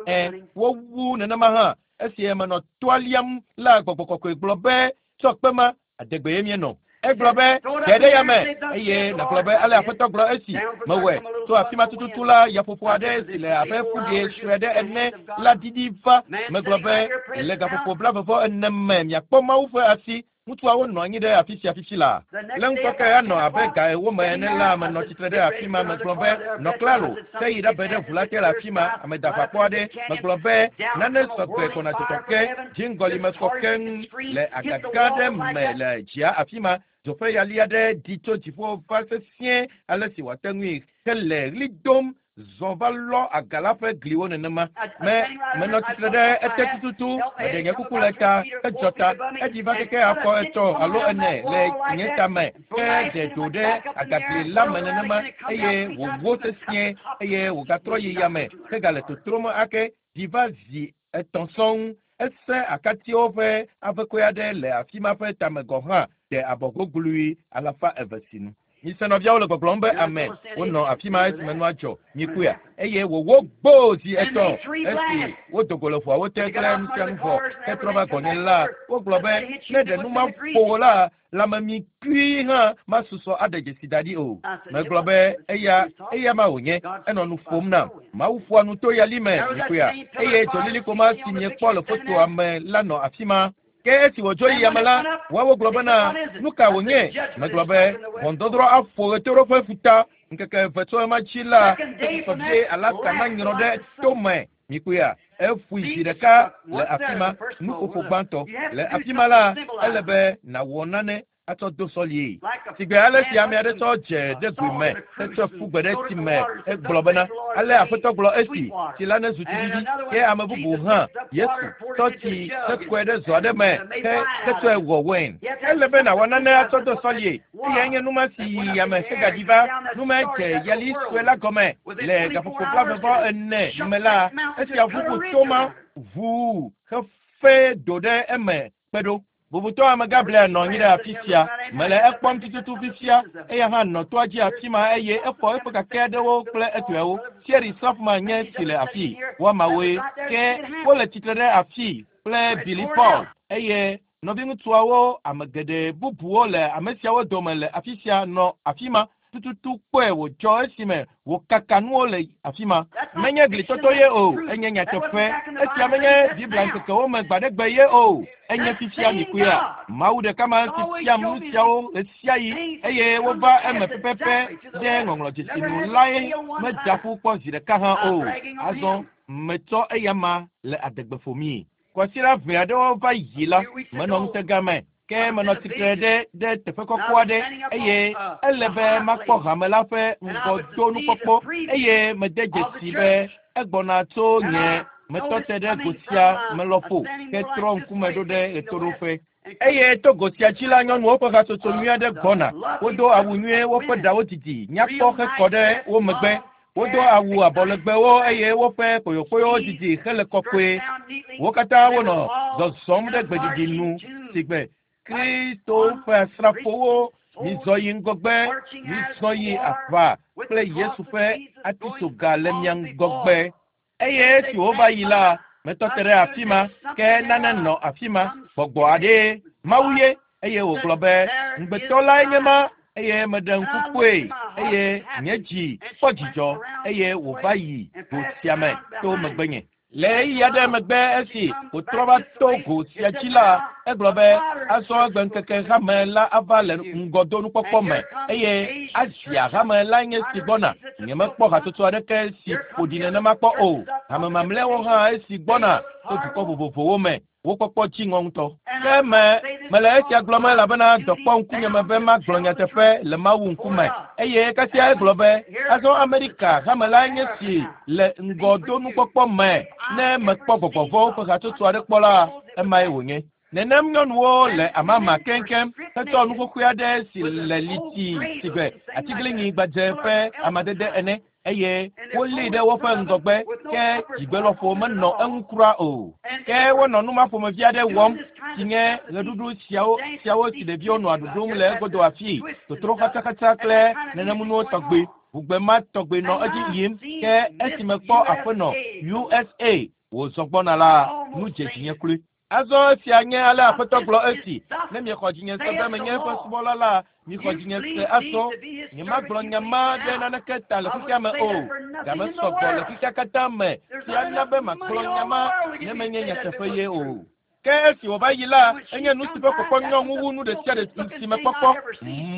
wowu nenema hã. Esi menɔ toa liam la, gbɔgbɔ kɔkɔe gblɔ be, tsɔ kpe ma, adegbe ye mienɔ. Egblɔ be, ɖe ɖe yame, eye nàgblɔ be, ale Aƒetɔ gblɔ esi mewɔe. Tso afi ma tututu la, yaƒoƒo aɖe si le abe ƒuɖie sue aɖe ene la ɖiɖi va. Megblɔ be, le gaƒoƒo 44 me miakpɔ Mawu ƒe asi. Ŋutsuawo nɔ anyi ɖe afi sia fifi la. Le ŋkɔke anɔ abe ga 4 me ene la, menɔ tsitre ɖe afi ma. Megblɔ be, nɔ klalo, ke yi ɖabe ɖe ʋu la te le afi ma, ame daʋakpɔ aɖe. Megblɔ be, nane sɔgbe gbɔna dzɔdzɔ ke, dziŋgɔli me kɔ keŋ le agaga aɖe me le dzia afi ma. Dzoƒe yali aɖe ɖi tso dziƒo va sesĩe ale si wòate ŋui hele ɣli dom zɔ va lɔ aga la ƒe gliwo nenema. Menɔ tsitre ɖe ete tututu, meɖe nye kuku le ta, edzɔ ta, eɖi va keke afɔ 3 alo 4 le nye tame, ke ɖe do ɖe agagli la me nenema, eye wòwó sesĩe, eye wògatrɔ yi yame, ke gale totrom ake, ɖi va zi 3 sɔŋ. Ese akatiwo ƒe avekɔe aɖe le afi ma ƒe tame gɔ̃ hã ɖe abɔ goglui 200 sinu. Mise nɔviawo le gbɔgblɔm be ame wonɔ afi ma esime nua dzɔ nyikuya, eye wòwó gboo zi 3 esi wodo go le ʋuawo te kple nu sia nu vɔ hetrɔ va gɔnye la. Wogblɔ be ne ɖe nu ma ƒo wò la, lãmemi kui hã masusɔ aɖe dzesi da ɖi o. Megblɔ be eya ma wònye, enɔ nu ƒom nam. Mawu ƒoa nu to yali me nyikuya, eye dzolilikpo ma si miekpɔ le fotoa me la nɔ afi ma. Ke esi wòdzo yi yame la, woawo gblɔ bena, nu ka wònye? Megblɔ be, ʋɔnudɔdrɔ̃ aƒo ɣetoɖoƒe ƒuta. Ŋkeke 2 tso ema dzi la, esusɔ vie Alaska nanyrɔ ɖe tome. Mikpɔea, eƒoe zi ɖeka le afi ma, nuƒoƒo gbãtɔ. Le afi ma la, ele be nàwɔ nane atsɔ do sɔlie. Sigbe ale si ame aɖe tsɔ dze ɖe goe me hetsɔe ƒu gbe ɖe tsi me hegblɔ bena, ale Aƒetɔ gblɔ esi, tsi la nezu tsiɖiɖi. Ke ame bubu hã, Yesu, tsɔ tsi hekɔe ɖe zɔ aɖe me hetsɔe wɔ wain. Ele be nàwɔ nane atsɔ do sɔlie. Eyae nye nu ma si yi yame hegaɖi va. Nu ma dze yali sue la gɔme le gaƒoƒo 44 me la, esia ʋuʋu to ma ʋuu hefe do ɖe eme kpe ɖo. Bubutɔ ame Gabriel nɔ anyi ɖe afi sia. Mele ekpɔm tututu fifia. Eya hã nɔ toa dzi afi ma eye efɔ eƒe kake aɖewo kple etɔewo. Thierry Sofman nye si le afi. Woamawoe. Ke wole tsitre ɖe afi kple Billy Paul eye nɔviŋutsuawo ame geɖe bubuwo le ame siawo dome le afi sia nɔ afi ma. Tututu kpɔe wòdzɔ esime wòkaka nuwo le afi ma. Menye glitɔtɔ ye o, enye nyateƒe. Esia menye Biblia ŋkekewo me gbaɖegbe ye o, enye fifia mikuya. Mawu ɖeka ma si fiam nu siawo ɣesiaɣi eye wova eme pɛpɛpɛ ɖe ŋɔŋlɔdzesi nu lae medza ƒu kpɔ zi ɖeka hã o. Azɔ metsɔ eya ma le adegbe ƒomii. Kwasiɖa ʋɛ aɖewo va yi la, menɔ ŋutega me. Ke menɔ tsitre ɖe teƒe kɔkɔ aɖe eye ele be makpɔ hame la ƒe ŋgɔdonukpɔkpɔ eye mede dzesi be egbɔna tso nye metɔ te ɖe go sia me lɔƒo ke trɔ ŋkume ɖo ɖe ɣetoɖoƒe. Eye to go sia dzi la, nyɔnuwo ƒe hatsotso nyui aɖe gbɔna. Wodo awu nyuie, woƒe ɖawo didi, nyakpɔ hekɔ ɖe wo megbe. Wodo awu abɔlegbewo eye woƒe kpoyokpoyowo didi hele kɔkɔe. Wo katã wonɔ zɔzɔm ɖe gbeɖiɖi nu sigbe Kristo ƒe asrafowo. Mizɔ yi ŋgɔgbe, mizɔ yi aʋa kple Yesu ƒe atitsoga le mia ŋgɔgbe. Eye esi wova yi la, metɔ te ɖe afi ma, ke nane nɔ afi ma, gbɔgbɔ aɖee, Mawu ye, eye wògblɔ be, ŋugbetɔ lae nye ma, eye meɖe ŋku kpɔe, eye nye dzi kpɔ dzidzɔ, eye wòva yi go sia me to megbenye. Le ɣeyiɣi aɖe megbe esi wòtrɔ va to go sia dzi la, egblɔ be, Azɔ egbeŋkeke hame la ava le ŋgɔdonukpɔkpɔ me, eye Asia hame lae nye esi gbɔna. Nyemekpɔ hatsotso aɖeke si ƒo ɖi nenema kpɔ o. Hame mamlɛawo hã esi gbɔna tso dukɔ vovovowo me. Wo kpɔkpɔ dzi ŋɔ ŋutɔ. Ke me, mele esia gblɔm elabena dɔ kpɔ ŋkunye me be magblɔ nyateƒe le Mawu ŋkume. Eye kasia egblɔ be, Azɔ Amerika hame lae nye si le ŋgɔdonukpɔkpɔ me. Ne mekpɔ gbɔgbɔ vɔ̃wo ƒe hatsotso aɖe kpɔ la, emae wònye. Nenem nyɔnuwo le amama keŋkeŋ hetsɔ nu xoxoe aɖe si le liti sigbe atiglinyi gbadze ƒe amadede ene eye wolée ɖe woƒe ŋgɔgbe, ke dzigbelɔƒo menɔ eŋu kura o. Ke wonɔ nu ma ƒomevi aɖe wɔm, si nye ɣeɖuɖu siawo siawo si ɖeviwo nɔa ɖuɖum le egodo afii, totro xatsaxatsa kple nenemunuwo tɔgbi. Ŋugbe ma tɔgbi nɔ edzi yim. Ke esi mekpɔ aƒenɔ USA wòzɔ gbɔna la, nu dze dzinye kloe. Azɔ esia nye ale Aƒetɔ gblɔ esi, Ne miexɔ dzinye se be menye eƒe subɔla la, mixɔ dzinye se azɔ. Nyemagblɔ nya ma ɖe naneke ta le xexea me o. Ga mesɔ gbɔ le xexea katã me si ana be magblɔ nya ma ne menye nyateƒe ye o. Ke esi wòva yi la, enye nu si ƒe kpɔkpɔ nyɔ ŋu wu nu ɖe sia ɖe si mekpɔ kpɔ.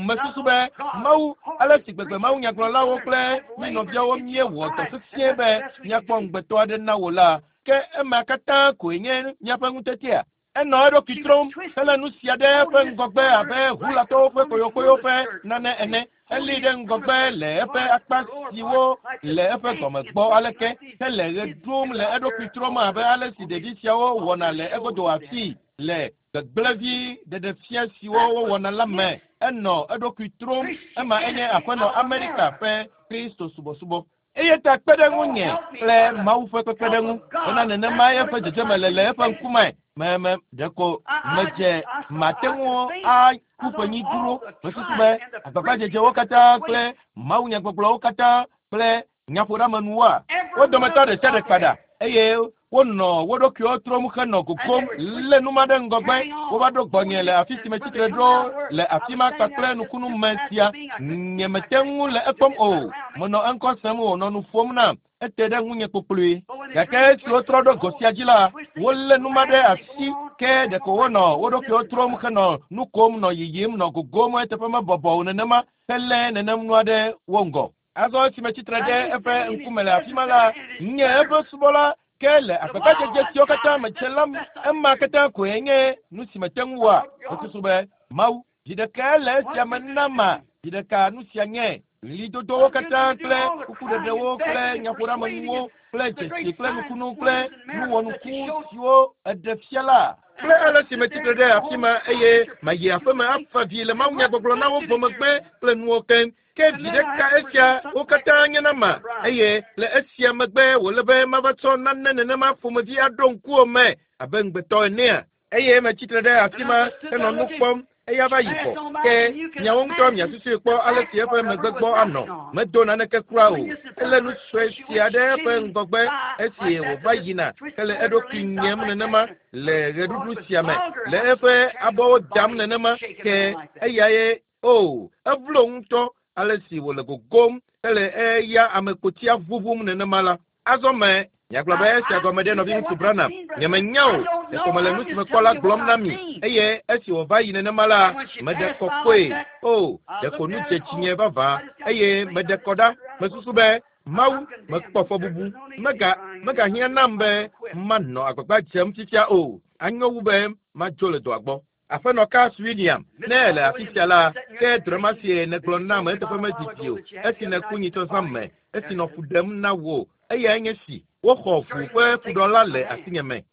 Mesusu be, Mawu, ale si gbegbe mawunyagblɔlawo kple mí nɔviawo míewɔ dɔ sesĩe be míakpɔ ŋugbetɔ aɖe na wò la, Ke ema katã koe nye míaƒe ŋutetea? Enɔ eɖokui trom helé nu sia ɖe eƒe ŋgɔgbe abe Hulatɔwo ƒe koyokoyo ƒe nane ene. Elée ɖe ŋgɔgbe le eƒe akpa siwo le eƒe gɔme gbɔ aleke hele ɣe ɖum le eɖokui trom abe ale si ɖevi siawo wɔna le egodo afii le gbegblẽvi ɖeɖefia siwo wowɔna la me. Enɔ eɖokui trom. Ema enye aƒenɔ Amerika ƒe Kristo subɔsubɔ. Eya ta kpe ɖe ŋunye kple Mawu ƒe kpekpeɖeŋu bena nenema eƒe dzedzeme le le eƒe ŋkume. Me me ɖeko medze mate ŋu aku ƒenyi dzro. Mesusu be agbagbadzedzewo katã kple mawunyagbɔgblɔwo katã kple nyaƒoɖeamenuwoa, wo dometɔ ɖe sia ɖe kpa ɖa eye wonɔ wo ɖokuiwo trom henɔ gogom lé nu ma ɖe ŋgɔgbe. Wova ɖo gbɔnye le afi si metsi tre ɖo le afi ma kpakple nukunu me sia. Nyemete ŋu le ekpɔm o. Menɔ eŋkɔ sem wònɔ nu ƒom nam. Ete ɖe ŋunye kpokploe. Gake esi wotrɔ ɖo go sia dzi la, wolé nu ma ɖe asi ke ɖeko wonɔ wo ɖokuiwo trom henɔ nu kom nɔ yiyim nɔ gogom eteƒe mebɔbɔ o nenema helé nenem nua ɖe wo ŋgɔ. Azɔ esi metsi tre ɖe eƒe ŋkume le afi ma la, nye eƒe subɔla ke le agbagbadzedze siwo katã medze la, ema katã koe nye nu si mete ŋu wɔa. Mesusu be, Mawu, vi ɖekae le esia me nama, vi ɖeka nu sia nye. Ɣlidodowo katã kple kukuɖeɖewo kple nyaƒoɖeamenuwo kple dzesi kple nukunu kple nu wɔnuku siwo eɖe fia la, kple ale si metsi tre ɖe afi ma eye mayi aƒe me afa vi le mawunyagbɔgblɔ na wo vɔ megbe kple nuwo keŋ. Ke viɖe ka esia wo katã nye na ma? Eye le esia megbe wòle be mava tsɔ nane nenema ƒomevi aɖo ŋkuwò me abe ŋugbetɔ enea? Eye metsi tre ɖe afi ma henɔ nu kpɔm, eya va yi vɔ. Ke miawo ŋutɔ miasusui kpɔ ale si eƒe megbe gbɔ anɔ. Medo naneke kura o. Elé nu sue sia ɖe eƒe ŋgɔgbe esi wòva yina hele eɖokui nyem nenema le ɣeɖuɖu sia me, le eƒe abɔwo dam nenema. Ke eyae O, evlo ŋutɔ ale si wòle gogom hele eya ame kpotia ʋuʋum nenema la. Azɔ me, miagblɔ be esia gɔme ɖe nɔviŋutsu Branham. Nyemenya o, ɖeko mele nu si mekpɔ la gblɔm na mi. Eye esi wòva yi nenema la, meɖe kɔ kpɔe. O, ɖeko nu dze dzinye vavã, eye meɖe kɔ ɖa. Mesusu be, Mawu, mekpɔ fɔbubu. Mega, megahiã nam be manɔ agbagba dzem fifia o. Anyo wu be madzo le dɔa gbɔ. Aƒenɔ Cass William, ne èle afi sia la, ke drɔ̃e ma sie nègblɔ nam eteƒe medidi o, esi nèku nyitsɔ zã me, esi nɔ fu ɖem na wò. Eyae nye esi, Woxɔ ʋu ƒe fuɖɔ la le asinye me.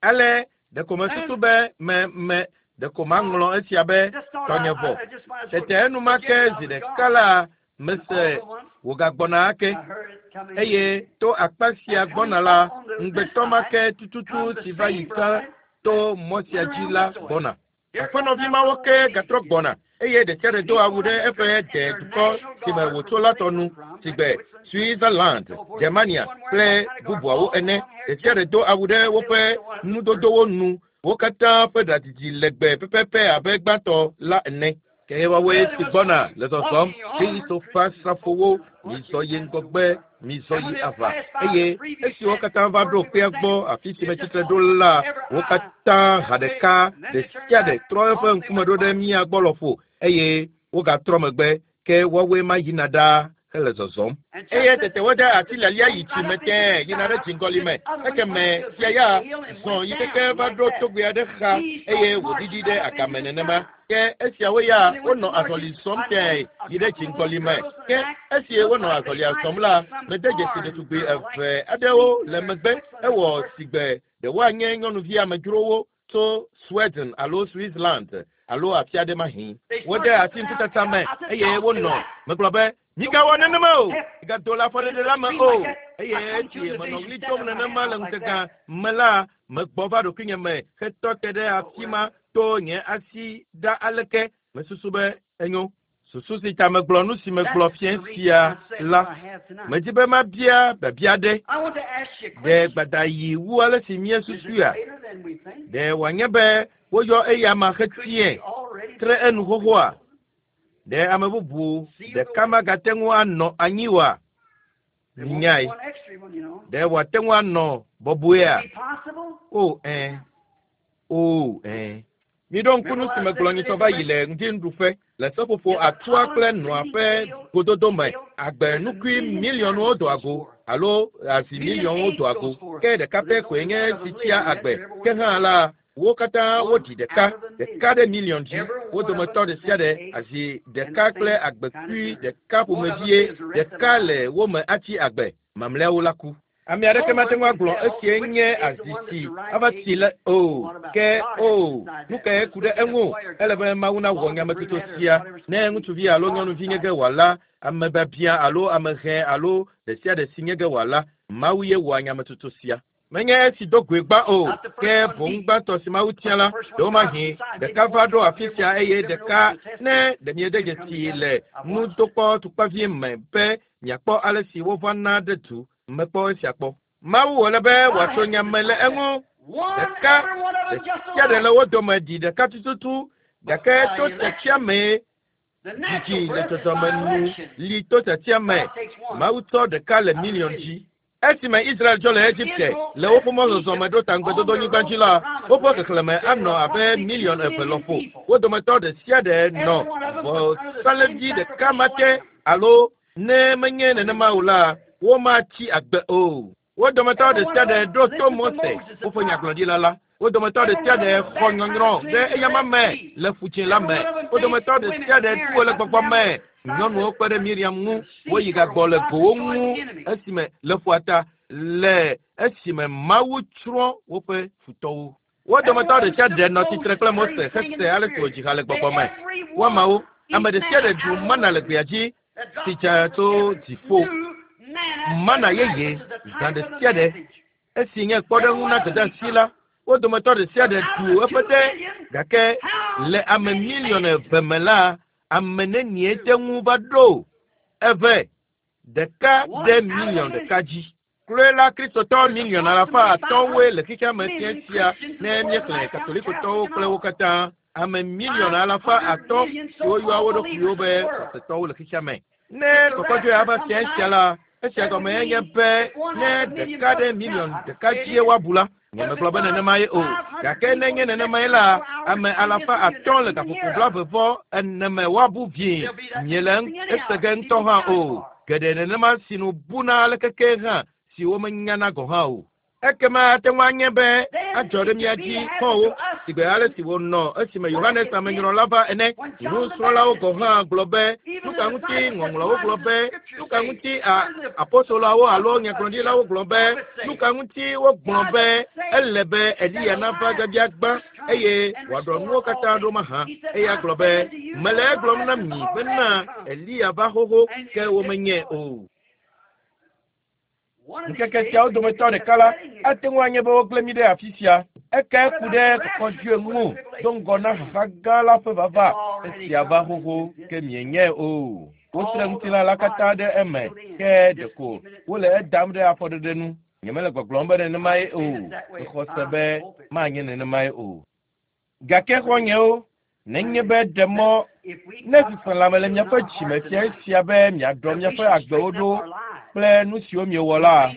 Ale, ɖeko mesusu be me, me, ɖeko maŋlɔ esia be, tɔnye vɔ. Tete enumake zi ɖeka la, mese wògagbɔna ake. Eye to akpa sia gbɔna la, ŋugbetɔ ma ke tututu si va yi tsã to mɔ sia dzi la gbɔna. Aƒenɔvi mawo ke gatrɔ gbɔna, eye ɖesiaɖe do awu ɖe eƒe de dukɔ si me wòtso la tɔ nu, sigbe Switzerland, Germania kple bubuawo ene. Ɖesiaɖe do awu ɖe woƒe nudodowo nu. Wo katã ƒe ɖa didi legbe pɛpɛpɛ abe gbãtɔ la ene. Ke woawoe si gbɔna le zɔzɔm, Kristo ƒe asrafowo, mizɔ yi ŋgɔgbe, mizɔ yi aʋa. Eye esi wo katã va ɖo kpea gbɔ afi si metsitre ɖo la, wo katã ha ɖeka ɖe sia ɖe trɔ eƒe ŋkume ɖo ɖe mía gbɔ lɔƒo eye wogatrɔ megbe ke woawoe ma yina ɖaa hele zɔzɔm. Eye tete wode ati lialia yi tsi me tẽe yina ɖe dziŋgɔli me. Ekeme fia ya zɔ yi keke va ɖo togbɛ aɖe xa eye wòɖiɖi ɖe agame nenema. Ke esiawo ya wonɔ azɔli zɔm tẽe yi ɖe dziŋgɔli me. Ke esi wonɔ azɔlia zɔm la, mede dzesi ɖetugbui eve aɖewo le megbe. Ewɔ sigbe ɖe woanye nyɔnuvi amedzrowo tso Sweden alo Switzerland alo afi aɖe mahi. Wode asi ŋkutata me eye wonɔ megblɔ be migawɔ nenema o, migado le afɔɖeɖe la me o. Eye esi menɔ ɣli dom nenema le ŋutega me la, megbɔ va ɖokuinye me hetɔ te ɖe afi ma to nye asi ɖa aleke mesusu be enyo. Susu si ta megblɔ nu si megblɔ fiẽ sia la, medzi be mabia biabia aɖe. Ɖe gbadayi wu ale si míesusuia? Ɖe wòanye be woyɔ eya ma hetiae tre enu xoxoa? Ɖe ame bubu ɖeka magate ŋu anɔ anyi oa? Nyae. Ɖe wòate ŋu anɔ bɔbɔea? O ẽ. O ẽ. Miɖo ŋku nu si megblɔ nyitsɔ va yi le ŋdinuɖuƒe le seƒoƒo atua kple nɔa ƒe gododo me. Agbe nukui miliɔnwo doa go alo azi miliɔnwo doa go. Ke ɖeka pɛ koe nye si tsia agbe. Ke hã la, wo katã woɖi ɖeka, ɖeka ɖe miliɔn dzi. Wo dometɔ ɖe sia ɖe azi ɖeka kple agbekui ɖeka ƒomevie ɖeka le wo me atsi agbe. Mamlɛawo la ku. Ame aɖeke mate ŋu agblɔ esie nye azi si ava tsi le o. Ke o, nu kae ku ɖe eŋu? Ele be Mawu nawɔ nyametsotso sia. Ne ŋutsuvi alo nyɔnuvi nye ge wòala, ame biabia alo ame hɛ alo ɖe sia ɖe si nye ge wòala, Mawu ye wɔa nyametsotso sia. Menye esi do goe gbã o, ke boŋ gbãtɔ si Mawu tia la, ɖewomahi ɖeka va ɖo afi sia eye ɖeka ne ɖe miede dzesi le nudokpɔ tukpavi me be miakpɔ ale si wovana ɖe du. Mekpɔ esia kpɔ. Mawu wòle be wòatso nya me le eŋu. Ɖeka ɖe sia ɖe le wo dome ɖi ɖeka tututu gake to tiatia mee dzidzi le dzɔdzɔme nu li to tiatia me. Mawu tsɔ ɖeka le miliɔn dzi. Esime Israel dzo le Egipte le woƒe mɔzɔzɔ me ɖo ta ŋugbedodonyigba dzi la, woƒe xexlẽme anɔ abe miliɔn eve lɔƒo. Wo dometɔ ɖe sia ɖe nɔ vɔsalẽvi ɖeka ma te alo ne menye nenema o la, womatsi agbe o. Wo dometɔ ɖe sia ɖe ɖo to Mose, woƒe nyagblɔɖila la. Wo dometɔ ɖe sia ɖe xɔ nyɔnyrɔ ɖe eyama me le ƒudzĩ la me. Wo dometɔ ɖe sia ɖe ɖu wo le gbɔgbɔ me. Nyɔnuwo kpe ɖe Miriam ŋu, woyi gagbɔ le gowo ŋu esime le ƒua ta le esime Mawu tsrɔ̃ woƒe futɔwo. Wo dometɔ ɖe sia ɖe nɔ tsitre kple Mose hese ale si wòdzi ha le gbɔgbɔ me. Woamawo, ame ɖe sia ɖe ɖu mana le gbea dzi si dze tso dziƒo. Mana yeye zã ɖe sia ɖe esi nye kpɔɖeŋu na dɔdeasi la, wo dometɔ ɖe sia ɖe ɖu eƒe de gake le ame miliɔn eve me la, ame nenie te ŋu va ɖo eve ɖeka ɖe miliɔn ɖeka dzi. Kloe la Kristotɔ miliɔn alafa atɔ̃woe le xexea me fiẽ sia ne míexlẽ Katolikotɔwo kple wo katã. Ame miliɔn alafa atɔ̃ siwo yɔa wo ɖokuiwo be xɔsetɔwo le xexea me. Ne kɔkɔdzoe ava fiẽ sia la, esia gɔme nye be ne ɖeka ɖe miliɔn ɖeka dzie woabu la, nyemegblɔ be nenema ye o. Gake ne nye nenemae la, ame alafa atɔ̃ le gaƒoƒo blaeve vɔ ene me woabu vie. Miele ese ge ŋutɔ hã o. Geɖe nenema si nu buna ale keke hã si womenyana gɔ̃ hã o. Ekema ate ŋu anye be adzɔ ɖe mía dzi xɔwo sigbe ale si wònɔ esime Yohanes Amenyrɔla va ene. Nusrɔ̃lawo gɔ̃ hã gblɔ be nu ka ŋuti ŋɔŋlɔwo gblɔ be nu ka ŋuti apostoloawo alo nyagblɔɖilawo gblɔ be nu ka ŋuti wogblɔ be ele be Eliya nava biabia gbã eye wòaɖɔ nuwo katã ɖo mahã. Eya gblɔ be mele egblɔm na mi bena Eliya va xoxo ke womenyae o. Ŋkeke siawo dometɔ ɖeka la, ate ŋu anye be wogblẽ mí ɖe afi sia. Eke ku ɖe kɔkɔdzoe ŋu do ŋgɔ na xaxa gã la ƒe vava. Esia va xoxo ke mienyae o. Wotre ŋutilã la katã ɖe eme ke ɖeko wole edam ɖe afɔɖeɖe nu. Nyemele gbɔgblɔm be nenemae o. Mexɔ se be manye nenemae o. Gake xɔ̃nyewo, Nenye be ɖe mɔ ne seselãme le miaƒe dzime fia esia be miaɖɔ miaƒe agbewo ɖo kple nu siwo miewɔ la,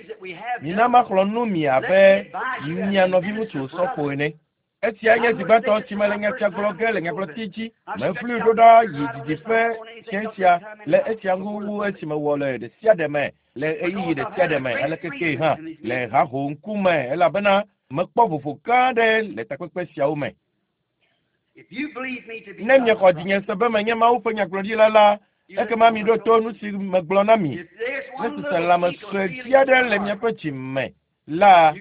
mina maxlɔ̃ nu mi abe mia nɔviŋutsu sɔfo ene. Esia nye zi gbãtɔ si mele nya sia gblɔ ge le nyagblɔti dzi. Meflui ɖo ɖa yi didiƒe fiẽ sia le esia ŋu wu esi mewɔ le ɖe sia ɖe me le ɣeyiɣi ɖe sia ɖe me aleke kee hã le haho ŋkume elabena mekpɔ vovo gã aɖe le takpekpe siawo me. Ne miexɔ dzinye se be menye Mawu ƒe nyagblɔɖila la, ekema miɖo to nu si megblɔ na mi. Ne seselãme sue vi aɖe le miaƒe dzi me la,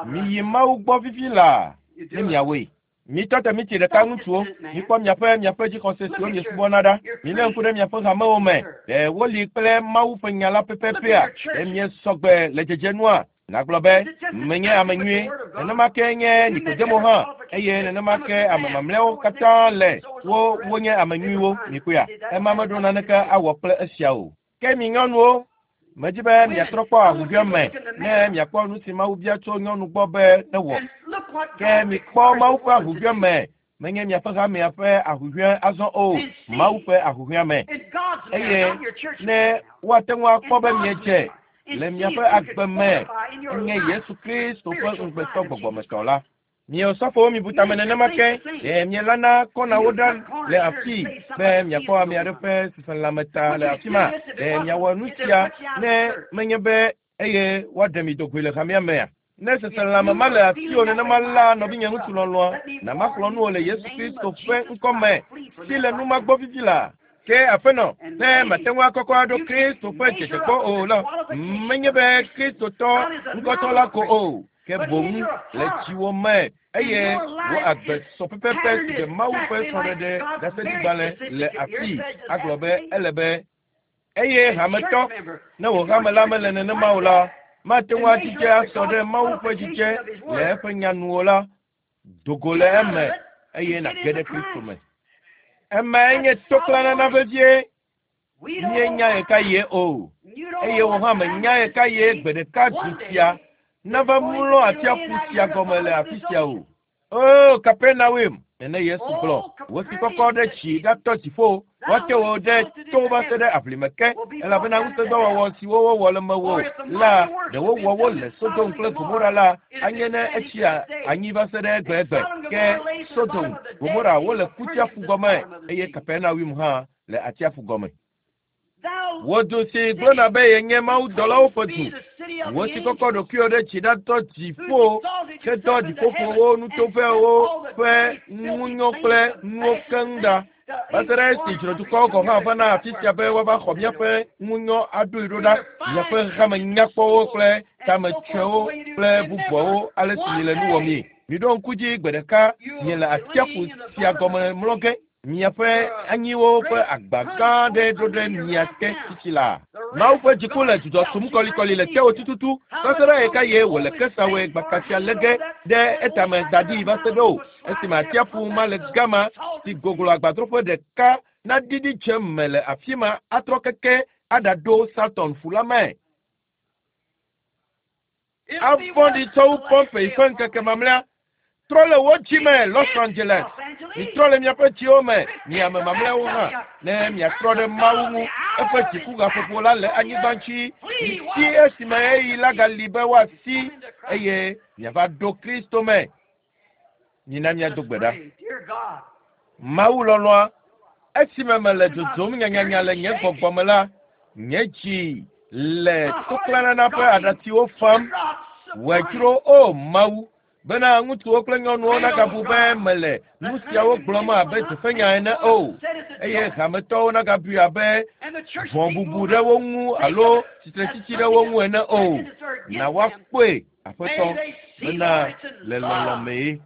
miyi Mawu gbɔ fifi laa ne miawɔe. Mitɔ te miti ɖeka ŋutsuwo, mikpɔ miaƒe miaƒe dzixɔse siwo miesubɔna ɖa. Milé ŋku ɖe miaƒe hamewo me. Ɖe woli kple Mawu ƒe nya la pɛpɛpɛa? Ɖe miesɔ gbe le dzedzenua? Nàgblɔ be, Menye ame nyui. Nenema ke nye Nikodemo hã, eye nenema ke ame mamlɛawo katã le. Wo, wonye ame nyuiwo. Mikpɔea? Ema meɖo naneke awɔ kple esia o. Ke mi nyɔnuwo, medi be miatrɔ kpɔ ahuhɔ̃e me ne miakpɔ nu si Mawu bia tso nyɔnu gbɔ be newɔ. Ke mikpɔ Mawu ƒe ahuhɔ̃e me, menye miaƒe hamea ƒe ahuhɔ̃e azɔ o, Mawu ƒe ahuhɔ̃e me. Eye ne woate ŋu akpɔ be miedze le miaƒe agbe me nye Yesu Kristo ƒe ŋugbetɔ gbɔgbɔmetɔ la. Mi osɔfowo mibu tame nenema ke, ɖe mielana kɔnawo ɖa le afii be miakpɔ ame aɖe ƒe seselãme ta le afi ma? Ɖe miawɔ nu sia ne menye be eye woaɖe mi do goe le hamea mea? Ne seselãme ma le asiwò nenema la, nɔvinye ŋutsu lɔlɔ̃a, na maxlɔ̃ nu wò le Yesu Kristo ƒe ŋkɔ me, si le nu ma gbɔ vivi la. Ke aƒenɔ, ne mate ŋu akɔkɔ aɖo Kristo ƒe dzedze gbɔ o la, menye be Kristotɔ ŋkɔtɔ la ko o, ke boŋ le dziwò me eye wò agbe sɔ pɛpɛpɛ si ɖe Mawu ƒe srɔ̃ɖeɖe ɖaseɖigbalẽ le afii agblɔ be ele be eye hametɔ, ne wò hame la mele nenema o la, mate ŋu adzidze asɔ ɖe Mawu ƒe dzidze le eƒe nya nu o la, do go le eme eye nàge ɖe Kristo me. Emae nye toklãnana vevie. Míenya ɣekaɣie o, eye wò hã mènya ɣekaɣie gbe ɖeka du sia nava mlɔ atsiaƒu sia gɔme le afi sia o. O Kapernaum, nene Yesu gblɔ, wò si kɔkɔ ɖe tsi ɖatɔ dziƒo, woate wò ɖe to va se ɖe aʋli me ke, elabena ŋusẽdɔwɔwɔ siwo wowɔ le mewò la, ɖe wowɔ wo le Sodom kple Gomora la, anye ne etsi anyi va se ɖe egbegbe. Ke Sodom, Gomora wole kutsiaƒu gɔme, eye Kapernaum hã le atsiaƒu gɔme. Wò du si gblɔna be yenye mawudɔlawo ƒe du, wò si kɔkɔ ɖokuiwò ɖe dzi ɖatɔ dziƒo hedɔ dziƒoƒowo, nutovɛwo ƒe ŋunyɔ kple nuwo keŋ ɖa, va se ɖe esi dzrodukɔwo gɔ̃ hã vana afi sia be woava xɔ míaƒe ŋunyɔ aɖoe ɖo ɖa, miaƒe hame nyakpɔwo kple tametsoewo kple bubuawo ale si miele nu wɔmii. Miɖo ŋku dzi gbe ɖeka miele atsiaƒu sia gɔme mlɔ ge. Miaƒe anyiwo ƒe agba gã aɖe ɖo ɖe mia te tsitsi la. Mawu ƒe dziku le dzudzɔ tum kɔlikɔli le tewò tututu va se ɖe ɣekaɣie wòle kesawoe gbakasia lé ge ɖe etame da ɖi va se ɖe o esime atsiaƒu ma le gama si goglo agbadroƒe ɖeka naɖiɖi dze me le afi ma atrɔ keke aɖaɖo Saturn ƒu la me. Avɔ̃ɖi tsɔ wu Pompeii ƒe ŋkeke mamlɛa. Trɔ le wò dzi me, Los Angeles. Mitrɔ le miaƒe dziwo me, mi ame mamlɛawo hã, ne miatrɔ ɖe Mawu ŋu. Eƒe dzikugaƒoƒo la le anyigba dzi. Misi esime ɣeyiɣi la gali be woasi, eye miava ɖo Kristo me. Mina míado gbe ɖa. Mawu lɔlɔ̃a, esime mele dzodzom nyanyanya le nye gbɔgbɔ me la, nye dzi le toklãnana ƒe aɖatsiwo fam. Wòe dzro, o Mawu, bena ŋutsuwo kple nyɔnuwo nagabu be mele nu siawo gblɔm abe dzeƒenya ene o, eye hametɔwo nagabui abe vɔ̃bubu ɖe wo ŋu alo tsitretsitsi ɖe wo ŋu ene o. Na woakpɔe Aƒetɔ, bena le lɔlɔ̃ mee.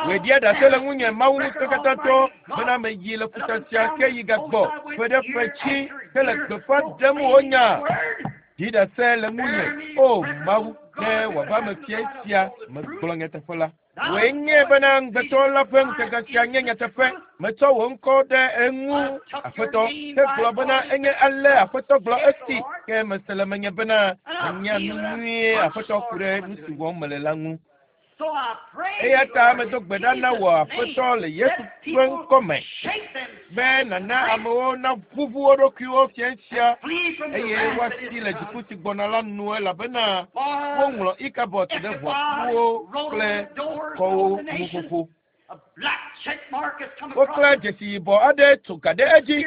Wòe ɖia ɖase le ŋunye, Mawu Ŋusẽkatãtɔ, bena meyi le ƒuta sia ke yi gagbɔ ƒe ɖe ƒe tsi hele gbeƒã ɖem wò nya. Ɖi ɖase le ŋunye, O Mawu, ne wòava eme fiẽ sia megblɔ nyateƒe la. Wòe nye bena ŋugbetɔ la ƒe ŋutega sia nye nyateƒe. Metsɔ wò ŋkɔ ɖe eŋu, Aƒetɔ, hegblɔ bena enye ale Aƒetɔ gblɔ esi, ke mese le menye bena menya nu nyuie Aƒetɔ ku ɖe nu si wɔm mele la ŋu. Eya ta medo gbe ɖa na wò Aƒetɔ le Yesu ƒe ŋkɔme be nàna amewo naʋuʋu wo ɖokuiwo fiẽ sia eye woasi le dziku si gbɔna la nu elabena woŋlɔ Ikabot ɖe ʋɔtruwo kple kɔwo ŋu xoxo. Woklã dzesi yibɔ aɖe tso ga ɖe edzi.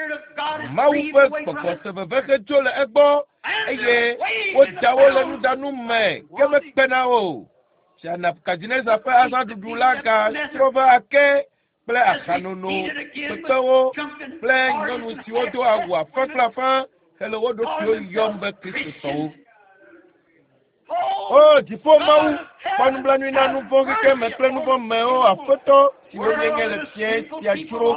Mawu ƒe gbɔgbɔ se veve hedzo le egbɔ eye woda wo le nudanu me ke mekpena o. Fia Nebukadnezar ƒe azãɖuɖu la gatrɔ va ake kple ahanono, kpekpewo kple nyɔnu siwo do awu afã kple afã hele wo ɖokuiwo yɔm be Kristotɔwo. O dziƒo Mawu, kpɔ nublanui na nu vɔ̃ xexeme kple nu vɔ̃ mewo Aƒetɔ siwo míenye le fiẽ sia dzro.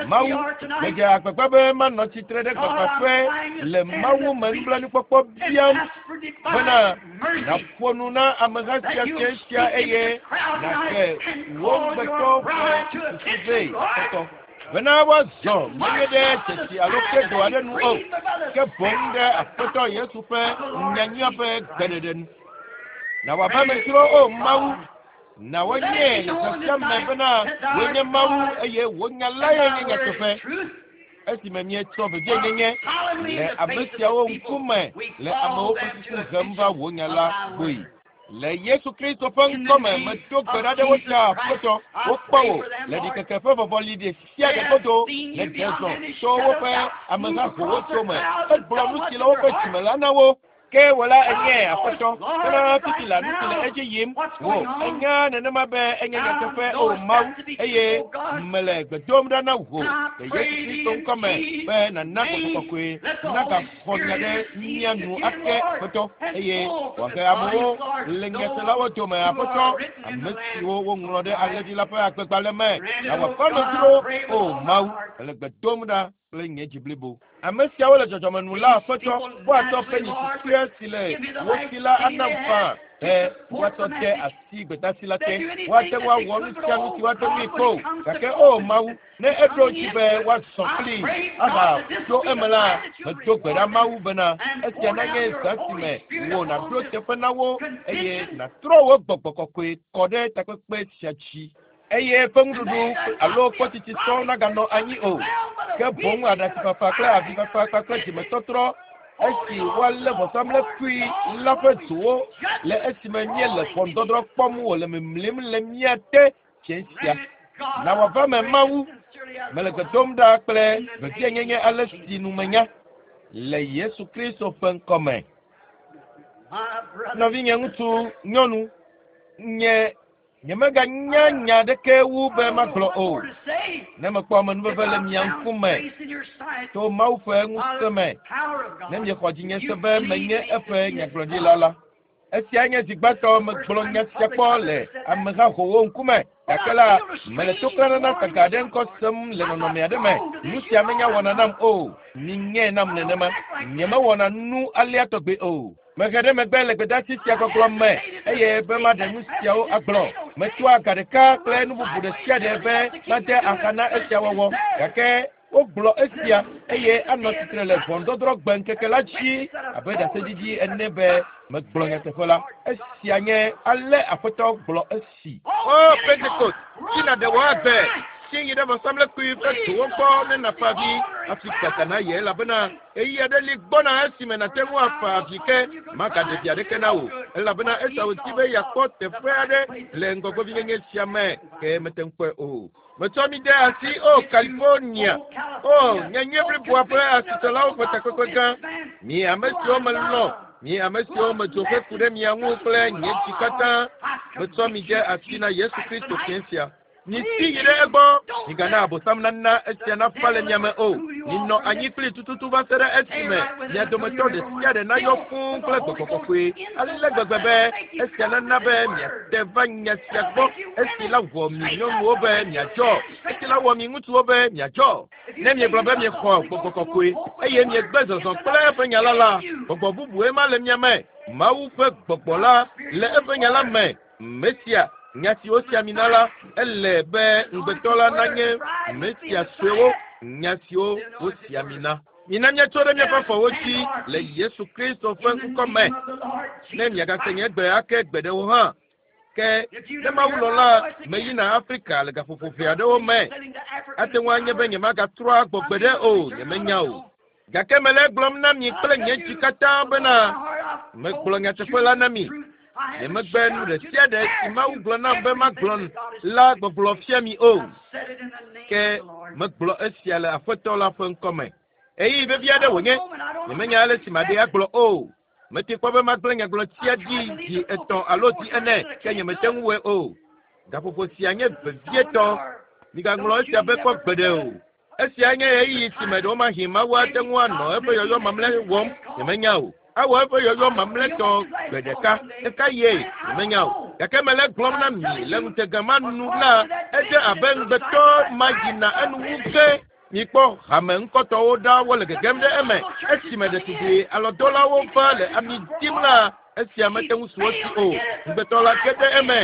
Mawu, medze agbagba be manɔ tsitre ɖe gbagbãƒe le Mawu me nublanuikpɔkpɔ biam bena nàƒo nu na ameha sia fiẽ sia eye nàhe wò ŋugbetɔ ƒe susu vɛ, Aƒetɔ. Bena woazɔ menye ɖe dzesi alo kredo aɖe nu o, ke boŋ ɖe Aƒetɔ Yesu ƒe nyanyuia ƒe gbeɖeɖe nu. Na wòava eme dzro, o Mawu, na woanye le xexea me bena wòe nye Mawu eye wò nya lae nye nyateƒe. Esime míetsɔ vevienyenye le ame siawo ŋkume le amewo ƒe susu hem va wò nya la gbɔe. Le Yesu Kristo ƒe ŋkɔme medo gbe ɖa ɖe wo ta, Aƒetɔ, wokpɔ wò le ɖikeke ƒe vɔvɔli ɖe sia ɖe godo le ɖe zɔ tso woƒe amehahowo dome. Egblɔ nu si le woƒe dzime la na wo. Ke wò la enye Aƒetɔ, bena fifi la nu si le edzi yim wò enya nenema be enye nyateƒe o Mawu, eye mele gbe dom ɖa na wò le Yesu Kristo ŋkɔme be nàna Gbɔgbɔ Kɔkɔe nagaxɔ nya ɖe mía nu ake Aƒetɔ, eye wòahe amewo le nyaselawo dome Aƒetɔ, ame siwo woŋlɔ ɖe Alẽvi la ƒe agbegbalẽ me na wòaƒe amedzro o Mawu, mele gbe dom ɖa kple nye dzi blibo. Ame siawo le dzɔdzɔme nu la Aƒetɔ, woatsɔ penyi susɔe si le wo si la anam faa be woatsɔ de asi gbedasi la te. Woate ŋu awɔ nu sia nu si woate ŋui ko. Gake o Mawu, ne eɖo dzi be woazɔ kplii ahaɖo eme la, medo gbe ɖa Mawu bena esia nanye zã si me wò nàɖo teƒe na wo eye nàtrɔ wò gbɔgbɔ kɔkɔe kɔ ɖe takpekpe sia dzi. Eye ƒe nuɖuɖu alo kpɔtsitsi sɔŋ naganɔ anyi o, ke boŋ aɖatsifafa kple avifafa kpakple dzimetɔtrɔ esi woalé vɔsamlekpui la ƒe dzowo le esime míele ʋɔnudɔdrɔ̃ kpɔm wòle mimlim le mía te fiẽ sia. Na wòava me Mawu, mele gbe dom ɖa kple vevienyenye ale si nu menya le Yesu Kristo ƒe ŋkɔme. Nɔvinye ŋutsu, nyɔnu, nye nyemeganya nya aɖeke wu be magblɔ o. Ne mekpɔ amenuveve le mia ŋkume to Mawu ƒe ŋusẽ me, ne miexɔ dzinye se be menye eƒe nyagblɔɖila la. Esia nye zi gbãtɔ megblɔ nya sia kpɔ le amehahowo ŋkume. Gake la, mele toklãnana gaga aɖe ŋkɔ sem le nɔnɔme aɖe me. Nu sia menya wɔna nam o. Minyãe nam nenema. Nyemewɔna nu alea tɔgbe o. Mehe ɖe megbe le gbedasi sia gbɔgblɔ me eye be maɖe nu siawo agblɔ. Metsɔa ga ɖeka kple nu bubu ɖe sia ɖe be made axa na esia wɔwɔ. Gake wogblɔ esia eye anɔ tsitre le ʋɔnudɔdrɔ̃ gbe ŋkeke la dzi abe ɖaseɖiɖi ene be megblɔ nyateƒe la. Esia nye ale Aƒetɔ gblɔ esi. O Pentekost, si nàɖe wò agbe, si yi ɖe vɔsamlekpui ƒe dzowo gbɔ ne nàfa avi hafi gada na ye elabena ɣeyiɣi aɖe li gbɔna esime nàte ŋu afa avi ke magaɖe vi aɖeke na wò elabena Esau di be yeakpɔ teƒe aɖe le ŋgɔgbevinyenye sia me ke mete ŋu kpɔe o. Metsɔ mi de asi o California, o nyanyui bliboa ƒe asitsalawo ƒe takpekpe gã. Mi ame siwo melɔ̃, mi ame siwo medzo heku ɖe mia ŋu kple nye dzi katã, metsɔ mi de asi na Yesu Kristo fiẽ sia. Miti yi ɖe egbɔ, migana Abosam nana esia nafa le mia me o. Minɔ anyi kpli tututu va se ɖe esime mia dometɔ ɖe sia ɖe nayɔ fũu kple Gbɔgbɔ Kɔkɔe ale gbegbe be esia nana be miate va nya sia gbɔ esi la wɔ mi nyɔnuwo be miadzɔ, esi la wɔ mi ŋutsuwo be miadzɔ. Ne miegblɔ be miexɔ Gbɔgbɔ Kɔkɔe eye miegbe zɔzɔ kple eƒe nya la la, gbɔgbɔ bubue ma le mia me. Mawu ƒe gbɔgbɔ la le eƒe nya la me. Mesia, nya si wosi ami na la, ele be ŋugbetɔ la nanye Mesia suewo, nya siwo wosi ami na. Mina míatso ɖe míaƒe afɔwo dzi le Yesu Kristo ƒe ŋkɔ me, ne miagase nye gbe ake gbeɖe o hã. Ke ne Mawu lɔ̃ la, meyina Afrika le gaƒoƒo ʋɛ aɖewo me. Ate ŋu anye be nyemagatrɔ agbɔ gbeɖe o, nyemenya o. Gake mele egblɔm na mi kple nye dzi katã bena megblɔ nyateƒe la na mi. Nyemegbe nu ɖe sia ɖe si Mawu gblɔ nam be magblɔ la gbɔgblɔ fia mi o. Ke megblɔ esia le Aƒetɔ la ƒe ŋkɔme. Ɣeyiɣi vevi aɖe wònye. Nyemenya ale si maɖee agblɔ o. Mete kpɔ be magblẽ nyagblɔtia dzi zi etɔ̃ alo zi ene, ke nyemete ŋu wɔe o. Gaƒoƒo sia nye vevietɔ. Migaŋlɔ esia be kpɔ gbeɖe o. Esia nye ɣeyiɣi si me ɖewomahi Mawu ate ŋu anɔ eƒe yɔyɔ mamlɛ wɔm. Nyemenya o. Awɔ eƒe yɔyɔ mamlɛtɔ gbe ɖeka. Ɣekaɣie? Nyemenya o. Gake mele egblɔm na mi le ŋutega ma nu la, edze abe ŋugbetɔ ma yina enu wu ge. Mikpɔ hame ŋkɔtɔwo ɖa wole gegem ɖe eme. Esime ɖetugbui alɔdɔlawo va le ami dim la, esia mete ŋu su wo si o. Ŋugbetɔ la ge ɖe eme.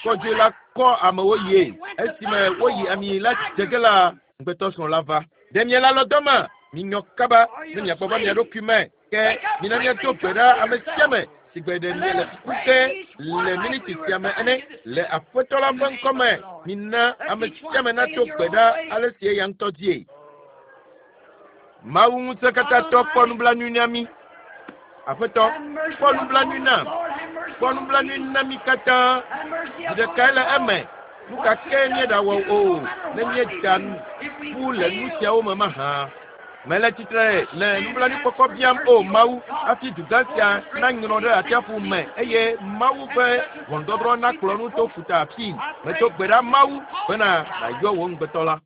Kɔdzoe la kɔ amewo yie. Esime woyi ami la dze ge la, ŋugbetɔsrɔ̃ la va. Ɖe miele alɔ dɔma? Minyɔ kaba ne miagbɔ va mia ɖokui me. Ke mina míado gbe ɖa ame sia ame si gbe ɖe miele kuku ge le miniti sia me ene le Aƒetɔ la ƒe ŋkɔ me. Mina ame sia ame nado gbe ɖa ale si eya ŋutɔ die. Mawu ŋusẽkatãtɔ kpɔ nublanui na mí. Aƒetɔ, kpɔ nublanui nam. Kpɔ nublanui na mí katã. Zi ɖekae le eme. Nu ka ke míeɖawɔ o, ne míeda ƒu le nu siawo me mahã. Mele tsitre le nublanuikpɔkpɔ biam, O Mawu, hafi dugã sia nanyrɔ ɖe atsiaƒu me eye Mawu ƒe ʋɔnudɔdrɔ̃ nakplɔ nu to ƒuta afii. Medo gbe ɖa, Mawu, bena nàyɔ wò ŋugbetɔ la.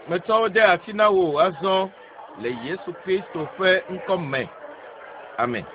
Metsɔ wo de asi na wò azɔ le Yesu Kristo ƒe ŋkɔ me. Amen.